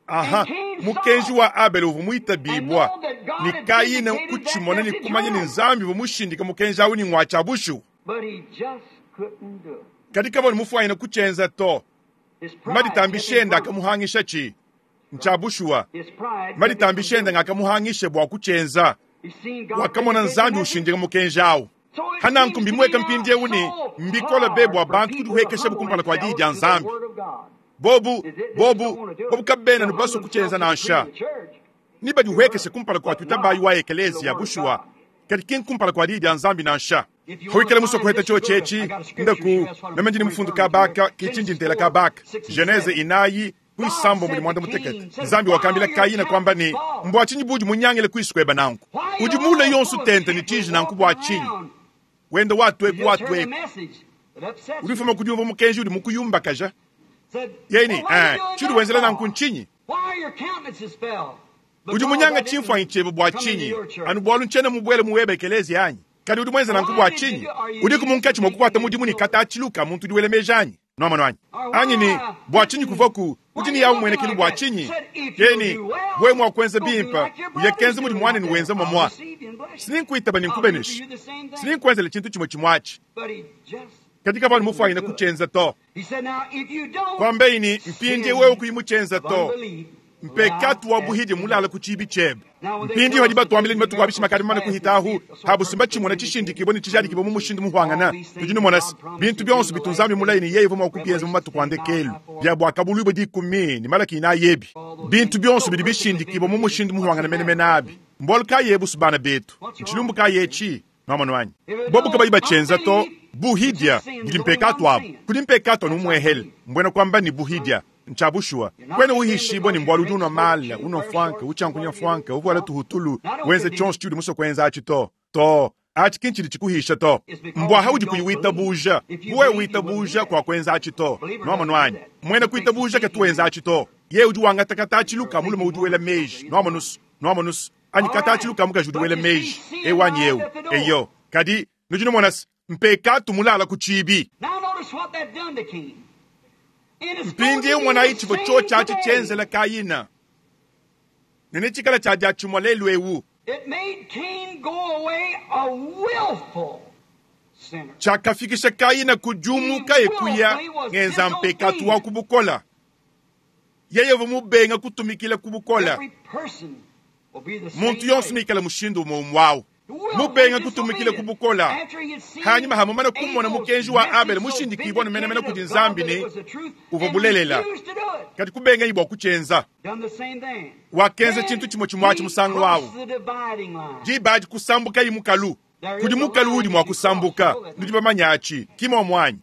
Aha, mukenji wa Abele uvua muitabibua, ne Kayine kutshimona ne kumanya ne Nzambi uvua mushindike mukenji awu ne ngua tshia bushuwa. Kadi kavua ne mufuanyine kutshienza to. Maditambishi ende akamuhangishatshi. Ntshia bushuwa, maditambishi ende ngakamuhangisha bua kutshienza. Wakamona Nzambi ushindika mukenji awu. Hananku mbimueka mpindieu ne, mbikole be bua bantu kudihuekeshabu kumpala kua Diyi dia Nzambi. Bobu, bobu, bobu kabena anu basue kutshienza nansha. Nebadihuekeshe kumpala kua tuitabayi wa ekeleziya, bushuwa, kadi ki nkumpala kua Diyi dia Nzambi nansha. Pawikala musue kuheta tshiotshi etshi, ndaku, meme ndi ne mufundu kaba aka, ke tshindi ntela kaba aka, Genese inayi, ku isambombo ne muanda mutekete. Nzambi wakambila Kayina kuamba ne, Mbua tshinyi buudi munyangile kuisu kuebe nanku? Udi muule yonsu tente ne tshiji nanku bua tshinyi? Wenda watueku watueku. Udi ufuma ku diumvua mukenji udi mukuyumbakaja. Yeye ne, Ee, tshiudi wenzela nanku ntshinyi? Udi munyanga tshimfuanyi tshiebe bua tshinyi? Anu bualu ntshiena mubuele mu webe ekeleziya anyi? Kadi udi muenze nanku bua tshinyi? Udiku munkatshi mua kukuata mudimu ne katatshilu ka muntu udi wela meji anyi? Nuamonu anyi? Anyi ne, bua tshinyi kuvuaku udi ne yawu muenekelu bua tshinyi? Yeye ne, Wewe mua kuenza bimpe, uye kenza mudi muanenu wenza muamua. Sininkuitaba ne nkubenesha. Sininkuenzela tshintu tshimue tshimue atshi. Kadi kavua anu mufuanyine kutshienza to. Kuambeyi ne, Mpindieu wewe kuyi mutshienza to. Mpekatu wa buhidi mulala ku tshiibi tshiebe. Mpindieu hadi batuambila ne matuku a bishima akadi mamane kuhita ahu, habu simba tshimona tshishindikibue ne tshijadikibue mu mushindu muhuangana. Tudi numona se, bintu bionso bitu Nzambi mulaye ne yeye uvua mua kubienza mu matuku a ndekelu, bia Buakabuluibua dikumi ne Malaki inayi ebi, bintu bionso bidi bishindikibue mu mushindu muhuangana menemene abi. Mbualu kayi ebu's bana betu? Ntshilumbu kayi etshi? Nwamonu anyi? Bobu kabayi batshienza to, buhidia budi mpekatu abu. Kudi mpekatu anu umuehele, mbuena kuamba ne buhidia. Ntshia bushuwa. Kuena uhishibua ne mbualu udi unua mala, unua mfuanka, utshiankunya mfuanka, uvuala tuhutulu, wenza tshionso tshiudi musue kuenza atshi to. Too, atshi ki ntshidi tshikuhisha to. Mbua haudi kuyi witabuja. Bu wewe witabuja, kuakuenza atshi to. Nwamonu anyi? Muena kuitabuja katu wenza atshi to. Yeye udi wangata katatshilu ka mulume udi wela meji. Nwamonu's? Nwamonu's? Anyi katatshilu ka mukaji udi wela meji. Eu anyi eu. Eyo. Kadi, nudi numona se, mpekatu mulala ku tshiibi. Mpindieu monayi tshivua tshiotshi atshi tshienzela Kayina, ne netshikale tshia diatshimue lelu'eu. Tshiakafikisha Kayina ku diumuka e kuya ngenza mpekatu wa ku bukole. Yeye uvua mubenge kutumikila ku bukole. Muntu yonso neikale mushindu umue umue au. Mubenge kutumikila ku bukole. Hanyima ha mumane kumona mukenji wa Abele mushindikibua ne menemene kudi Nzambi ne uvua bulelela, kadi kubengayi bua kutshienza. Wakenza tshintu tshimue tshimue atshi musangu au. Diba adi kusambukayi mukalu. Kudi mukalu uudi mua kusambuka. Nudi bamanye atshi, ki muomu anyi?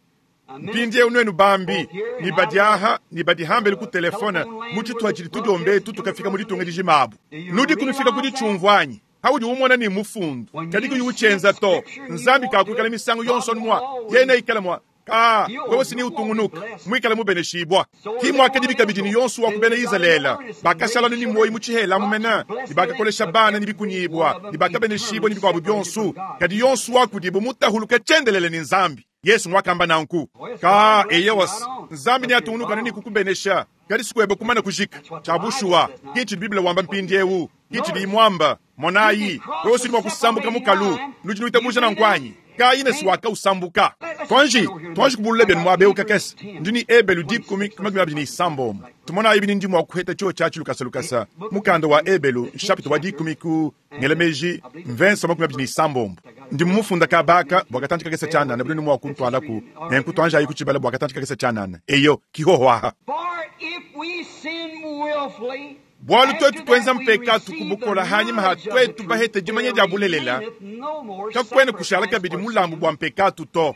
Mpindieu nuenu bambi, ne badi aha ne badi hambelu ku telefone mu tshituha tshidi tudiomba etu tukafika mu ditunga dijima abu, nudiku nufika ku ditshiumvua anyi? Haudi umona ne mufundu, kadi kuyi utshienza to, Nzambi kakuikala misangu yonso anu mua, yeye neikale mua. Ka, wewe si utungunuka, mwikale mubeneshibwa. Ki mwakadi bikabidi ni yonsu wa ku bena Izalele, bakashala ni moyi mu tshihela mumene, ni bakakolesha bana ni bikunyibwa, ni bakabeneshibwa ni bikwabu byonsu. Kadi yonsu wa kudibo mutahuluka chendelele ni Nzambi. Yesu mwakamba nanku. Ka, eyewas, Nzambi ni atungunuka nini kukubenesha. Kadi sikwebe kumana kujika. Chabushuwa, kichi Biblia wamba mpindiewu, kichi limwamba, monayi, wewe si mwakusambuka mukalu, nudi nuitabuja na nkwanyi. Kaine siwaka usambuka. Twanji, twanji kubulule benu mwabeuka kese. Ndini ebelu dikumi kumakumi ni sambo. Tumona ibi ndi mwakuheta chuo chachi lukasa lukasa. Mukanda wa ebelu, chapter wa dikumi ku ngelemeji, mvenso makumi ni sambo. Ndi mumufunda kabaka, bwakatantika kese chanana, bulu ni mwakuntwala ku, nenkutwanja ayi kuchibala bwakatantika kese chanana. Eyo, kihohwaha. For if we sin willfully, Bwalu twetu twenza mpeka tukubukola hanyuma ha twetu bahete jimanye dya bulelela kakwene kushala kabidi mulambu bwa mpekatu to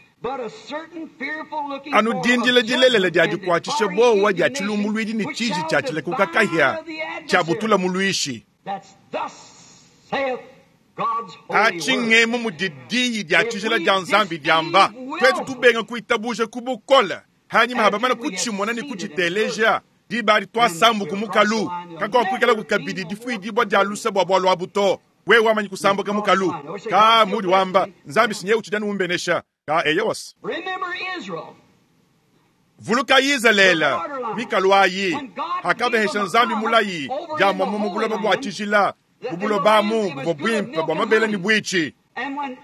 anu dindila dilelela dya dikwatshisha bowa dya tshilumbuluidi ni tshiji tshia tshilekuka kahya tshia butula muluishi atshingemu mudi diyi dya tshijila dya nzambi dyamba twetu tubenga kuitabuja kubukola hanyuma habamana kutshimona ni kutshiteleja dibali twasambuka mukalu kakokwikala kukabidi difuidibwa dya lusa bwa bwalwa buto wewe wamanyi kusambuka mukalu ka mudi wamba nzambi sinye uchidani umbenesha ka eyewasi Remember Israel. vuluka Izalele mikalu ayi hakabehesha nzambi mulayi dya mwamumu buloba bwa tshijila bubulobamu buvua bwimpe bwa mabele ni bwichi And when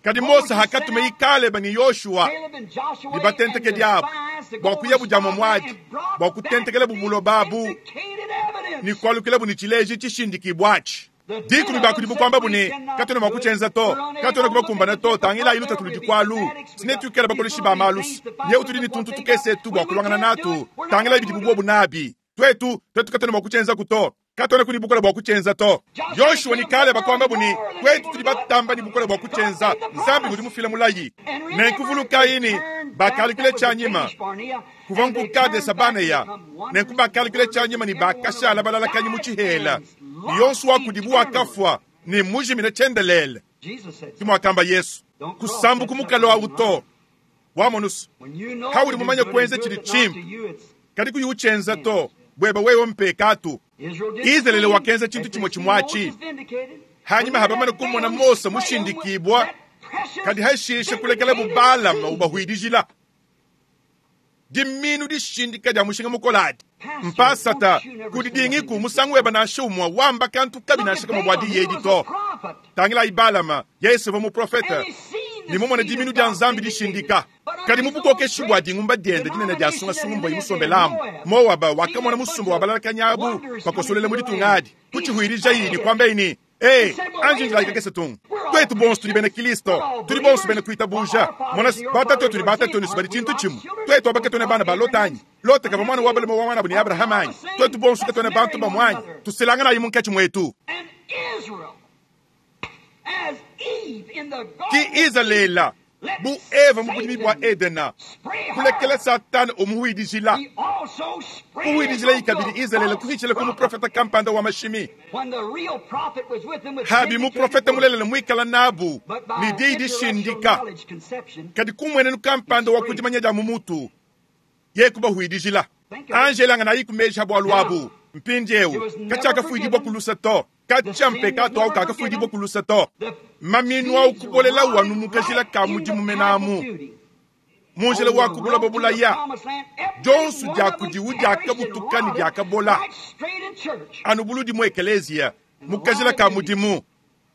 kadi Mose hakatume Kaleba ni Yoshua Caleb and Joshua libatenteke and the diabo spies to go bwa kuya buja and mwamwadi brought bwa kutentekela back the bubuloba abu vindicated evidence. ni kwalukila ni chileji chishindikibwachi dikumi bakudi bukwamba bune katona mwakuchenza to katona kubakumbana to tangila ilu tatuli dikwalu sine tukela bakolishi ba malusi nye utuli ni tuntu tukese tu bwa kulwangana natu tangila ibidi bubwo bunabi twetu twetu katona mwakuchenza kuto katona kuni bukola bwa kuchenza to Yoshua ni kale bakwamba buni kwetu tuli batamba ni bukola bwa kuchenza nzambi ngudi mufila mulayi nenkuvuluka ini bakalikile chanyima kuva nkukade sabaneya nenkubakalikile chanyima ni bakashala balalakanyi muchihela yonsu wakudibu wakafwa ni mujimine chendelele Jesus said, kimwakamba Yesu kusambuka mukalo wa uto wamonusu when you know Hawuli to do mumanya good kwenza and do chili it not chimpe. to you, it's kadi kuyuchenza to bweba wewe mpekatu Israel did the Israeli same. wakenza chintu As chimwe they see chimwachi. Moses vindicated. Hanyuma When habamana they kumona had Mose Balaam with mushindikibwa that precious kadi hashishe kulekela vindicated bubalama seed. ubahwidijila diminu dishindika dya mushinga mukoladi mpasata kudidingiku musangu weba nashe umwa wamba kantu kabi Look at nashe kama bwa Balaam, he diyedi was to a prophet. tangila ibalama Yesu va muprofeta And he seen the ni mumona seed diminu of dya God nzambi vindicated. dishindika But under kadi his mubukokeshi own bwa great dingumba dyende dinene dya sungasunga mbwa denomination imusombelamu that he lived in, Moaba wakamona Seen musumba wa that balalakanyabu wonders bakosolele coming mu to the ditunga land. adi kuchihwirija He ini said, kwamba ini Eh, He said, well, wait anji a njila minute. ikakese tungu We're all twetu bonso tuli bena Christians. Kristo We're all tuli bonso bena believers. kuitabuja Our fathers mona and your batatu fathers tuli are batatu the ni same. sibali Aren't we chintu Lot's chimwe children? twetu abakatone bana ba Lotanyi Lote kava mwana wa balema wa mwana buni Abrahamu anyi twetu bonso katone bantu ba mwanyi tusilangana ayi munkatshi mwetu And Israel, as Eve in the ki garden, Izalela let bu Eva mu budimi bwa Satan Edena spray her. kulekela Satani omuhwidijila He also sprayed kuhwidijila off ikabidi the Izalela false kuhichila ku prophet. muprofeta kampanda wa mashimi When the real prophet was with them with habi vindicated muprofeta word, mulelele mwikala nabu but by ni diyi intellectual dishindika knowledge conception, kadi kumwenenu kampanda wa kudimanya dya mumutu ye kubahwidijila angelanga nayi kumeja bwalu abu mpindiewu katyakafuidibwa kulusa to katya mpekatu awu kakafuidibwa kulusa to the maminu awu seeds kubolela rotted wanu mukajila right ka in the mudimu path of menamu duty. munjila On the wa kubula road to the babulaya promised land, every Jonsu one dya of them kudiwu perished dya and kabutuka ni rotted dya kabola. right straight in church. anu buludi mu ekeleziya mukajila ka mudimu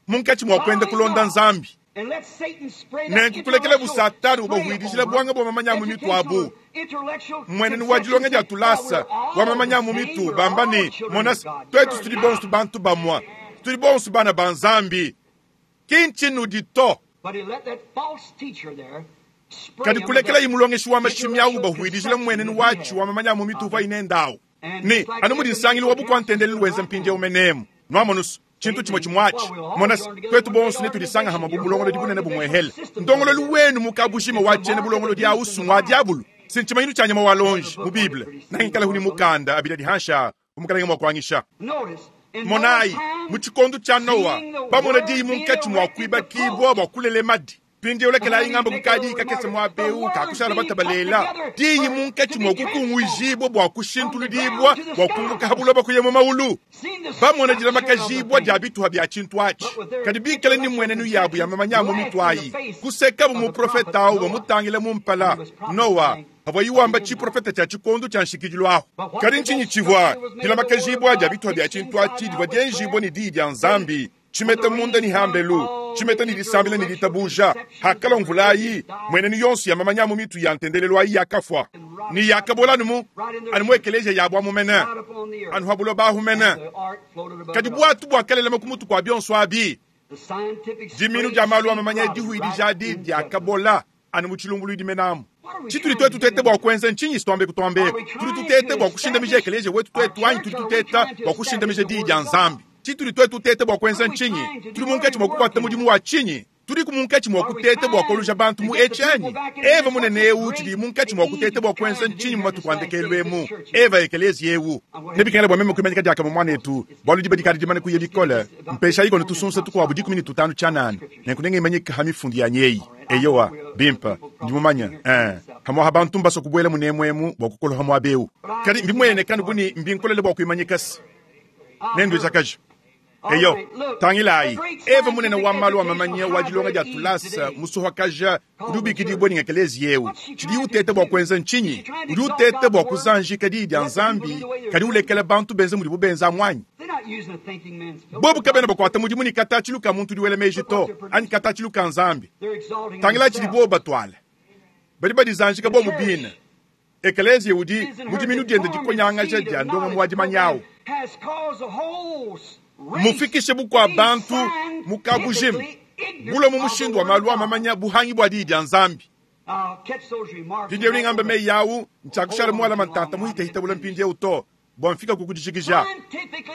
munkatshi mwa kwenda kulonda nzambi And let Satan spray that nenkukulekela intellectual busatani spray ubahwidijila upon bwanga bwa mamanya mu mitu abu educational, intellectual mwenenu wa dilonga dya tulasa conception. Well, we're wa all mamanya the mu same. mitu We're bamba all ni children mona of God. twetu You're tuli not. bonso bantu bamwa tuli bonso bana ba nzambi kinchinu to But he let that false teacher there spray kadi him with kulekela that imulongeshi wa mashimi awu intellectual bahwidijila conception mwenenu that he wachi had. wa mamanya mu mitu uva ine ndawu And ni just like anu mudi nsangilu wa bukwantendeli lwenza mpindye umenemu nwamonusu chintu chimwe chimwachi mona twetu bonso netulisanga hama bubulongolodi bunene bumwehele ndongololi wenu mukabushima wachene bulongolodi ausu wa diabulu sinchimanyilu cha nyama wa lonji mu Bible nangikala huni mukanda abila dihansha umukalange mwakwangisha Notice, in monayi Noah's time, mu chikondo cha Noa seeing the bamona world diyi being munkatshi mwa erected kuibakibwa bwa kulele madi Mpindiewu lekelayi ngamba kukadi kakese muaba eu kakushala batabalela diyi munkatshi mua kukunguijibua bua kushintuludibua bua kumbuka ha buloba kuya mu maulu. Bamona dilamakajibua dia bituha bia tshintu atshi, kadi bikale ne mmuenenu yabu ya mamanya a mu mitu ayi, kusekabu muprofete au bamutangila mu mpala. Noa pavuaye wamba tshiprofete tshia tshikondo tshia nshikidilu ahu. Kadi ntshinyi tshivua dilamakajibua dia bituha bia tshintu atshi divua dienjibua ne diyi dia Nzambi? Tshimeta munda ne hambelu, tshimeta ne disambila ne ditabuja. Hakalua mvula ayi, mmuenenu yonso ya mamanya a mu mitu ya ntendelelu ayi yakafua ne yakabola anu mu anu mu ekeleziya yabu amu mene, anu ha buloba ahu mene. Kadi buatu buakalelema ku mutu kua bionso abi. Diminu dia malu a mamanya dihuidija adi diakabola anu mu tshilumbuluidi menamu. Tshitudi tuetu tuteta bua kuenza ntshinyi? Tuambe kutuambeku, tudi tuteta bua kushindamija ekeleziya wetu tuetu anyi tudi tuteta bua kushindamija diyi dia Nzambi? Tshitudi tuetu tuteta bua kuenza ntshinyi? Tudi munkatshi mua kukuata mudimu wa tshinyi? Tudiku munkatshi mua kuteta bua koluja bantu mu etshi anyi? Eva munene eu tshidi munkatshi mua kuteta bua kuenza ntshinyi mu matuku a ndekelu emu? Eva ekeleziya eu. Nebikengele bua meme kuimanyika diakamue muanetu, bualu diba dikadi dimane kuya bikole. Mpeshayi kono tusunsa tukuabu 15 tshianana, nenku nengimanyike ha mifundu yanyi eyi. Eyowa, bimpe, ndi mumanye. Ee, pamu'apa bantu mbasue kubuela munemu emu bua kukoloha muaba eu. Kadi mbimueneke anu bu ne, mbinkolele bua kuimanyika se nenduejakaje. Eyo, tangilayi, Eva munene wa malu a mamanya wa dilonga dia tulasa musohakaja udi ubikidibua ne ngekeleziya eu. Tshidiye uteta bua kuenza ntshinyi? Udi uteta bua kuzanjika Diyi dia Nzambi, kadi ulekela bantu benza mudibu benza amu anyi? Bobu kabena bakuata mudimu ne katatshilu ka muntu udi wela meji to, anyi katatshilu ka Nzambi. Tangilayi tshidi bobu batuala. Badi badizanjika bobu bine. Ekeleziya udi, mu diminu diende dikonyangaja dia ndongamu wa dimanya au, mmufikishe bukua-bantu mu kabujima bulue mu mushindu wa malu a mamanya buhangi bua Diyi dia Nzambi. Mpindieu nengambe meyi au, ntshiakushala mualama ntanta muhitahita bule mpindieu to, bua mfika ku kudijikija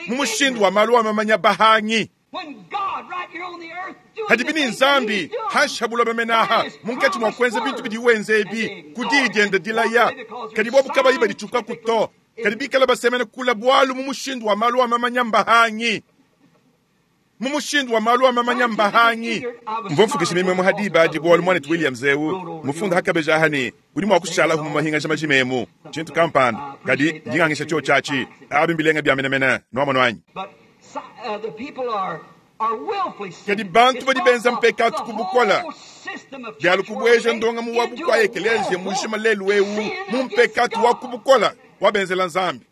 mu mushindu wa malu a mamanya bahangi. Hadibi ne Nzambi hanshi ha buloba mene aha, munkatshi mua kuenza bintu bidiye wenza ebi ku diyi diende dilaya, kadi bobu kabayi baditshukaku to, kadi bikale basemena kule, bualu mu mushindu wa malu a mamanya mbahangi. Mu mushindu wa malu a mamanya mbahangi. Mvua mfukisha mimwemwe ha diba adi bualu muanetu Williams eu mufunda ha kabeji aha ne udi mua kushalahu mu mahingaja majima emu, tshintu kampanda, kadi ndi ngangisha tshiotshi atshi. Abi mbilenga bia menemene, nuamonu anyi? Kadi bantu badi benza mpekatu ku bukole, bialu kubueja ndongamu wa bukua ekeleziya mujima lelu'eu mu mpekatu wa ku bukole wabenzela Nzambi.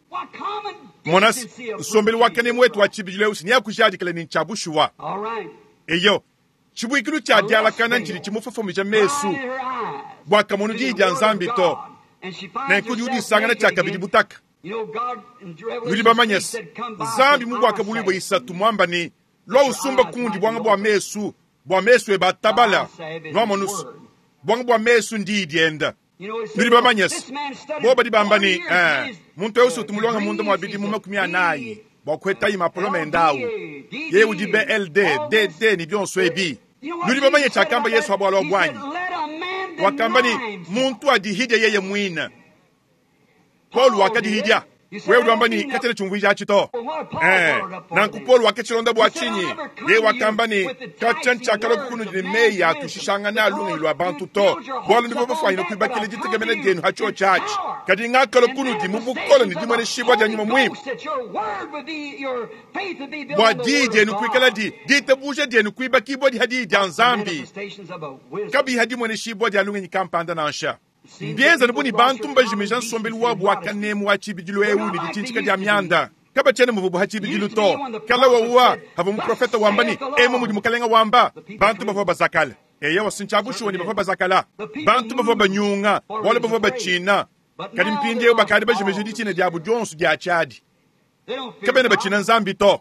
Mona se, nsombelu wa kanemu wetu wa tshibidilu eu si neakujadikile ne ntshia bushuwa. Eyo, tshibuikilu tshia dialakana ntshidi tshimufofomija mesu bua kamonu Diyi dia Nzambi to, nenku udi udisangana tshiakabidi butaka. Nudi bamanye se, Nzambi mu Buakabuluibua isatu muamba ne, Lua usumba kundi buanga bua mesu, bua mesu ebe atabala. Nuamonu se, buanga bua mesu ndiyi dienda. Nudi bamanye se, bobo badi bamba ne, Ee, muntu eu utu mulonge munda mua bidimu 40 bua kuhetaye mapolome ende au. Yeye udi BLD, DD ne bionso ebi. Nudi bamanye tshiakamba Yesu ha bualu abu anyi? Wakamba ne, Muntu adihidie yeye muine. Paulo wakadihidia. Wewe udi wamba ne, Katshiena tshiumvuija atshi to. Ee, nanku Paulo wakatshilonda bua tshinyi? Yeye wakamba ne, Katshia ntshiakalua kunudi ne meyi a tushishangana a lungenyi lua bantu to, bualu nuvua bafuanyine kuibakila ditekemena dienu ha tshiotshi atshi. Kadi ngakalua kunudi mu bukole ne dimueneshibua dia Nyuma Muimpe, bua diyi dienu kuikaladi, ditabuja dienu kuibakibuadi ha diyi dia Nzambi, kabiyi ha dimueneshibua dia lungenyi kampanda nansha. Mbienze anu bu ne, bantu mbajimija nsombelu wabu wa kanemu wa tshibidilu eu ne ditshintshika dia mianda. Kabatshiena muvuabu ha tshibidilu to. Kala wawa havua muprofete wamba ne, Emu mudi Mukalenga wamba, bantu bavua bazakala. Eyowa, si ntshia bushuwa ne bavua bazakala. Bantu bavua banyunga bualu bavua batshina. Kadi mpindieu bakadi bajimije ditshina diabu dionso dia tshiadi. Kabena batshina Nzambi to.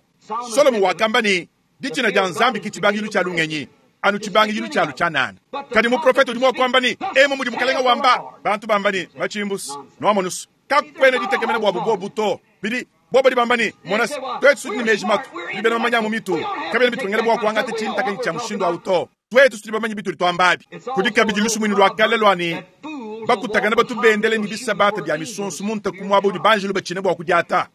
Solomo wakamba ne, Ditshina dia Nzambi ke tshibangidilu tshia lungenyi, anu tshibangidilu tshialu tshianana. Kadi muprofete udi mua kuamba ne, Emu mudi Mukalenga wamba, bantu bamba ne, Matshimbusu, nuamonusu, kakuena ditekemena buabu bobu to. Bidi bobu badi bamba ne, Monase, tuetu tudi ne meji matu, tudi bena mamanya a mu mitu, kabiena bitukengela bua kuangata tshintakanyi tshia mushindu au to. Tuetu tudi bamanye bitudi tuamba abi. Kudi kabidi lusumuinu lua kale lua ne, Bakutakana batu bendela ne bisabata bia misonso mu ntaku muaba udi banjelu batshina bua kudiata.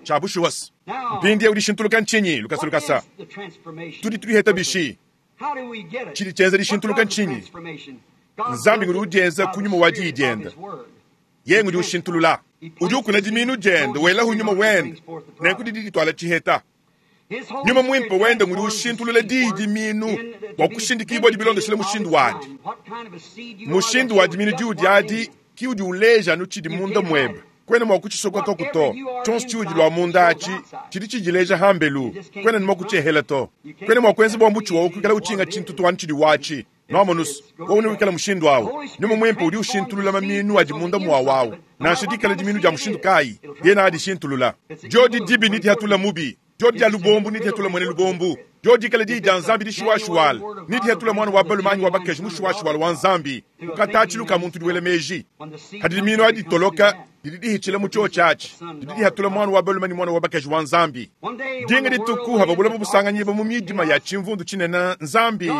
Tshia bushuwa se, mpindieu dishintuluka ntshinyi? Lukasa lukasa, tudi tudiheta bishi? Tshidi tshienza dishintuluka ntshinyi? Nzambi ngudi udienza ku nyuma wa Diyi diende. Yeye ngudi ushintulula. Udi ukuna dimiinu diende, welahu nyuma wende, nenku didi dituala tshiheta. Nyuma muimpe wende ngudi ushintulula diyi dimiinu bua kushindikibua bilondeshile mushindu wadi. Mushindu wa dimiinu diudi adi ki udi uleja anu tshidi munda muebe. Kuena mua kutshisokoka to. Tshionso tshiudi lua munda atshi tshidi tshidileja hambelu. Kuena ne mua kutshiehela to. Kuena mua kuenza bua mutshi wawu kuikala utshinga tshintu to anu tshidi watshi. Nuamonus, wewe wikala mushindu awu. Nyuma muimpe udi ushintulula maminu adi munda mua wawu. Nansha dikala diminu dia mushindu kayi, yena adishintulula. Diodi dibi ne dihatula mubi. Diodi dia lubombu ne dihatula mwene lubombu. Diodi dikala diyi dia Nzambi dishuwashuwala ne dihatula mwana wa balume anyi wa bakaji mushuwashuwala wa Nzambi. Ukatatshilu ka muntu diwela meji. Hadi diminu adi toloka, didi dihitshila mu tshiotshi atshi. Didi dihatula mwana wa balume ne mwana wa bakaji wa Nzambi. Dinga dituku hava bulaba busanganyibwa mu midima ya tshimvundu tshinene Nzambi.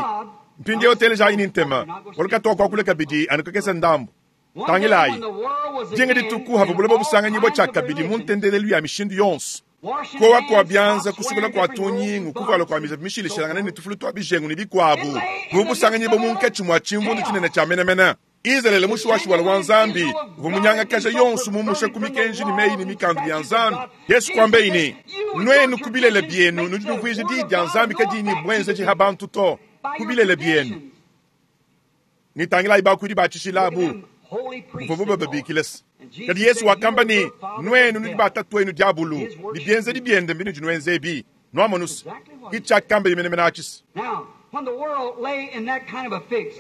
Mpindieu telejayi ni ntema. Walukatoka kwakula kabidi anu kakese ndambu. Tangilayi. Dinga dituku hava bulaba busanganyibwa tshia kabidi mu ntendelelu ya mishindu yonso. Kowa kwa byanza kusukula kwa tunyingu kuvala kwa miza mishilishilangana ne tufulu twa bijengu ne bikwabu. Mu busanganyibwa munkatshi mwa tshimvundu tshinene tshia menemene. Israele mushuwashuwala wa Nzambi uvua munyangakaja yonso mumusha ku mikenji ne meyi ne mikandu ya Nzambi. Yesu kwambeyi ne nwenu ku bilele bienu nudi nuvuija diyi dia Nzambi kadiyi ne buenzeji ha bantu to. Ku bilele bienu. Nitangilayi bakuidi batshishilabu. Mvuvu bababikile se. Kadi Yesu wakamba ne nwenu nudi batatu wenu diabulu. Ne bienzedi biende mbinudi nuenzebi. Nuamonusa. Kitshakamba yimenemene atshisa. Now, when the world lay in that kind of a fix,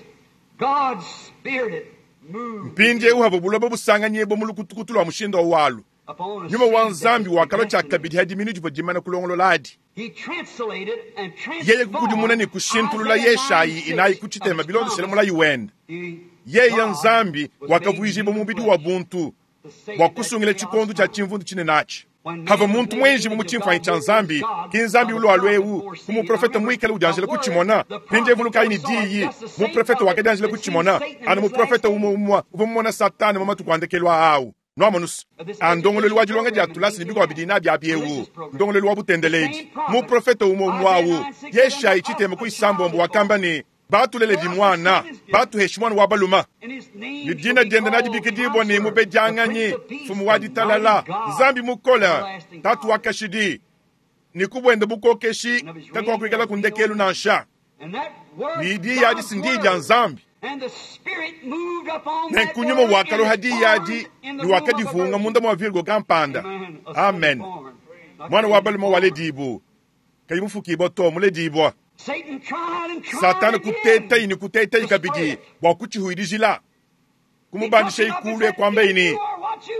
God's Spirit moved Mpindiewu hava buloba busanganyibwa mu lukutukutu lwa mushindu wa walu. upon a Nyuma wa seed that Nzambi was wakalua tshia predestined. kabidi hadi minu divua dimana kulongolola adi. He translated and Yeye kukudimuna ne transformed kushintulula Isaiah Yeshayi 9:6 inayi ku tshitema of bilondeshele promise. mulayi wende. He- Yeye God Nzambi was made wakavuijibwa human mubidi wa flesh buntu to save bua that kusungila chaos tshikondo tshia time. tshimvundu tshinene atshi. Hava muntu mwenji mu tshimfuanyi tshia Nzambi, ki Nzambi ulua lwewu, ku muprofeta mwikale udianjila kutshimona, mpindiewu lukayi ne diyi, muprofeta wakadianjila kutshimona, anu muprofeta umwe umwe uvua mumona Satana mu matuku a ndekelu awu. Nuamonusa, andongolelu wa dilonga dia tulasi ne bikwa bidi nabi abiewu, ndongolelu wa butendeledi. Muprofeta umwe umwe awu, Yeshayi tshitema ku isambombo wakamba ne, batulele bimwana, batuheshi mwana wa baluma. And his name Ni shall dina be diende called nadibikidibwa ne Counselor, mubedianganyi, the Prince of Peace, mfumu wa the ditalala, Mighty God, Nzambi mukola, everlasting tatu wa Father. kashidi. Ni kubwenda bukokeshi kakwakuikala ku ndekelu nansha. And that word, Ni diyi adi God's si ndiyi dia word. Nzambi. And the Spirit moved upon that Nenku nyuma word wakaloha and it diyi adi formed in the ni womb of a wakadivunga virgin. munda mwa Virgo kampanda. Amen. A son Amen. born. Not Mwana wa created, balume born. waledibwa. Kayi mufukibwa to muledibwa. Satan tried and tried Satana again. kutetayi ni kutetayi kabidi bua kutshihuidijila. Kumubandisha ikulu ekwamba ini.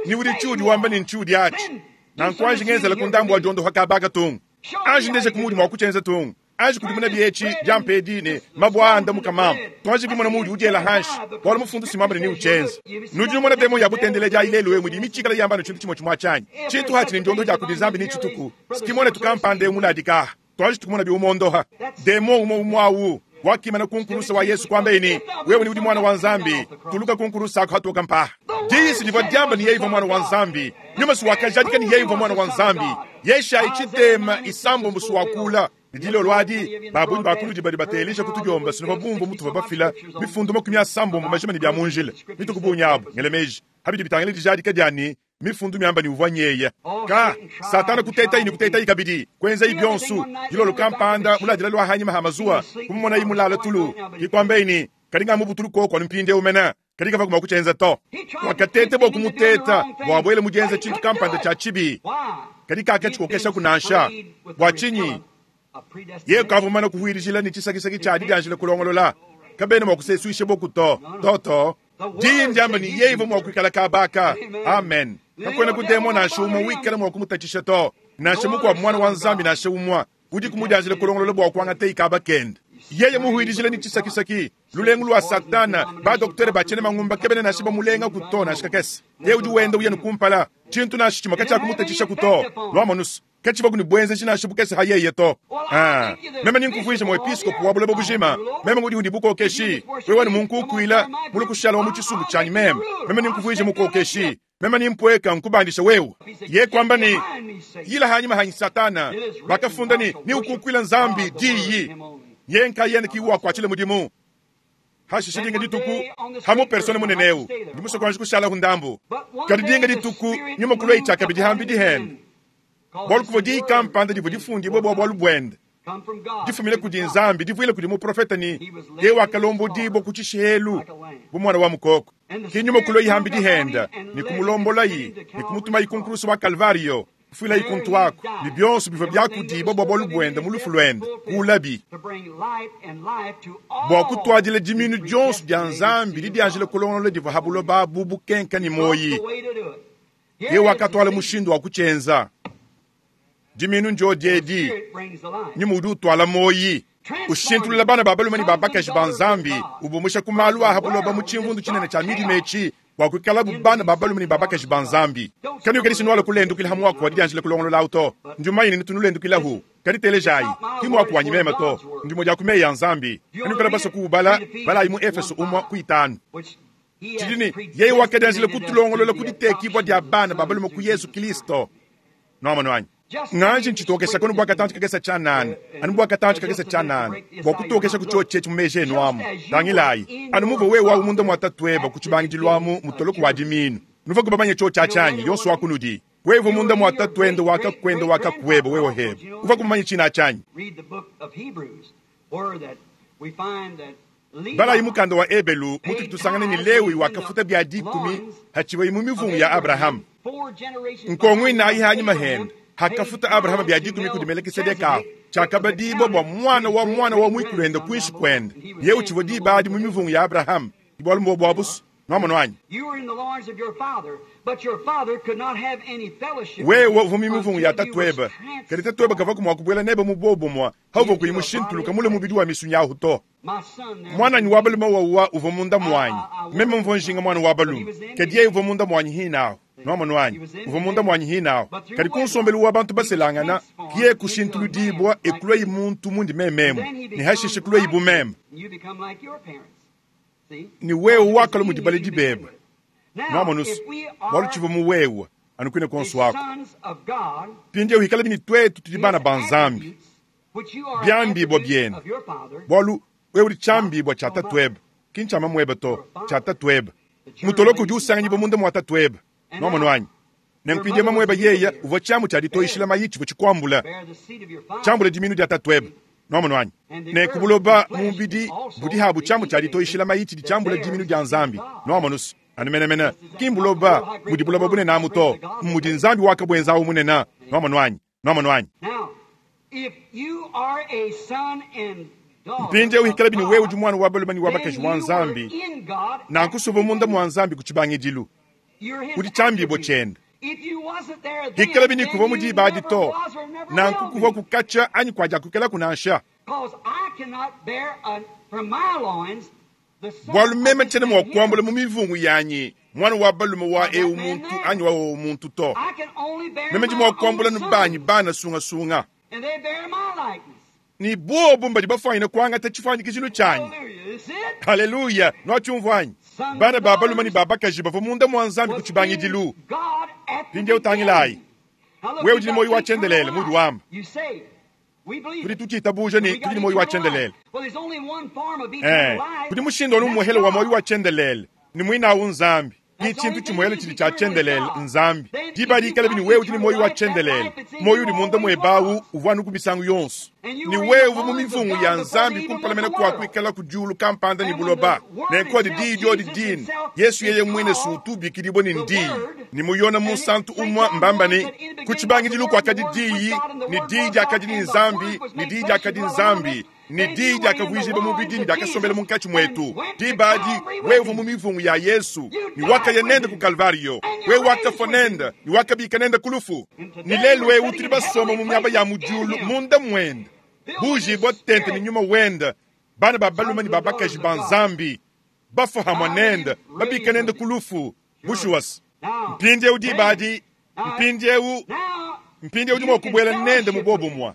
Ni udi tshiudi wamba ni ntshiudi atshi. Nanku anji ngenzela ku ndambu wa diondo hakabaka tungu. Anji ndeje kumudi mwa kutshenza tungu. Anji kudimuna bietshi diampedi ne mabwa anda mukamama. Tuanji kumona mudi udiela hanshi. Bwala mufundu simamba ne ni uchenza. Nudi numona demo ya butendele ya ilelu we mudi michikala yamba no chintu chimwe chimwe chanyi. Chintu hachi ni ndiondo dia kudi Nzambi ni chituku. Sikimone tukampande muladika. Tuanji tukumona biumondoha. Demo umo umwawu. Wakimana kunkurusa wa Yesu kwamba ini wewe ni udi mwana wa Nzambi tuluka kunkurusa ako hatoka mpaha diisi livwa diamba ni yeiva mwana wa Nzambi nyuma si wakajadika ni yeiva mwana wa Nzambi Yeshayi tshitema isambo mbusu wakula lidilo lwadi babunyi bakuludi badi batelisha kutudiomba sino babumvu mutu babafila mifundu makumi asambombo majima ni bya munjila mituku abo ngelemeji habidi bitangile dijadika diani mifundu miamba ni uvua nyeya ka satana kutetayi ni kutetayi kabidi kwenza ibyonsu dilolo kampanda muladila lwa hanyima ha mazuwa kumumona imulala tulu kikwambeini kalinga mubutulu koko mpinde umena kalinga vakuma kuchenza to wakatete bwa kumuteta bwabwele mujenza chintu kampanda cha chibi Why? kadi kakachikokesha kunansha bwa chinyi ye kavumana kuhwirijila ni chisakisaki cha didianjila kulongolola kabene mwa kusesuisha bokuto toto diyi ndiamba ni yeivo mwa kuikala kabaka amen kakwena kudemo nansha umwe wikala mwa kumutatshisha to nansha mukwa mwana wa Nzambi nansha umwa udi kumudianjila kulongolola bwa kuangata ikaba kende yeye muhwirijila ni chisakisaki lulengu lwa satana badoktere bachene mangumba kebene nansha bamulenga kuto nansha kakese ye udi wenda uye nukumpala chintu nansha chimwe kachakumutatshisha kuto lwamonusu kachiva kuni bwenze chinasha bukese hayeye to Ah, meme ninkuvuisha muepiskopu wa bulaba bujima meme ngudi undi bukokeshi wewe ni munkukwila muli kushala wa muchisumbu chanyi meme meme ninkuvuisha mukokeshi meme nimpweka nkubandisha wewe ye kwamba ni yila hanyima hanyi satana bakafunda ni ni ukukwila nzambi diyi Yeye nkayende ki wakuatshila mudimu. Hashishe dinga dituku, hamu persone munene eu, ndi musue kuanji kushalahu ndambu. Kadi dinga dituku, nyuma kulua tshiakabidi hambidi hende. Bualu kuvua diyi kampanda divua difundibue bua bualu buende. Difumine kudi Nzambi, divuile kudi muprofete ne, Yeye wakalombodibua ku tshishihelu bu muana wa mukoko. Ki nyuma kulua hambidi hende, ne kumulombolayi, ne kumutumayi ku nkulusu wa Kalvario. Kufuilayi kuntu aku, ne bionso bivua biakudibua bua bualu buende mu lufu luende, kuulabi. Bua kutuadila diminu dionso dia Nzambi didianjila kulongolola divua ha buloba abu bukenka ne muoyi. Yeye wakatuala mushindu wa kutshienza. Diminu ndiodi edi, nyuma udi utuala muoyi, ushintulula bana ba balume ne ba bakaji ba Nzambi, ubumusha ku malu a ha buloba mu tshimvundu tshinene tshia midima etshi, bua kuikalabu bana ba balume ne ba bakaji ba Nzambi. Kanuikadishi nuala kulendukila ha muaku wa didianjila kulongolola awu to. Ndi mumanye ne tunulendukila-hu. Kadi telejayi, ki muaku wanyi meme to, ndimue dia ku meyi a Nzambi. Kanuikala basue kuubala, balayi mu Efeso umue ku itanu. Tshidi ne, yeye wakadianjila kutulongolola ku ditekibua dia bana ba balume ku Yezu Kilisto. Nuamonu anyi? Nganji ntshitokesha kono bua katantshi kakese tshianana, anu bua katantshi kakese tshianana, bua kutokesha ku tshiotshi etshi mu meji enu amu. Tangilayi, anu muvua wewe awu munda mua tatueba ku tshibangidilu amu mutoloko wa diminu. Nuvua kubamanye tshiotshi atshi anyi, yonso wa kunudi? Wewe uvua munda mua tatuende wa kakuende wa kakueba, wewe hebe. Uvua kumanye tshina atshi anyi? Balayi mukanda wa Ebelu mutudi tusangana ne Lewi wakafuta bia dikumi hatshivuaye mu mivungu ya Abrahama. Nkongo inayi hanyima hende hakafuta Abrahama bia dikumi kudi Melekisedeka ahu, tshiakabadibua bua muana wa muana wa muikuluende kuinshi kuende. Yeye utshivua diba adi mu mivungu ya Abrahama. Bualu mbua bua busu. Nuamonu anyi? Wewe uvua mu mivungu ya tatuebe, kadi tatuebe kavua mua kubuela nebe mu buobumue hauvua kuyi mushintuluka mule mubidi wa misunyi ahu to. Muananyi wa balume wawa uvua munda muanyi, meme mvua njinga muana wa balume, kadi yeye uvua munda muanyi hinahu. Nuamonu anyi? Uvua munda muanyi hinahu. Kadi ku nsombelu wa bantu baselangana, kiye kushintuludibua e kuluayi muntu mundi mememu, ne hashishe kuluayi bu meme. Ne wewe wakalua mudi baledi bebe. Nuamonu se, bualu tshivua mu wewe, anu kuine kuonso aku. Mpindieu ikalabi ne tuetu tudi bana ba Nzambi, biambibua bienu, bualu wewe udi tshiambibua tshia tatuebe, ki ntshia mamuebe to, tshia tatuebe. Mutoloko udi usanganyibua munda mua tatuebe. Nuamonu anyi? Ne mpindieu mamuebe yeye uvua tshiamu tshia ditoyishila mayi tshivua tshikuambula, tshiambula diminu dia tatuebe. Nuamonu anyi? Ne ku buloba mu mubidi budi habu tshiamu tshia ditoyishila mayi tshidi tshiambula diminu dia Nzambi. Nuamonu se, anu menemene, ki mbuloba mudi buloba bunene amu to, mmudi Nzambi wakabuenzawu munene. Nuamonu anyi? Nuamonu anyi? Mpindieu ikalabi ne wewe udi muana wa balume ne wa bakaji wa Nzambi, nanku suvua munda mua Nzambi ku tshibangidilu. Udi tshiambibua tshiende. Ikalabi ne kuvua mu diba adi to, nanku kuvua kukatshia anyi kuadiakukelaku nansha. Bualu meme tshiena mua kuambula mu mivungu yanyi muana wa balume wa eu muntu anyi wa wowo muntu to. Meme ndi mua kuambula nu banyi bana sungasunga. Ne bobu mbadi bafuanyine kuangata tshifuanyikijilu tshianyi. Haleluya! Nuatshiumvua anyi? Bana ba balume ne ba bakaji bavua munda mua Nzambi ku tshibangidilu. Mpindieu tangilayi. Wewe udi ne muoyo wa tshiendelele, mudi wamba. Tudi tutshiitabuja ne tudi ne muoyo wa tshiendelele. Eh, kudi mushindu anu umuehele wa muoyo wa tshiendelele, ne muinawu Nzambi. Ki tshintu tshimuehele tshidi tshia tshiendelele, Nzambi. Diba dikalabi ne wewe udi ne muoyo wa tshiendelele, muoyo udi munda muebe awu uvua anu ku misangu yonso. Ne wewe uvua mu mivungu ya Nzambi kumpala mene kua kuikala ku diulu kampanda ne buloba. Nenku adi diyi diodi dine, Yesu yeye muine si utu ubikidibua ne n'Diyi. Ne mu Yone Munsantu umue mbamba ne, Ku tshibangidilu kuakadi Diyi, ne Diyi diakadi ne Nzambi, ne Diyi diakadi Nzambi, ne Diyi diakavuijibua mubidi ne diakasombela munkatshi muetu. Diba adi wewe uvua mu mivungu ya Yesu, ne wakaya nende ku Kalvariyo. Wewe wakafua nende, ne wakabika nende ku lufu. Ne lelu'eu tudi basomba mu miaba ya mu diulu munda muende, buujibua tente ne Nyuma wende, bana ba balume ne ba bakaji ba Nzambi, bafua hamue nende, babika nende ku lufu. Bushuwa-se, mpindieu diba adi, mpindieu, mpindieu udi mua kubuela nende mu buobumue.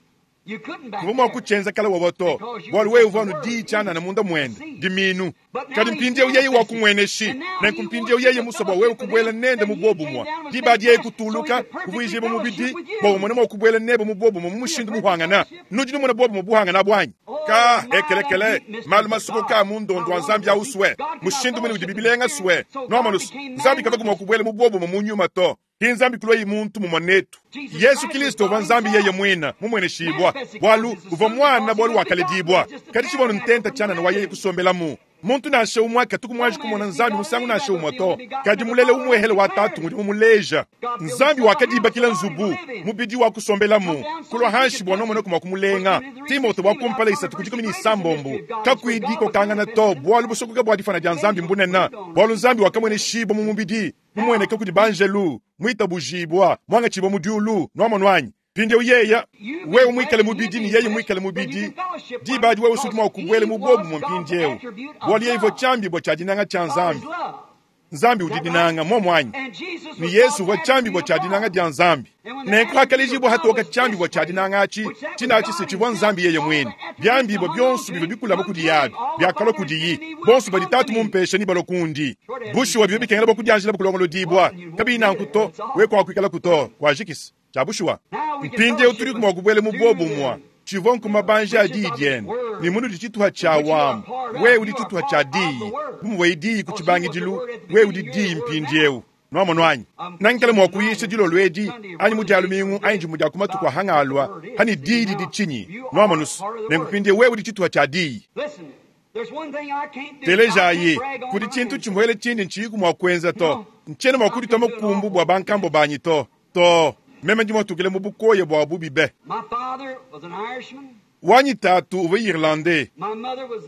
Kuvwa mwa kutshienza kale wowo to, bwalu wewe uvwa anu diyi tshianana munda mwende, dimiinu. Kadi mpindyewu yeye wakumweneshi, nenku mpindyewu yeye muswa bwa wewe kubwela nende mu bwobumwe. Diba adi yeye kutuuluka, kuvwijibwa mubidi, bwa umone mwa kubwela nebe mu bwobumwe mu mushindu muhwangana. Nudi numona bwobumwe buhwangana bwanyi? Kaa, ekelekele, maalu masokoka a mu ndondo wa Nzambi awu swe, mushindu mwine udibi bilenga swe. Nwamonu's, Nzambi kavwaku mwa kubwela mu bwobumwe mu nyuma to. Ki Nzambi kulwayi muntu mumwe netu. Yesu Kilisto uvwa Nzambi yeye mwine, mumweneshibwa, bwalu uvwa Mwana, bwalu wakaledibwa. Kadi tshivwa anu ntenta tshianana wa yeye kusombelamu. Muntu nansha umwe katuku mwanji kumona Nzambi musangu nansha umwe to, kadi mulele umwehele wa Tatu ngudi mumuleja. Nzambi wakadibakila nzubu, mubidi wa kusombelamu, kulwa hanshi bwa nwamona kumwa kumulenga. Timote wa kumpala isatu ku dikumi ne isambombo, Kakuyi dikokangana to, bwalu busokoka bwa difwana dia Nzambi mbunene, bwalu Nzambi wakamweneshibwa mu mubidi, mumueneke kudi banjelu, muitabujibua, muangatshibua mu diulu. Nwamonu anyi? Mpindyewu yeya, wewe mwikale mubidi ne yeye mwikale mubidi, diba adi wewe usudi mwa kubwela mu bwobumwe mpindyewu, bwalu yeye uvwa cyambibwa cya dinanga cya Nzambi. Nzambi udi dinanga, mmwomo anyi? Ne Yesu uvwa cyambibwa cya dinanga dya Nzambi. Nenku hakalejibwa hatoka cyambibwa cya dinanga aci, cine aci se civwa Nzambi yeye mwine. Byambibwa byonso bivwa bikulama kudi yabi, byakalwa kudiyi. Bonso badi Tatu mumpesha nebalwe kundi. Bushuwa bivwa bikengela bwa kudyanjila kulongolodibwa. Kabiyi nanku to, wewe kwakwikalaku to. Kwajikisa. Cya bushuwa. Mpindyewu tudiku mwa kubwela mu bwobumwe. Tshivwa nku mabanji a diyi dyende, ne munudi tshituha tshia wamu. Wewe udi tshituha tshia diyi. Bu muvwayi diyi ku tshibangidilu, wewe udi diyi mpindyewu. Nwamonu anyi? Nangikale mwa kuyisha dilolo edi, anyi mu dya lumingu, anyi dimwe dya ku matuku a hangalwa, hani diyi didi tshinyi. Nwamonu's? Nenku mpindyewu wewe udi tshituha tshia diyi. Telejayi, kudi tshintu tshimwele tshindi ntshiyiku mwa kuenza to. Ntshiena mwa kuditwa makumbu bwa bankambwa banyi to. To. Meme ndi mwatukile mu bukoya bwa bubi be. Wanyi tatu uvwa Irlandais,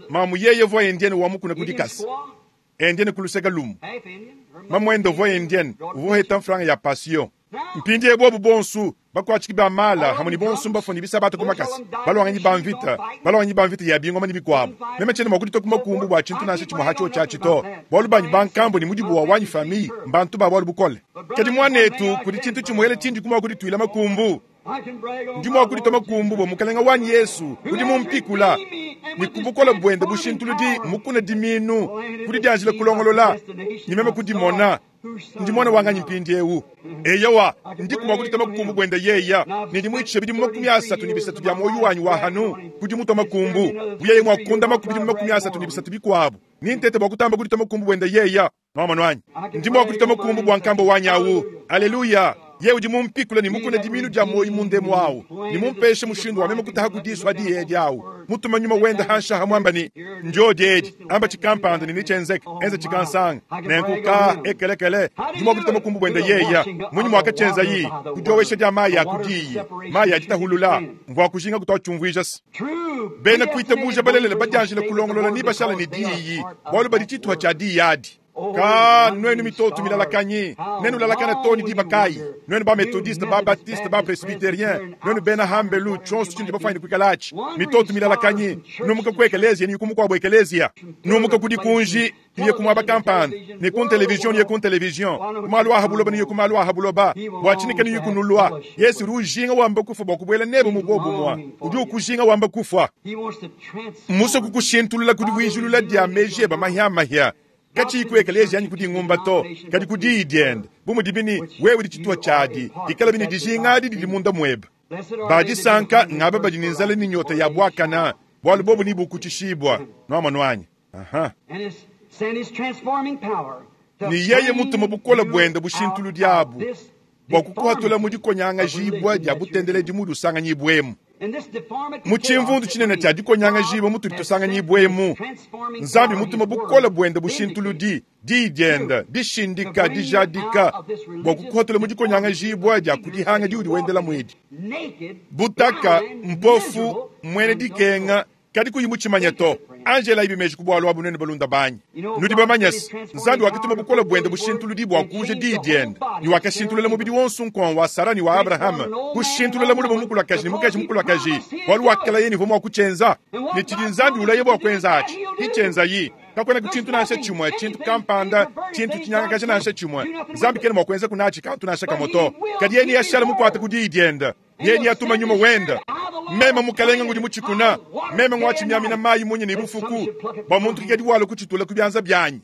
mamu yeye uvwa Indienne wa mukuna ku dikasa, Indienne ku luseke lumue. Mamuende uvwa Indienne, uvwa uheta mfranga ya pasio. Mpindiewu bobu bonsu, bakuatshiki ba mala hamwe ne bonsu mbafua ne bisabata ku makasa, balwanganyi ba mvita, balwanganyi ba mvita ya bingoma ne bikuabu. Meme tshiena mua kuditua ku makumbu bua tshintu nansha tshimue ha tshiotshi atshi to, bualu banyi bankambua ne mudibu wa wanyi famille mbantu ba bualu bukole. Kadi muanetu, kudi tshintu tshimuele tshindi ku mua kudituila makumbu. Ndi mua kuditua makumbu bua Mukalenga wanyi Yesu udi mumpikula, ne ku bukole buende bushintuludi mukuna diminu ku didianjila kulongolola, ne meme kudimona. Ndi muana wa nganyi mpindiewu? Eyowa, ndiku mua kuditua makumbu buende yeya, ne ndi muitshisha bidimu 33 bia muoyo wanyi wa hanu ku dimutua makumbu. Bu yeye mua kundamaku bidimu 33 bikuabu, nintete bua kutamba kuditua makumbu buende yeya. Nwamonu anyi? Ndi mua kuditua makumbu bua nkambua wanyi awu. Aleluya! Yeye udi mumpikule ne mukune dimiinu dia muoyo munda emu awu, ne mumpeshe mushindu wa meme kutaha ku disu adi edi awu, mutuma nyuma wende hanshi aha muamba ne, Ndyodi edi, amba tshikampanda ne netshienzeke, enza tshikansanga. Nenku ka, ekelekele, ndi mua kuditua makumbu buende yeya. Munyi muakatshienzayi? Ku diowesha dia mayi a ku diyi, mayi a ditahulula. Mvua kujinga kutua tshiumvuija se, bena kuitabuja balelela badianjila kulongolola ne bashala ne diyi, bualu badi tshituha tshia diyi adi. Ka nuenu mitoto milalakanyi, nenulalakana too ne diba kayi? Nuenu ba-Methodiste, ba-Baptiste, ba-Presbyterien, nuenu bena hambelu, tshionso tshinudi bafuanyine kuikala atshi, mitoto milalakanyi, numuka ku ekeleziya ne ku mukuabu ekeleziya, numuka ku dikunji nuye ku muaba kampanda, ne ku ntelevizion nuye ku ntelevizion, ku malu a ha buloba nuye ku malu a ha buloba. Bua tshinyi kanuyi kunulua? Yesu udi ujinga wamba kufua bua kubuela nebe mu buobumue. Udi ukujinga wamba kufua. Mmusue kukushintulula ku divuijilula dia meji ebe mahiamahia, katshiyi ku ekeleziya anyi ku dingumba to, kadi ku diyi diende. Bu mudibi ne wewe udi tshituha tshiadi, ikalabi ne dijinga adi didi munda muebe. Ba disanka ngaba badi ne nzala ne nyota ya buakana, bualu bobu nebukutshishibua. Nuamonu anyi? Aha. Ne yeye mutuma bukole buende bushintuludi abu bua kukuhatula mu dikonyangajibua dia butendeledi mudi usanganyibuemu. Mu tshimvundu tshinene tshia dikonyangajibua mutudi tusanganyibuemu, Nzambi mutuma bukole buende bushintuludi, diyi diende dishindika, dijadika, bua kukuhatula mu dikonyangajibua dia ku dihanga diudi wendelamu edi. Butaka, mpofu, muena dikenga, kadi kuyi mutshimanye to. Anji elayibi meji ku bualu abu nuenu balunda banyi. Nudi bamanye se, Nzambi wakatuma bukole buende bushintuludi bua kuuja Diyi diende, ne wakashintulula mubidi wonso nkong wa Sara ne wa Abrahama, kushintulula mulume mukulakaji ne mukaji mukulakaji, bualu wakalaya ne uvua mua kutshienza. Ne tshidi Nzambi ulaya bua kuenza atshi, hitshienzayi. Kakuenaku tshintu nansha tshimue, tshintu kampanda, tshintu tshinyangakaja nansha tshimue. Nzambi kena mua kuenzaku natshi kantu nansha kamue to. Kadi yeye neashale mukuate ku Diyi diende. Yeye neatuma Nyuma wende. Meme mukalenga ngudi mutshikuna, meme ngwatshimiamina mayi munya ne bufuku, bua muntu kikadi walua kutshitula ku bianza bianyi.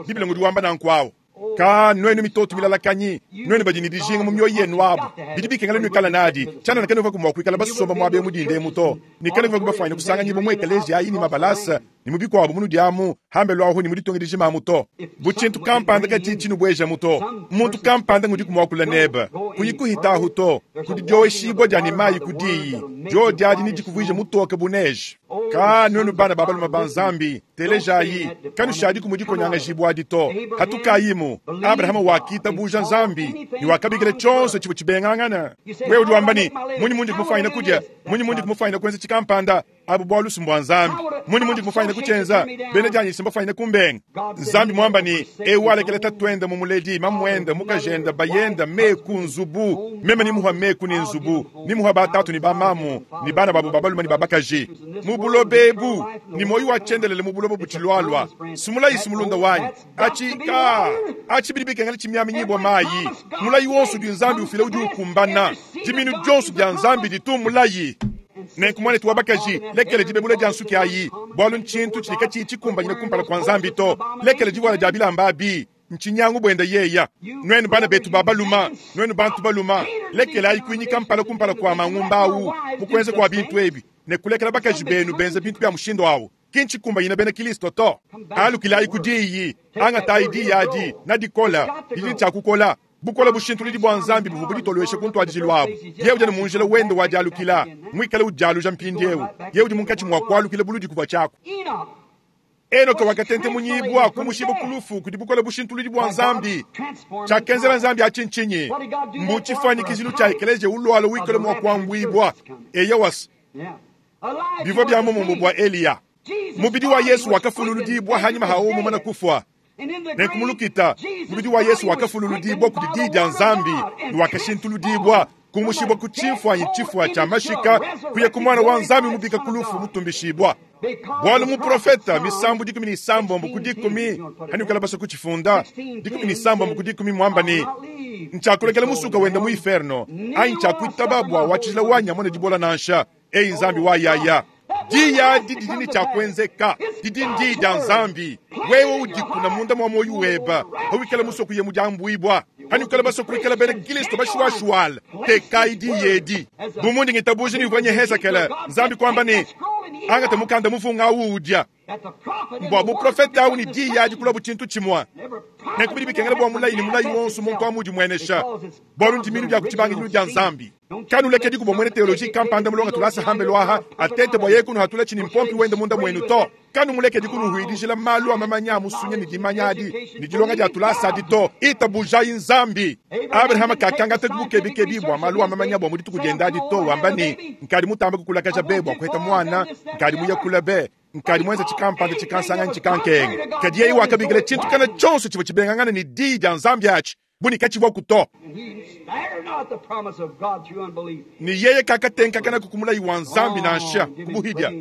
Bible ngudi wamba nanku awu. Ka nuenu mitoto milalakanyi, nuenu badi ne dijinga mu mioyo yenu abu, bidi bikengela nuikala nadi. Tshianana kanuvuaku mua kuikala basomba muaba eu mu dinda emu to, ne kanuvuaku bafuanyine kusanganyibua mu ekeleziya ayi ne mabalasa ne mu bikuabu munudi amu hambelu ahu ne mu ditunga dijima amu to. Bu tshintu kampanda katshiyi tshinubuejamu to, muntu kampanda ngudiku muakula nebe, kuyi kuhita ahu to. Kudi dioweshibua dia ne mayi ku diyi, diodi adi nedikuvuije mutoke bu neige. Ka nuenu bana ba balume ba Nzambi, telejayi, kanushadiku mu dikonyangajibua adi to. Hatukayimu. Abrahama wakitabuja Nzambi ne wakabikila tshionso tshivua tshibengangana. Wewe udi wamba ne, Munyi mundi kumufanyina kudia? Munyi mundi kumufanyina kuenza tshikampanda? Abu bualu si mbua Nzambi. Munyi mundi kumufanyina kutshienza? Bena dianyi si mbafanyine kumbenga. Nzambi muamba ne, eu walekela tatuende mumuledi, mamuende, mukajende, bayende, meku, nzubu. Meme nimuha meku ne nzubu, nimuha batatu ne bamamu, ne bana babu ba balume ne ba bakaji mu buloba ebu, ne muoyo wa tshiendelele mu buloba butshilualua. Sumulayi si mulunda wanyi. Atshi ka atshi bidi bikengela tshimiaminyibua mayi. Mulayi wonso udi Nzambi ufila udi ukumbana. Diminu dionso dia Nzambi ditu mulayi. Nenku muanetu wa bakaji, lekela dibebula dia nsuki ayi, bualu ntshintu tshidi katshiyi tshikumbanyine kumpala kua Nzambi to. Lekela divuala dia bilamba abi, ntshinyangu buenda yeya. Nuenu bana betu ba baluma, nuenu bantu baluma, lekelayi kuinyika mpala kumpala kua mangumba awu mu kuenza kua bintu ebi, ne kulekela bakaji benu benza bintu bia mushindu awu. Ki ntshikumbanyine bena Kilisto to. Alukilayi ku diyi, angatayi diyi adi, nadikola, didi ne tshia kukola. Bukole bushintuludi bua Nzambi buvua buditolueshe ku ntuadijilu abu. Yeye udi anu mu njila wende wa dialukila, muikale udialuja mpindieu. Yeye udi munkatshi mua kualukila buludi kuvua tshiaku. Enoka wakatentemunyibua, kumushibua ku lufu kudi bukole bushintuludi bua Nzambi. Tshiakenzela Nzambi atshi ntshinyi? Mbu tshifuanyikijilu tshia ekeleziya ulualua wikale mua kuambuibua. Eyowa, bivua bia muomumue bua Eliya. Mubidi wa Yesu wakafululudibua hanyima ha wowo mumane kufua. Nenku mu lukita, mubidi wa Yesu wakafululudibua kudi Diyi dia Nzambi ne wakashintuludibua, kumushibua ku tshimfuanyi tshifua tshia mashika kuya ku Muana wa Nzambi mubika ku lufu mutumbishibua. Bualu muprofeta misambu 16 ku 10, hanuikala basue kutshifunda, 16 ku 10 muamba ne, Ntshiakulekela musuka wenda mu inferno, anyi ntshiakuitaba bua wa tshijila wanyi amone dibola nansha. Eyi Nzambi wa yaya, diyi adi didi ne tshia kuenzeka, didi ndiyi dia Nzambi. Wewe udikuna munda mua muoyo webe, pawikala musue kuya mu diambuibua, hanuikala basue kuikala bena Kilisto bashuashuala, tekayi diyi edi. Bu mundi ngitabuja ne uvua nye Hezekele, Nzambi kuamba ne, Angata mukanda muvunga awu udia. Mbua buprofete awu ne diyi adi kuluabu tshintu tshimue. Nenku bidi bikengela bua mulayi ne mulayi wonso muntu amu udimuenesha, bualu ndimiinu dia ku tshibangidilu dia Nzambi. Kanulekediku bua muena teoloji kampanda mulonga tulasa hambelu aha atete bua yeye kunuhatula tshini mpompi wende munda muenu to. Kanumulekedi kunuhuidijila malu a mamanya a musunya ne dimanya adi ne dilonga dia tulasa adi to. Itabujayi Nzambi. Abrahama kakangata bukebikebi bua malu a mamanya bua mu dituku diende adi to, wamba ne, Nkadi mutambe kukulakaja be bua kuheta muana, nkadi muye kule be, nkadi muenza tshikampanda tshikansanga anyi tshikankenga. Kadi yeye wakabikila tshintu kana tshionso tshivua tshibengangana ne diyi dia Nzambi atshi bu ne katshivuaku to. Ne yeye kakatenkakanaku ku mulayi wa Nzambi nansha ku buhidia,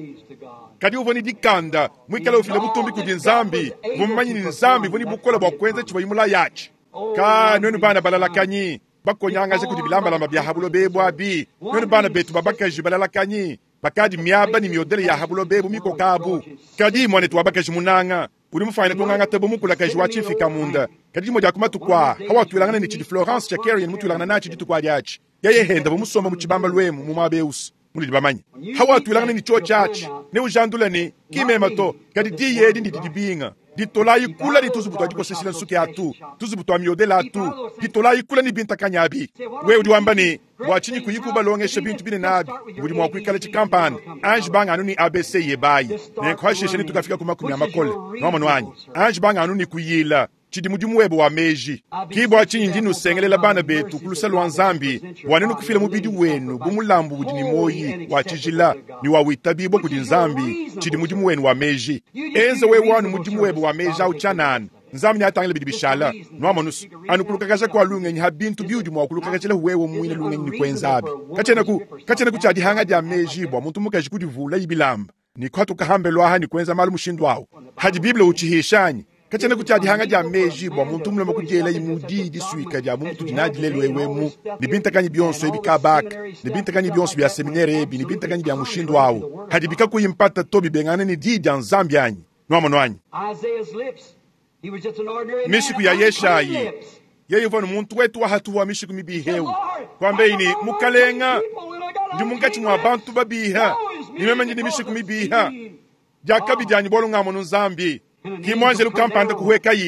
kadi uvua ne dikanda, muikale ufila butumbi kudi Nzambi, uvua mumanye ne Nzambi uvua ne bukole bua kuenza tshivuaye mulaye atshi. Ka nuenu bana balalakanyi, bakonyangaja kudi bilambalamba bia ha buloba ebu abi, nuenu bana betu ba bakaji balalakanyi, bakadi miaba ne miodele ya ha buloba ebu mikoka abu. Kadi muanetu wa bakaji munanga, udi mufuanyine kungangata bu mukulakaji wa tshimfika-munda. Kadi dimue dia ku matuku aa, hawatuilangana ne tshidi Florence Shakarian mutuilangana natshi dituku adi atshi, yeye henda bu musomba mu tshibambalu emu mu muaba eusu, munudi bamanye. Hawatuilangana ne tshiotshi atshi, neujandule ne, Ki mema to, kadi diyi edi ndidi dibinga. Ditolayi kula ne tuzubu tua dikoseshila nsuki atu, tuzubu tua miodela atu, ditolayi kula ne bintakanyi abi. Wewe udi wamba ne, Bua tshinyi kuyi kubalongesha bintu binene abi? Budi mua kuikala tshikampanda. Anji banga anu ne ABC yebayi, nenku hashishe netukafika ku makumi a makole. Nuamonu anyi? Anji banga anu ne kuyila. Tshidi mudimu webe wa meji. Ki bua tshinyi ndi nusengelela bana betu ku luse lua Nzambi, bua nenu kufila mubidi wenu bu mulambu udi ne muoyi, wa tshijila, ne wa witabibua kudi Nzambi, tshidi mudimu wenu wa meji. Enza wewe anu mudimu webe wa meji au tshianana, Nzambi neatangile bidi bishala. Nuamonu's, anu kulukakaja kua lungenyi ha bintu biudi mua kulukakajilahu wewe muine lungenyi ne kuenzabi. Katshienaku, katshienaku tshia dihanga dia meji bua muntu mukaji kudivulayi bilamba ne kuhatuka hambelu aha ne kuenza malu mushindu au. Hadi Bible utshihisha anyi? Katshiena tshia dihanga dia meji bua muntu mulume kudielaye mu diyi disuika dia bu mutudi nadi lelu eu emu, ne bintakanyi bionso ebi kabaka, ne bintakanyi bionso bia seminere ebi, ne bintakanyi bia mushindu au, hadibi kakuyi mpata to bibengangane ne diyi dia Nzambi anyi? Nuamonu anyi? Isaiah's lips. He was just an ordinary man. Mishiku ya of unclean Yeshayi. lips. Yeye uvua ne muntu wetu wa hatuhu wa mishiku mibihi eu. Lord, Kwambeyi ne, I'm among Mukalenga, unclean people and I got ndi munkatshi unclean mua lips. bantu babiha, Woe is me ne meme ndi ne because mishiku of mibiha. sin. Diakabi dianyi bualu ngamonu Nzambi. Ki muanjelu kampanda kuhuekayi,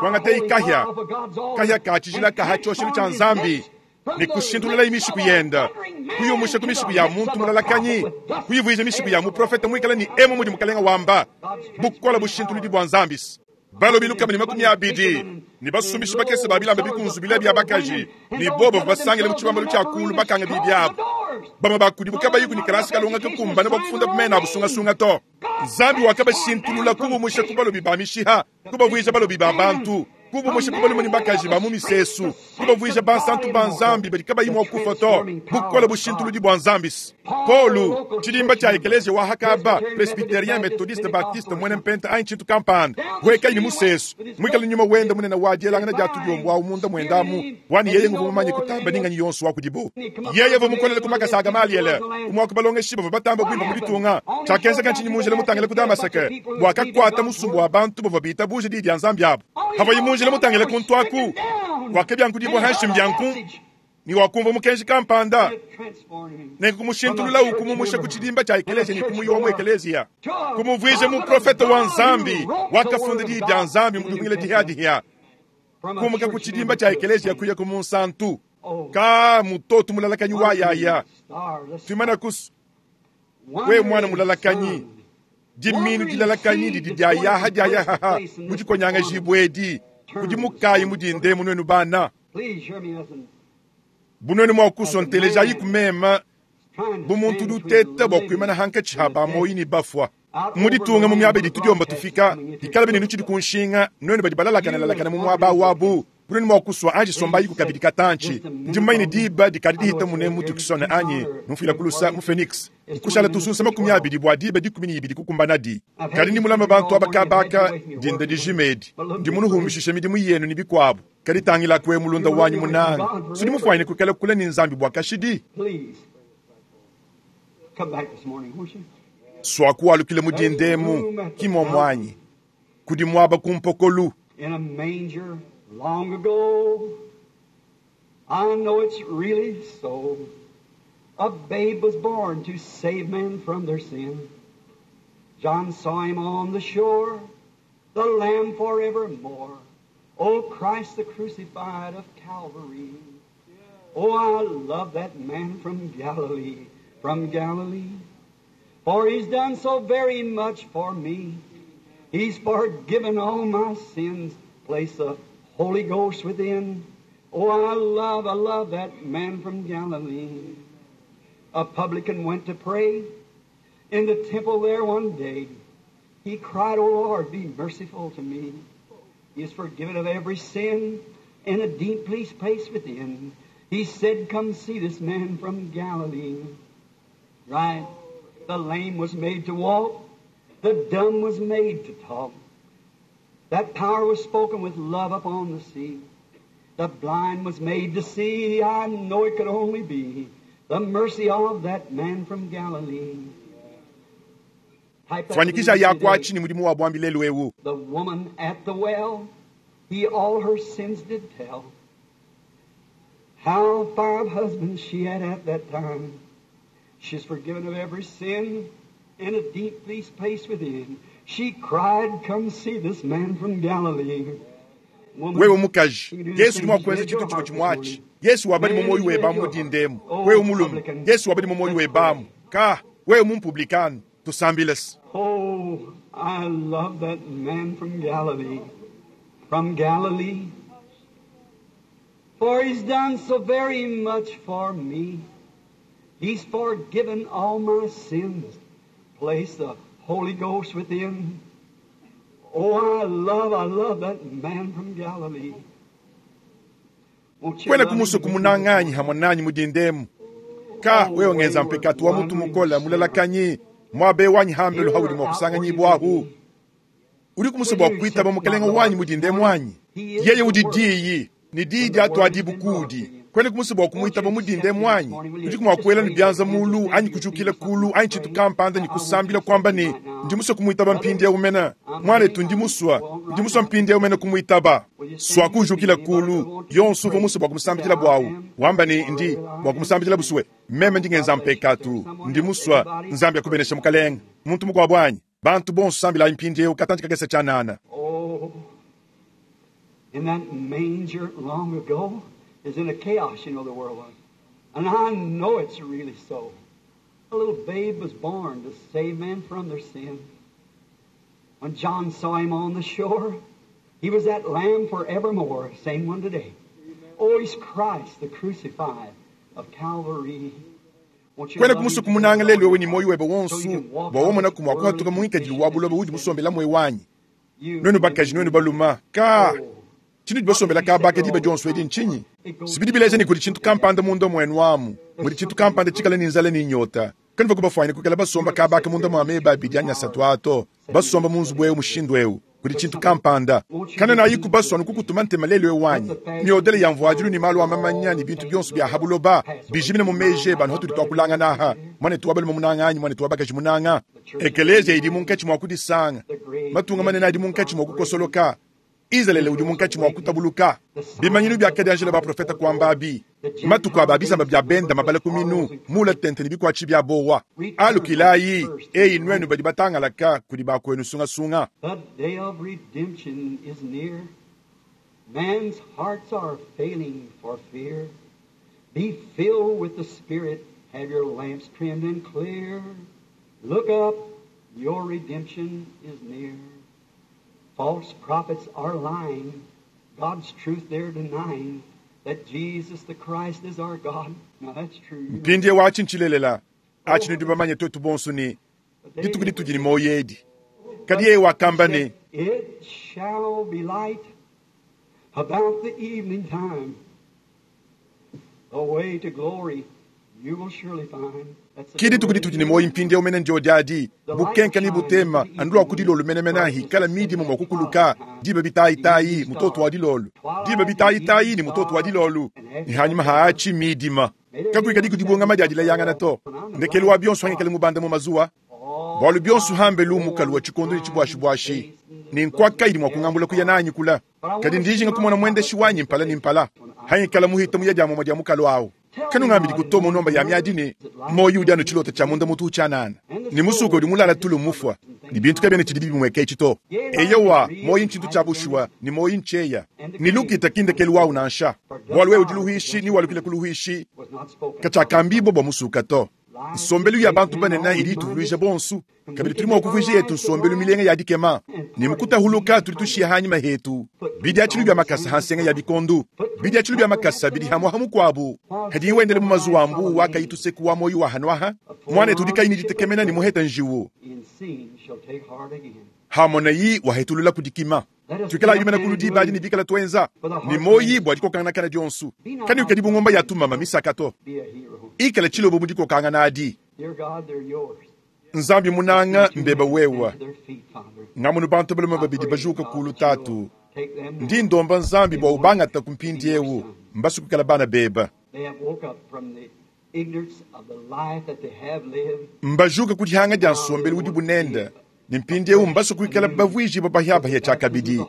kuangateyi kahia, kahia ka tshijila kaha tshioshelu tshia Nzambi, ne kushintululayi mishiku yenda, kuyumusha ku mishiku ya muntu mulalakanyi, kuyivuija mishiku ya muprofete muikale ne emu mudi mukalenga wamba, bukola bushintuludi bua Nzambi. Balobi lukama ne makumi abidi ne basumbishi bakese ba bilamba bikunzubile bia bakaji ne bobo basangile mu tshibambalu tshia kulu bakanga bibi abo. Bamwe bakudibu kabayi ku kalasi kalonga kakumbana bua kufunda mena abusungasunga to. Nzambi wakabashintulula kubumusha ku balobi ba mishiha, kubavuija balobi ba bantu, kubumusha ku balume ne bakaji ba mu misesu, kubavuija bansantu ba Nzambi badi kabayi mua kufa to. Bukola bushintuludi bua Nzambi. Paulo, tshidimba tshia ekelezia wa Hakaba, presbyterien, methodiste, baptiste, mwene mpenta anyi tshintu kampanda, huekayi ne musesu, muikale nyuma wenda munene wa dielangana dia tudiombo awu munda mwendamu, wani yeye nguvu mumanye kutamba ninganyi yonso wa kudibo. Yeye uvua mukolele ku makasa a Gamaliele, umwe wa ku balongeshi bavua batamba kuimba mu ditunga. Tshiakenzeka ntshinyi mu njila mutangile ku Damaseke, bua kakuata musumba wa bantu bavua bitabuje diyi dia Nzambi abo. Havayi mu njila mutangile kuntu aku, wakabyankudibua hanshi mbyanku, ni wakumva mukenji kampanda, nenku kumushintulula ukumumusha ku tshidimba tshia ekelezia ne kumuyiwa mu ekelezia, kumuvuija muprofete wa Nzambi wakafunda diyi dia Nzambi mu dihungila dihiadihia, kumuka ku tshidimba tshia ekelezia kuya ku munsantu. Ka mutoto mulalakanyi wa yaya tuimana kusu we mwana mulalakanyi diminu dilalakanyi didi dia yaha dia yahaha mu dikonyanga jibwedi kudi mukayi mudinde munuenu bana Please hear me as an bunwenu mua kusontelejayi kumema trying to bu muntu stand udi between uteta the bua living kuimana hankatshi ha and the bamoyi dead. ne bafua. Mu ditunga mu miaba idi tudiomba tufika, dikala bene nutshidi ku nshinga, nuenu badi balalakana-lalakana mu muaba wabu, bunwenu mua kusua anji sombayi ku kabidi katantshi. Ndi mumanye ne diba dikadi dihita mune mu Tucson anyi mufila kulusa mu Phoenix. Nkushala tusunsa 20 bua diba 12 kukumbanadi. Kadi ndi mulama bantu aba kabaka dinda dijimedi. Ndi munuhumbishisha midimu yenu ne bikuabu. Kadi tangila kwe mulunda wanyi munanga. Sudi mufuanyine kukala kula ne Nzambi bua kashidi. Please come back this morning, won't you? Swakualukile mu dindemu kimwa mwanyi kudi mwaba kumpokolu. In a manger long ago, I know it's really so. A babe was born to save men from their sin. John saw him on the shore, the Lamb forevermore. Oh, Christ the crucified of Calvary. Oh, I love that man from Galilee, from Galilee. For he's done so very much for me. He's forgiven all my sins, placed the Holy Ghost within. Oh, I love that man from Galilee. A publican went to pray in the temple there one day. He cried, O Lord, be merciful to me. He is forgiven of every sin in a deep place within. He said, come see this man from Galilee. Right. The lame was made to walk. The dumb was made to talk. That power was spoken with love upon the sea. The blind was made to see. I know it could only be the mercy of that man from Galilee. Type that Fanyikisha to me yakwa today. chini mudimu wa bwambi lelu ewu. The woman at the well, he all her sins did tell. How 5 husbands she had at that time. She's forgiven of every sin in a deep peace place within. She cried, come see this man from Galilee. Woman, Wewe mukaji, you can do the Yesu same udi mua thing. kuenza Let your tshintu chimwe heart this chimwachi. morning. Yesu wabadi Man, mu moyo let weba your mudindemu. heart. Wewe Oh, mulume, publican, Yesu wabadi mu moyo let's webamu. pray. Ka, wewe mumpublikano, tusambilesi. Oh, I love that man from Galilee, from Galilee. For he's done so very much for me. He's forgiven all my sins, placed the Holy Ghost within. Oh, I love that man from Galilee. Won't you Kwena love him kumuso with me this kumunanganyi morning? hamwe nanyi mudindemu. Ka, wewe ngenza mpekatu wa mutu mukola mulalakanyi, mwabe wanyi hambelu haudi mua kusanganyibwahu. Udiku musue bua kuitaba Mukelenge wanyi mu dinda emu anyi? Yeye udi Diyi, ne Diyi diatuadibu kuudi. Kuenaku musue bua kumuitaba mu dinda emu anyi? Udiku mua kuela ne bianza mulu anyi kujukila kulu anyi tshintu kampanda ne kusambila kuamba ne, Ndi musue kumuitaba mpindieu mene. Muanetu, ndi musue, ndi musue mpindieu mene kumuitaba. Suaku ujukila kulu, yonso uvua musue bua kumusambidila buawu, wamba ne, Ndi bua kumusambidila busue. Meme ndi ngenza mpekatu. Ndi musue. Nzambi akubeneshe, mukalenge. Muntu mukuabu anyi? Bantu bonso sambilayi mpindieu katantshi kakese tshianana. Oh, in that manger long ago is in a chaos, you know, the world was. And I know it's really so. A little babe was born to save men from their sin. When John saw him on the shore, he was that lamb forevermore, same one today. Oh, he's Christ, the crucified of Calvary. Won't you Kuenaku love musue him kumunanga today, lelu wewe ne muoyo webe so you wonso can walk bua out wamona this ku mua worldly kuhatuka mu ngikadilu wa condition buloba that udi you musombela mue wanyi. You Nuenu bakaji, nuenu baluma, ka Oh. tshinudi basombela kabaka diba dionso edi ntshinyi? Sibidi bileja ne kudi tshintu kampanda munda muenu amu, mudi tshintu kampanda tshikale ne nzala ne nyota. Kanuvua kubafuanyine kuikala basomba kabaka munda mua meba abidi anyi asatu ato, basomba mu nzubu eu mushindu eu. Kudi tshintu kampanda. Kanenayiku basua anu kukutuma ntema lelu eu wanyi. Miodele ya mvuadilu ne malu a mamanya ne bintu bionso bia ha buloba bijimine mu meji ebe anu hatudi tuakulangana aha. Muanetu wa balume munanga anyi muanetu wa bakaji munanga. Ekeleziya idi munkatshi mua kudisanga. Matunga manene adi munkatshi mua kukosoloka. Izalele udi munkatshi mua kutabuluka. Bimanyinu biakadianjila baprofeta kuambabi. Matuku aba bisamba bia benda mabala ku minu, mula tente ne bikuatshi bia bowa. Alukilayi, eyi nuenu badi batangalaka kudi bakuenu sungasunga. The day of redemption is near. Man's hearts are failing for fear. Be filled with the Spirit. Have your lamps trimmed and clear. Look up. Your redemption is near. False prophets are lying. God's truth they're denying. That Jesus the Christ is our God. Now that's true. You know. Mpindieu atshi ntshilelela. Atshi nudi bamanye tuetu bonso ne The day dituku ditudi ne muoyo edi. Kadi yeye wakamba ne, It shall be light about the evening time. The way to glory you will surely find. That's the ki dituku ditudi ne muoyo mpindieu mene ndio diadi bukenka ne butema anu lua ku dilolo menemene hikala midima mua kukuluka diba bitayitayi mutoto wa dilolo diba bitayitayi ni mutoto wa dilolo ne hanyuma haatshi midima kakuikadi kudibungama dia dilayangana to ndekelu wa bionso hangikale mubanda mu mazuwa bualu bionso hambelu mukalu wa tshikondo ne tshibuashibuashi ne nkwaka idi mua kungambula kuya nanyi kula kadi ndijinga kumona muendeshi wanyi mpala ne mpala hangikala muhita muya dia momwe dia mukalu awu kanungambidi kutoma nomba ya miadi ne moyo udi anu tshilota tshia munda mutu utshianana ne musuka udi mulala tulu mufua ne bintu kabiena tshidi bimweka etshi to eyowa moyi ntshintu tshia bushuwa ne moyi ntshieya ne lukita kindekelu wawu nansha bualu wewe udi luhuishi ni walukile ku luhuishi was not spoken. katshiakambibua bua musuka to nsombelu ya bantu banene idi ituvuluija bonso kabidi tudi mua kuvuija yetu nsombelu milenga ya dikema ne mukutahuluka tudi tushiya hanyima hetu bidiatshilu bia makasa ha nsenga ya bikondu bidiatshilu bia makasa bidi hamwaha mukuabu kadi wendele mu mazuwa ambu wakayituseku wa moyo wa hanwaha mwanetu udi kayi ne ditekemena ne muheta njiwu In seeing shall take heart again. hamonayi wahetulula kudikima tuikala yumena kulu diba adi ne bikala tuenza ne moyi bua dikokanganakana dionso kani ukadi bungomba ya tumama misaka to Be a hero. ikala tshilobo mu dikokangana adi Dear God, they're yours. nzambi munanga mbeba wewa To their feet, Father. ngamunu bantu balume babidi bajuka kulu tatu Take them. ndi ndomba nzambi bua ubangata ku mpindiewu mbasukukala bana beba They have woke up from the ignorance of the life that they have lived. mbajuka ku dihanga dia nsombelu udi bunenda ne mpindiewu mbasukuikala bavuijibua bahiabahia tshiakabidi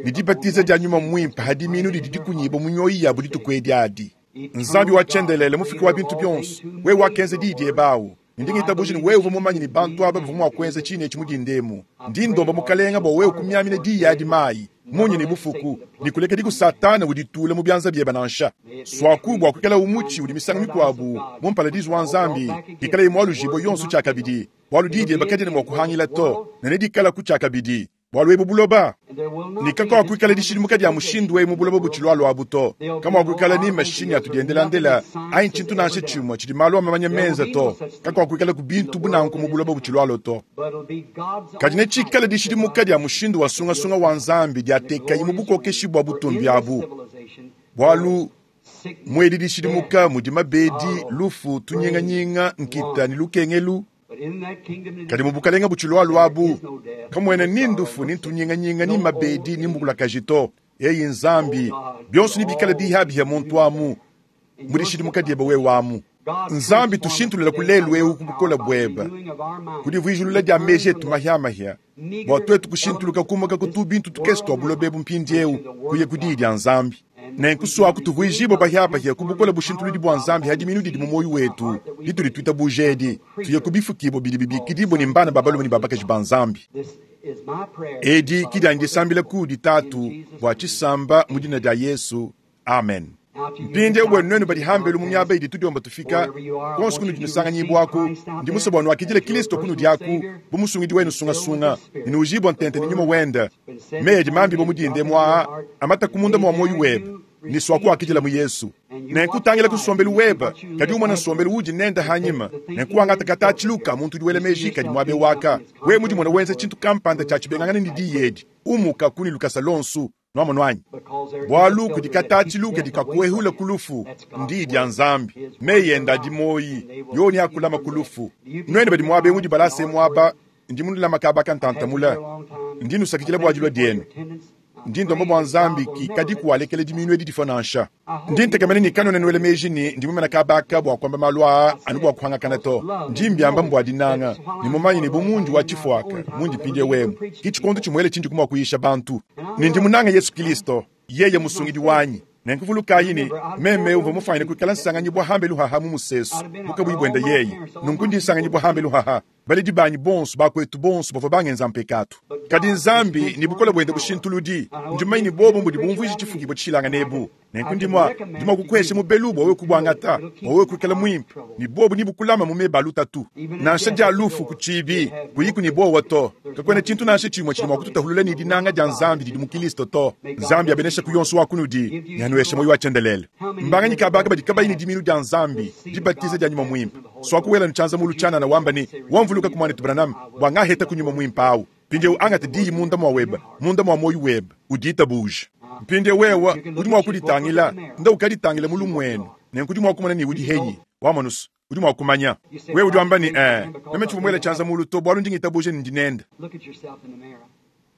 ne dibatiza dia nyuma muimpe hadi minu didi dikunyibua mu mioyo yabu dituku edi adi nzambi wa tshiendelele mufiki wa bintu bionso wewe wakenza diyi diebe awu ndi ngitabuja ne wewe uvua mumanye ne bantu aba bavua mua kuenza tshine etshi mu dindemu ndi ndomba mukalenga bua wewe kumiamina diyi adi mayi munyi ne bufuku ne kulekedi ku satana uditula mu bianza biebe nansha swaku bua kuikala umutshi udi misangu mikuabu mu mparadizu wa nzambi ikala imualujibua yonso tshiakabidi bualu diyi diebe kadiena mua kuhangila to ne nedikalaku tshiakabidi bualu ebu buloba And there will not ne be kakuakuikala this dishidimuka dia mushindu ewu mu buloba butshilualua abu to kamuakuikala ni mashinyi atudiendelandela anyi tshintu nansha tshimue tshidi malu a mamanya menza to kakuakuikala ku bintu bunanku mu buloba butshilualua to But it'll be God's kadi own netshikale dishidimuka dia mushindu wa sungasunga wa nzambi diatekayi mu bukokeshi bua butumbi abu bualu muedi dishidimuka mudi mabedi lufu tunyinganyinga nkita ne lukengelu Kadi mu bukalenga butshilualua abu, kamuena ni ndufu, ni ntunyinganyinga, ni mabedi, ni mbukulakaji to. Eyi Nzambi, bionso nebikale bihabihia muntu amu, mu dishidimuka diebe wewe amu. Nzambi tushintulula ku lelu eu ku bukole buebe, ku divuijulula dia meji etu mahiamahia, bua tuetu kushintuluka kumuka ku tubintu tukese tua buloba ebu mpindieu kuya ku diyi dia Nzambi. Nenku suaku tuvuijibue bahiabahia ku bukole bushintuludi bua Nzambi ha diminu didi mu muoyo wetu ditudi tuitabuja edi, tuye ku bifukibue bidi bibikidibue ne mbana ba balume ne ba bakaji ba Nzambi. Edi ki dianyi disambila kudi Tatu bua tshisamba mu dina dia Yesu. Amen. Mpindieu buenu nuenu badi hambelu mu miaba idi tudiomba tufika, kuonso kunudi nusanganyibuaku, ndi musue bua nuakidile Kilisto kunudi aku bu musungidi wenu sungasunga, ne nuujibua ntente ne nyuma wende. Meyi adi mambibue mu dinde emu aa amata ku munda mua muoyo webe, ne suakuakidila mu Yesu. Nenku tangila ku nsombelu webe, kadi umona nsombelu uudi nende hanyima, nenku wangata katatshilu ka muntu udi wela meji kadi muaba eu aka. Wewe mudimona wenza tshintu kampanda tshia tshibengangana ne diyi edi, umuka ku ne lukasa luonso. Nuamonu anyi? Bualu kudi katatshilu kadi kakuehula ku lufu, ndiyi dia Nzambi. Meyi ende adi muoyi, yoni akulama ku lufu. Nuenu badi muaba eu mudi balase muaba, ndi munulama kaba kantantamula. Ndi nusakidila bua dilua dienu. Ndi ndomba bua Nzambi ki kadi kualekela diminu edi difua nansha. Ndi ntekemena ne kanuena nuela meji ne ndi mumana kabaka bua kuamba malu aa anu bua kuhangakana to. Ndi mbiamba mbua dinanga, ne mumanye ne bu mundi wa tshifuaka mundi mpindieu emu, ki tshikondo tshimuele tshindi kumua kuyisha bantu. Ne ndi munange Yesu Kilisto, yeye musungidi wanyi. Nenku vulukayi ne meme uvua mufanyine kuikala nsanganyibua hambelu haha mu musesu bukabuyi buenda yeye. Nunku ndi nsanganyibua hambelu haha. Baledi banyi bonso, bakuetu bonso bavua bangenza mpekatu. Kadi Nzambi ne bukole buende bushintuludi, ndi mumanye ne bobo mbudi bumvuija tshifukibua tshishilangane ebu. Nenku ndi mua, ndi mua kukuhesha mubelu bua wewe kubuangata, bua wewe kuikala muimpe, ne bobo nebukulama mu meba a lutatu. Nansha dia lufu ku tshibi, kuyiku ne buowa to. Kakuena tshintu nansha tshimue tshidi mua kututahulula ne dinanga dia Nzambi didi mu Kilisto to. Nzambi abenesha ku yonso wa kunudi ne anuheshe muoyo wa tshiendelele. Mbanganyi kabaka badi kabayi ne diminu dia Nzambi, dibatiza dia nyuma muimpe? Suaku wela tshianza mulu tshianana wamba ne, wamvuluka ku muanetu Branham bua ngaheta ku nyuma muimpe awu. Mpindieu angate diyi munda mua webe, munda mua muoyo webe, uditabuje. Mpindieu wewe udi mua kuditangila, nda ukaditangila mu lumuenu, nenku udi mua kumona ne udi henyi wamonusu, udi mua kumanya. Wewe udi wamba ne, meme tshivua muele tshianza mulu to, bualu ndi ngitabuje ne ndi nende.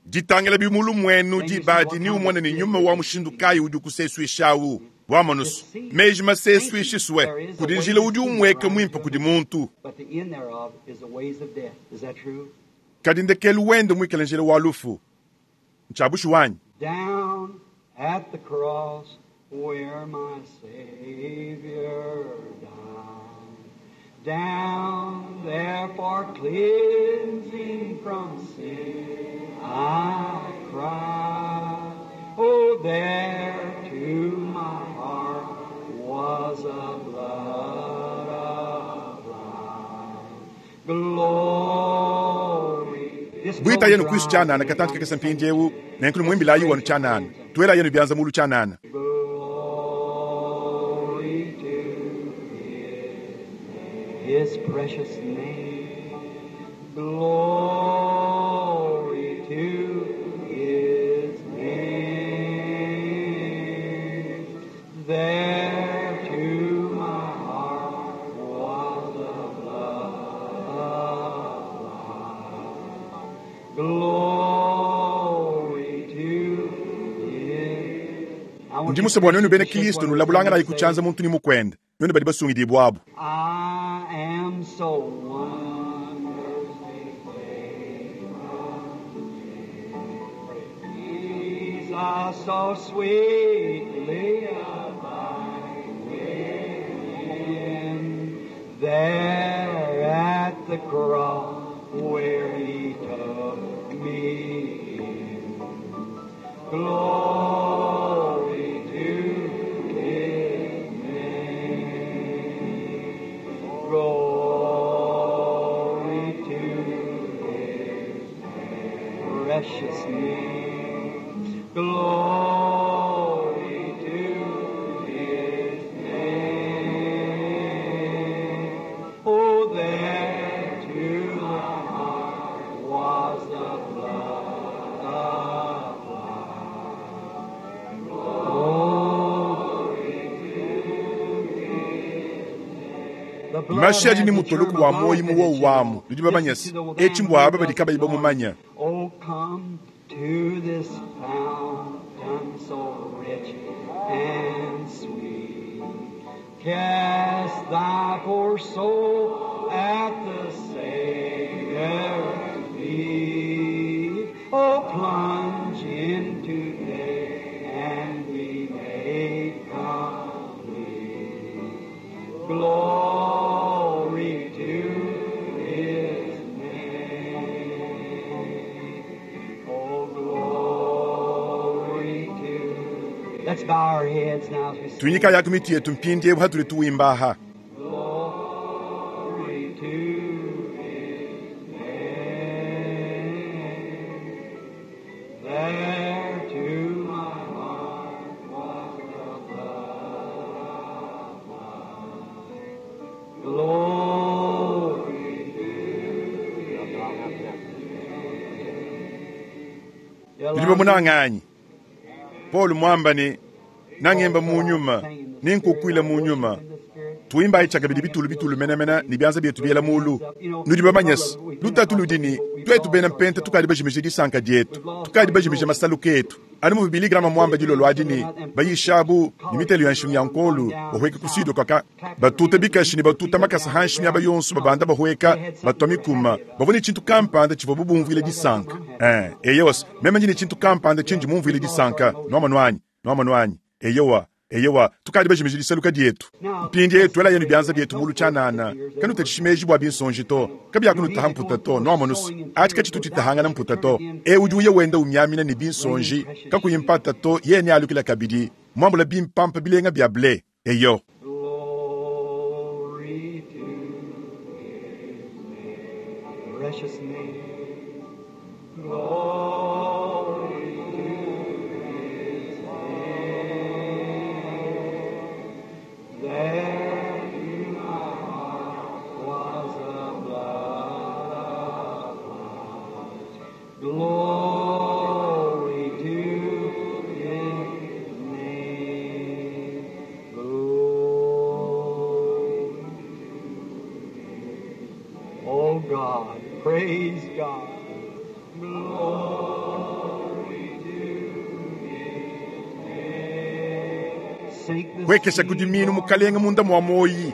Ditangila bi mu lumuenu dibadi ni umone ne nyuma wa mushindu kayi udi ukusesuishawu. Wamonusu, meji masesuishiswe kudi njila udi umweka muimpe kudi muntu. Kadi ndekelu wende muikale njila wa lufu. Ntshiabushi wanyi. Down at the cross where my Savior died. Down there for cleansing from sin I cried. Oh, there to my heart was a blood applied. Glory. This Bwita yenu Kristo tshianana katantu kakese mpindieu, nenku numwimbilayi wanu tshianana. Tuela yenu bianza mulu tshianana. Glory to His precious name. Glory to His name. There to my heart was the blood applied. Glory to His. I want Ndi you musue bua nuenu bena to shake Kilisto one nulabulanganayi another ku tshianza muntu ne mukuende, nuenu badi basungidibua abu. I am so wonderfully saved from sin. Jesus so sweetly abide within. There at the cross where He took me in. Glory to His name. Glory to His precious name. Glory to His name. Oh, there to my heart was the blood applied. Glory to His name. Mashi adi ne mutoloku wa muoyi mu wowu wamu. Nudi bamanye se, etshi mbua aba badi kabayi bamumanya. Oh, come to this fountain so rich and sweet. Cast thy poor soul at the Savior's feet. Oh, plunge in today and be made complete. Glory to His name. Oh, glory to. Let's bow our heads now as we sing. Tuinyika yaku mitu yetu mpindiewu hatuli tuwimbaha. Glory to His name. There to my heart was the blood applied. Glory to His name. Nudi bamunanganyi. Paul mwamba ne nangemba mu nyuma ninkukwila mu nyuma tuimbayi tshakabidi bitulu bitulu menamena ne bianza bietu biela mulu. Nudi bamanye se lutatu ludi ne tuetu bena mpenta tukadi bajimije disanka dietu, tukadi bajimije masaluka etu. Anu muvu Billy Graham mwamba dilolo adi ne bayishabu ne mitelo ya nshingu ya nkolu bahweka ku sud kwaka batuta bikashi ne batuta makasa hanshi miaba yonso babanda bahweka batwa mikuma bavua ne tshintu kampanda tshivua bubumvuile disanka. Eyowa meme ndi ne tshintu kampanda tshindi mumvuile disanka nuamonu anyi nuamonu anyi eyowa eyowa tukadi bajimije disaluka dietu. Mpindiewu tuela yenu bianza bietu mulu tshianana kanutatshishi meji bua binsonji to kabiakunutaha mputa to nuamonusu ati katshitu tshitahangana mputa to. E udi uya wenda umyamina ne binsonji kakuyi mpata to yene alukila kabidi mwambula bimpampa bilenga bia ble eyo. Glory to His name, precious name. Glory to His name. There to my heart was the blood applied. Glory to His name. Glory to Oh God, praise God. Glory to His name. Sink the Kwekesha seed, kudi minu Lord. mukalenga munda mwa moyi.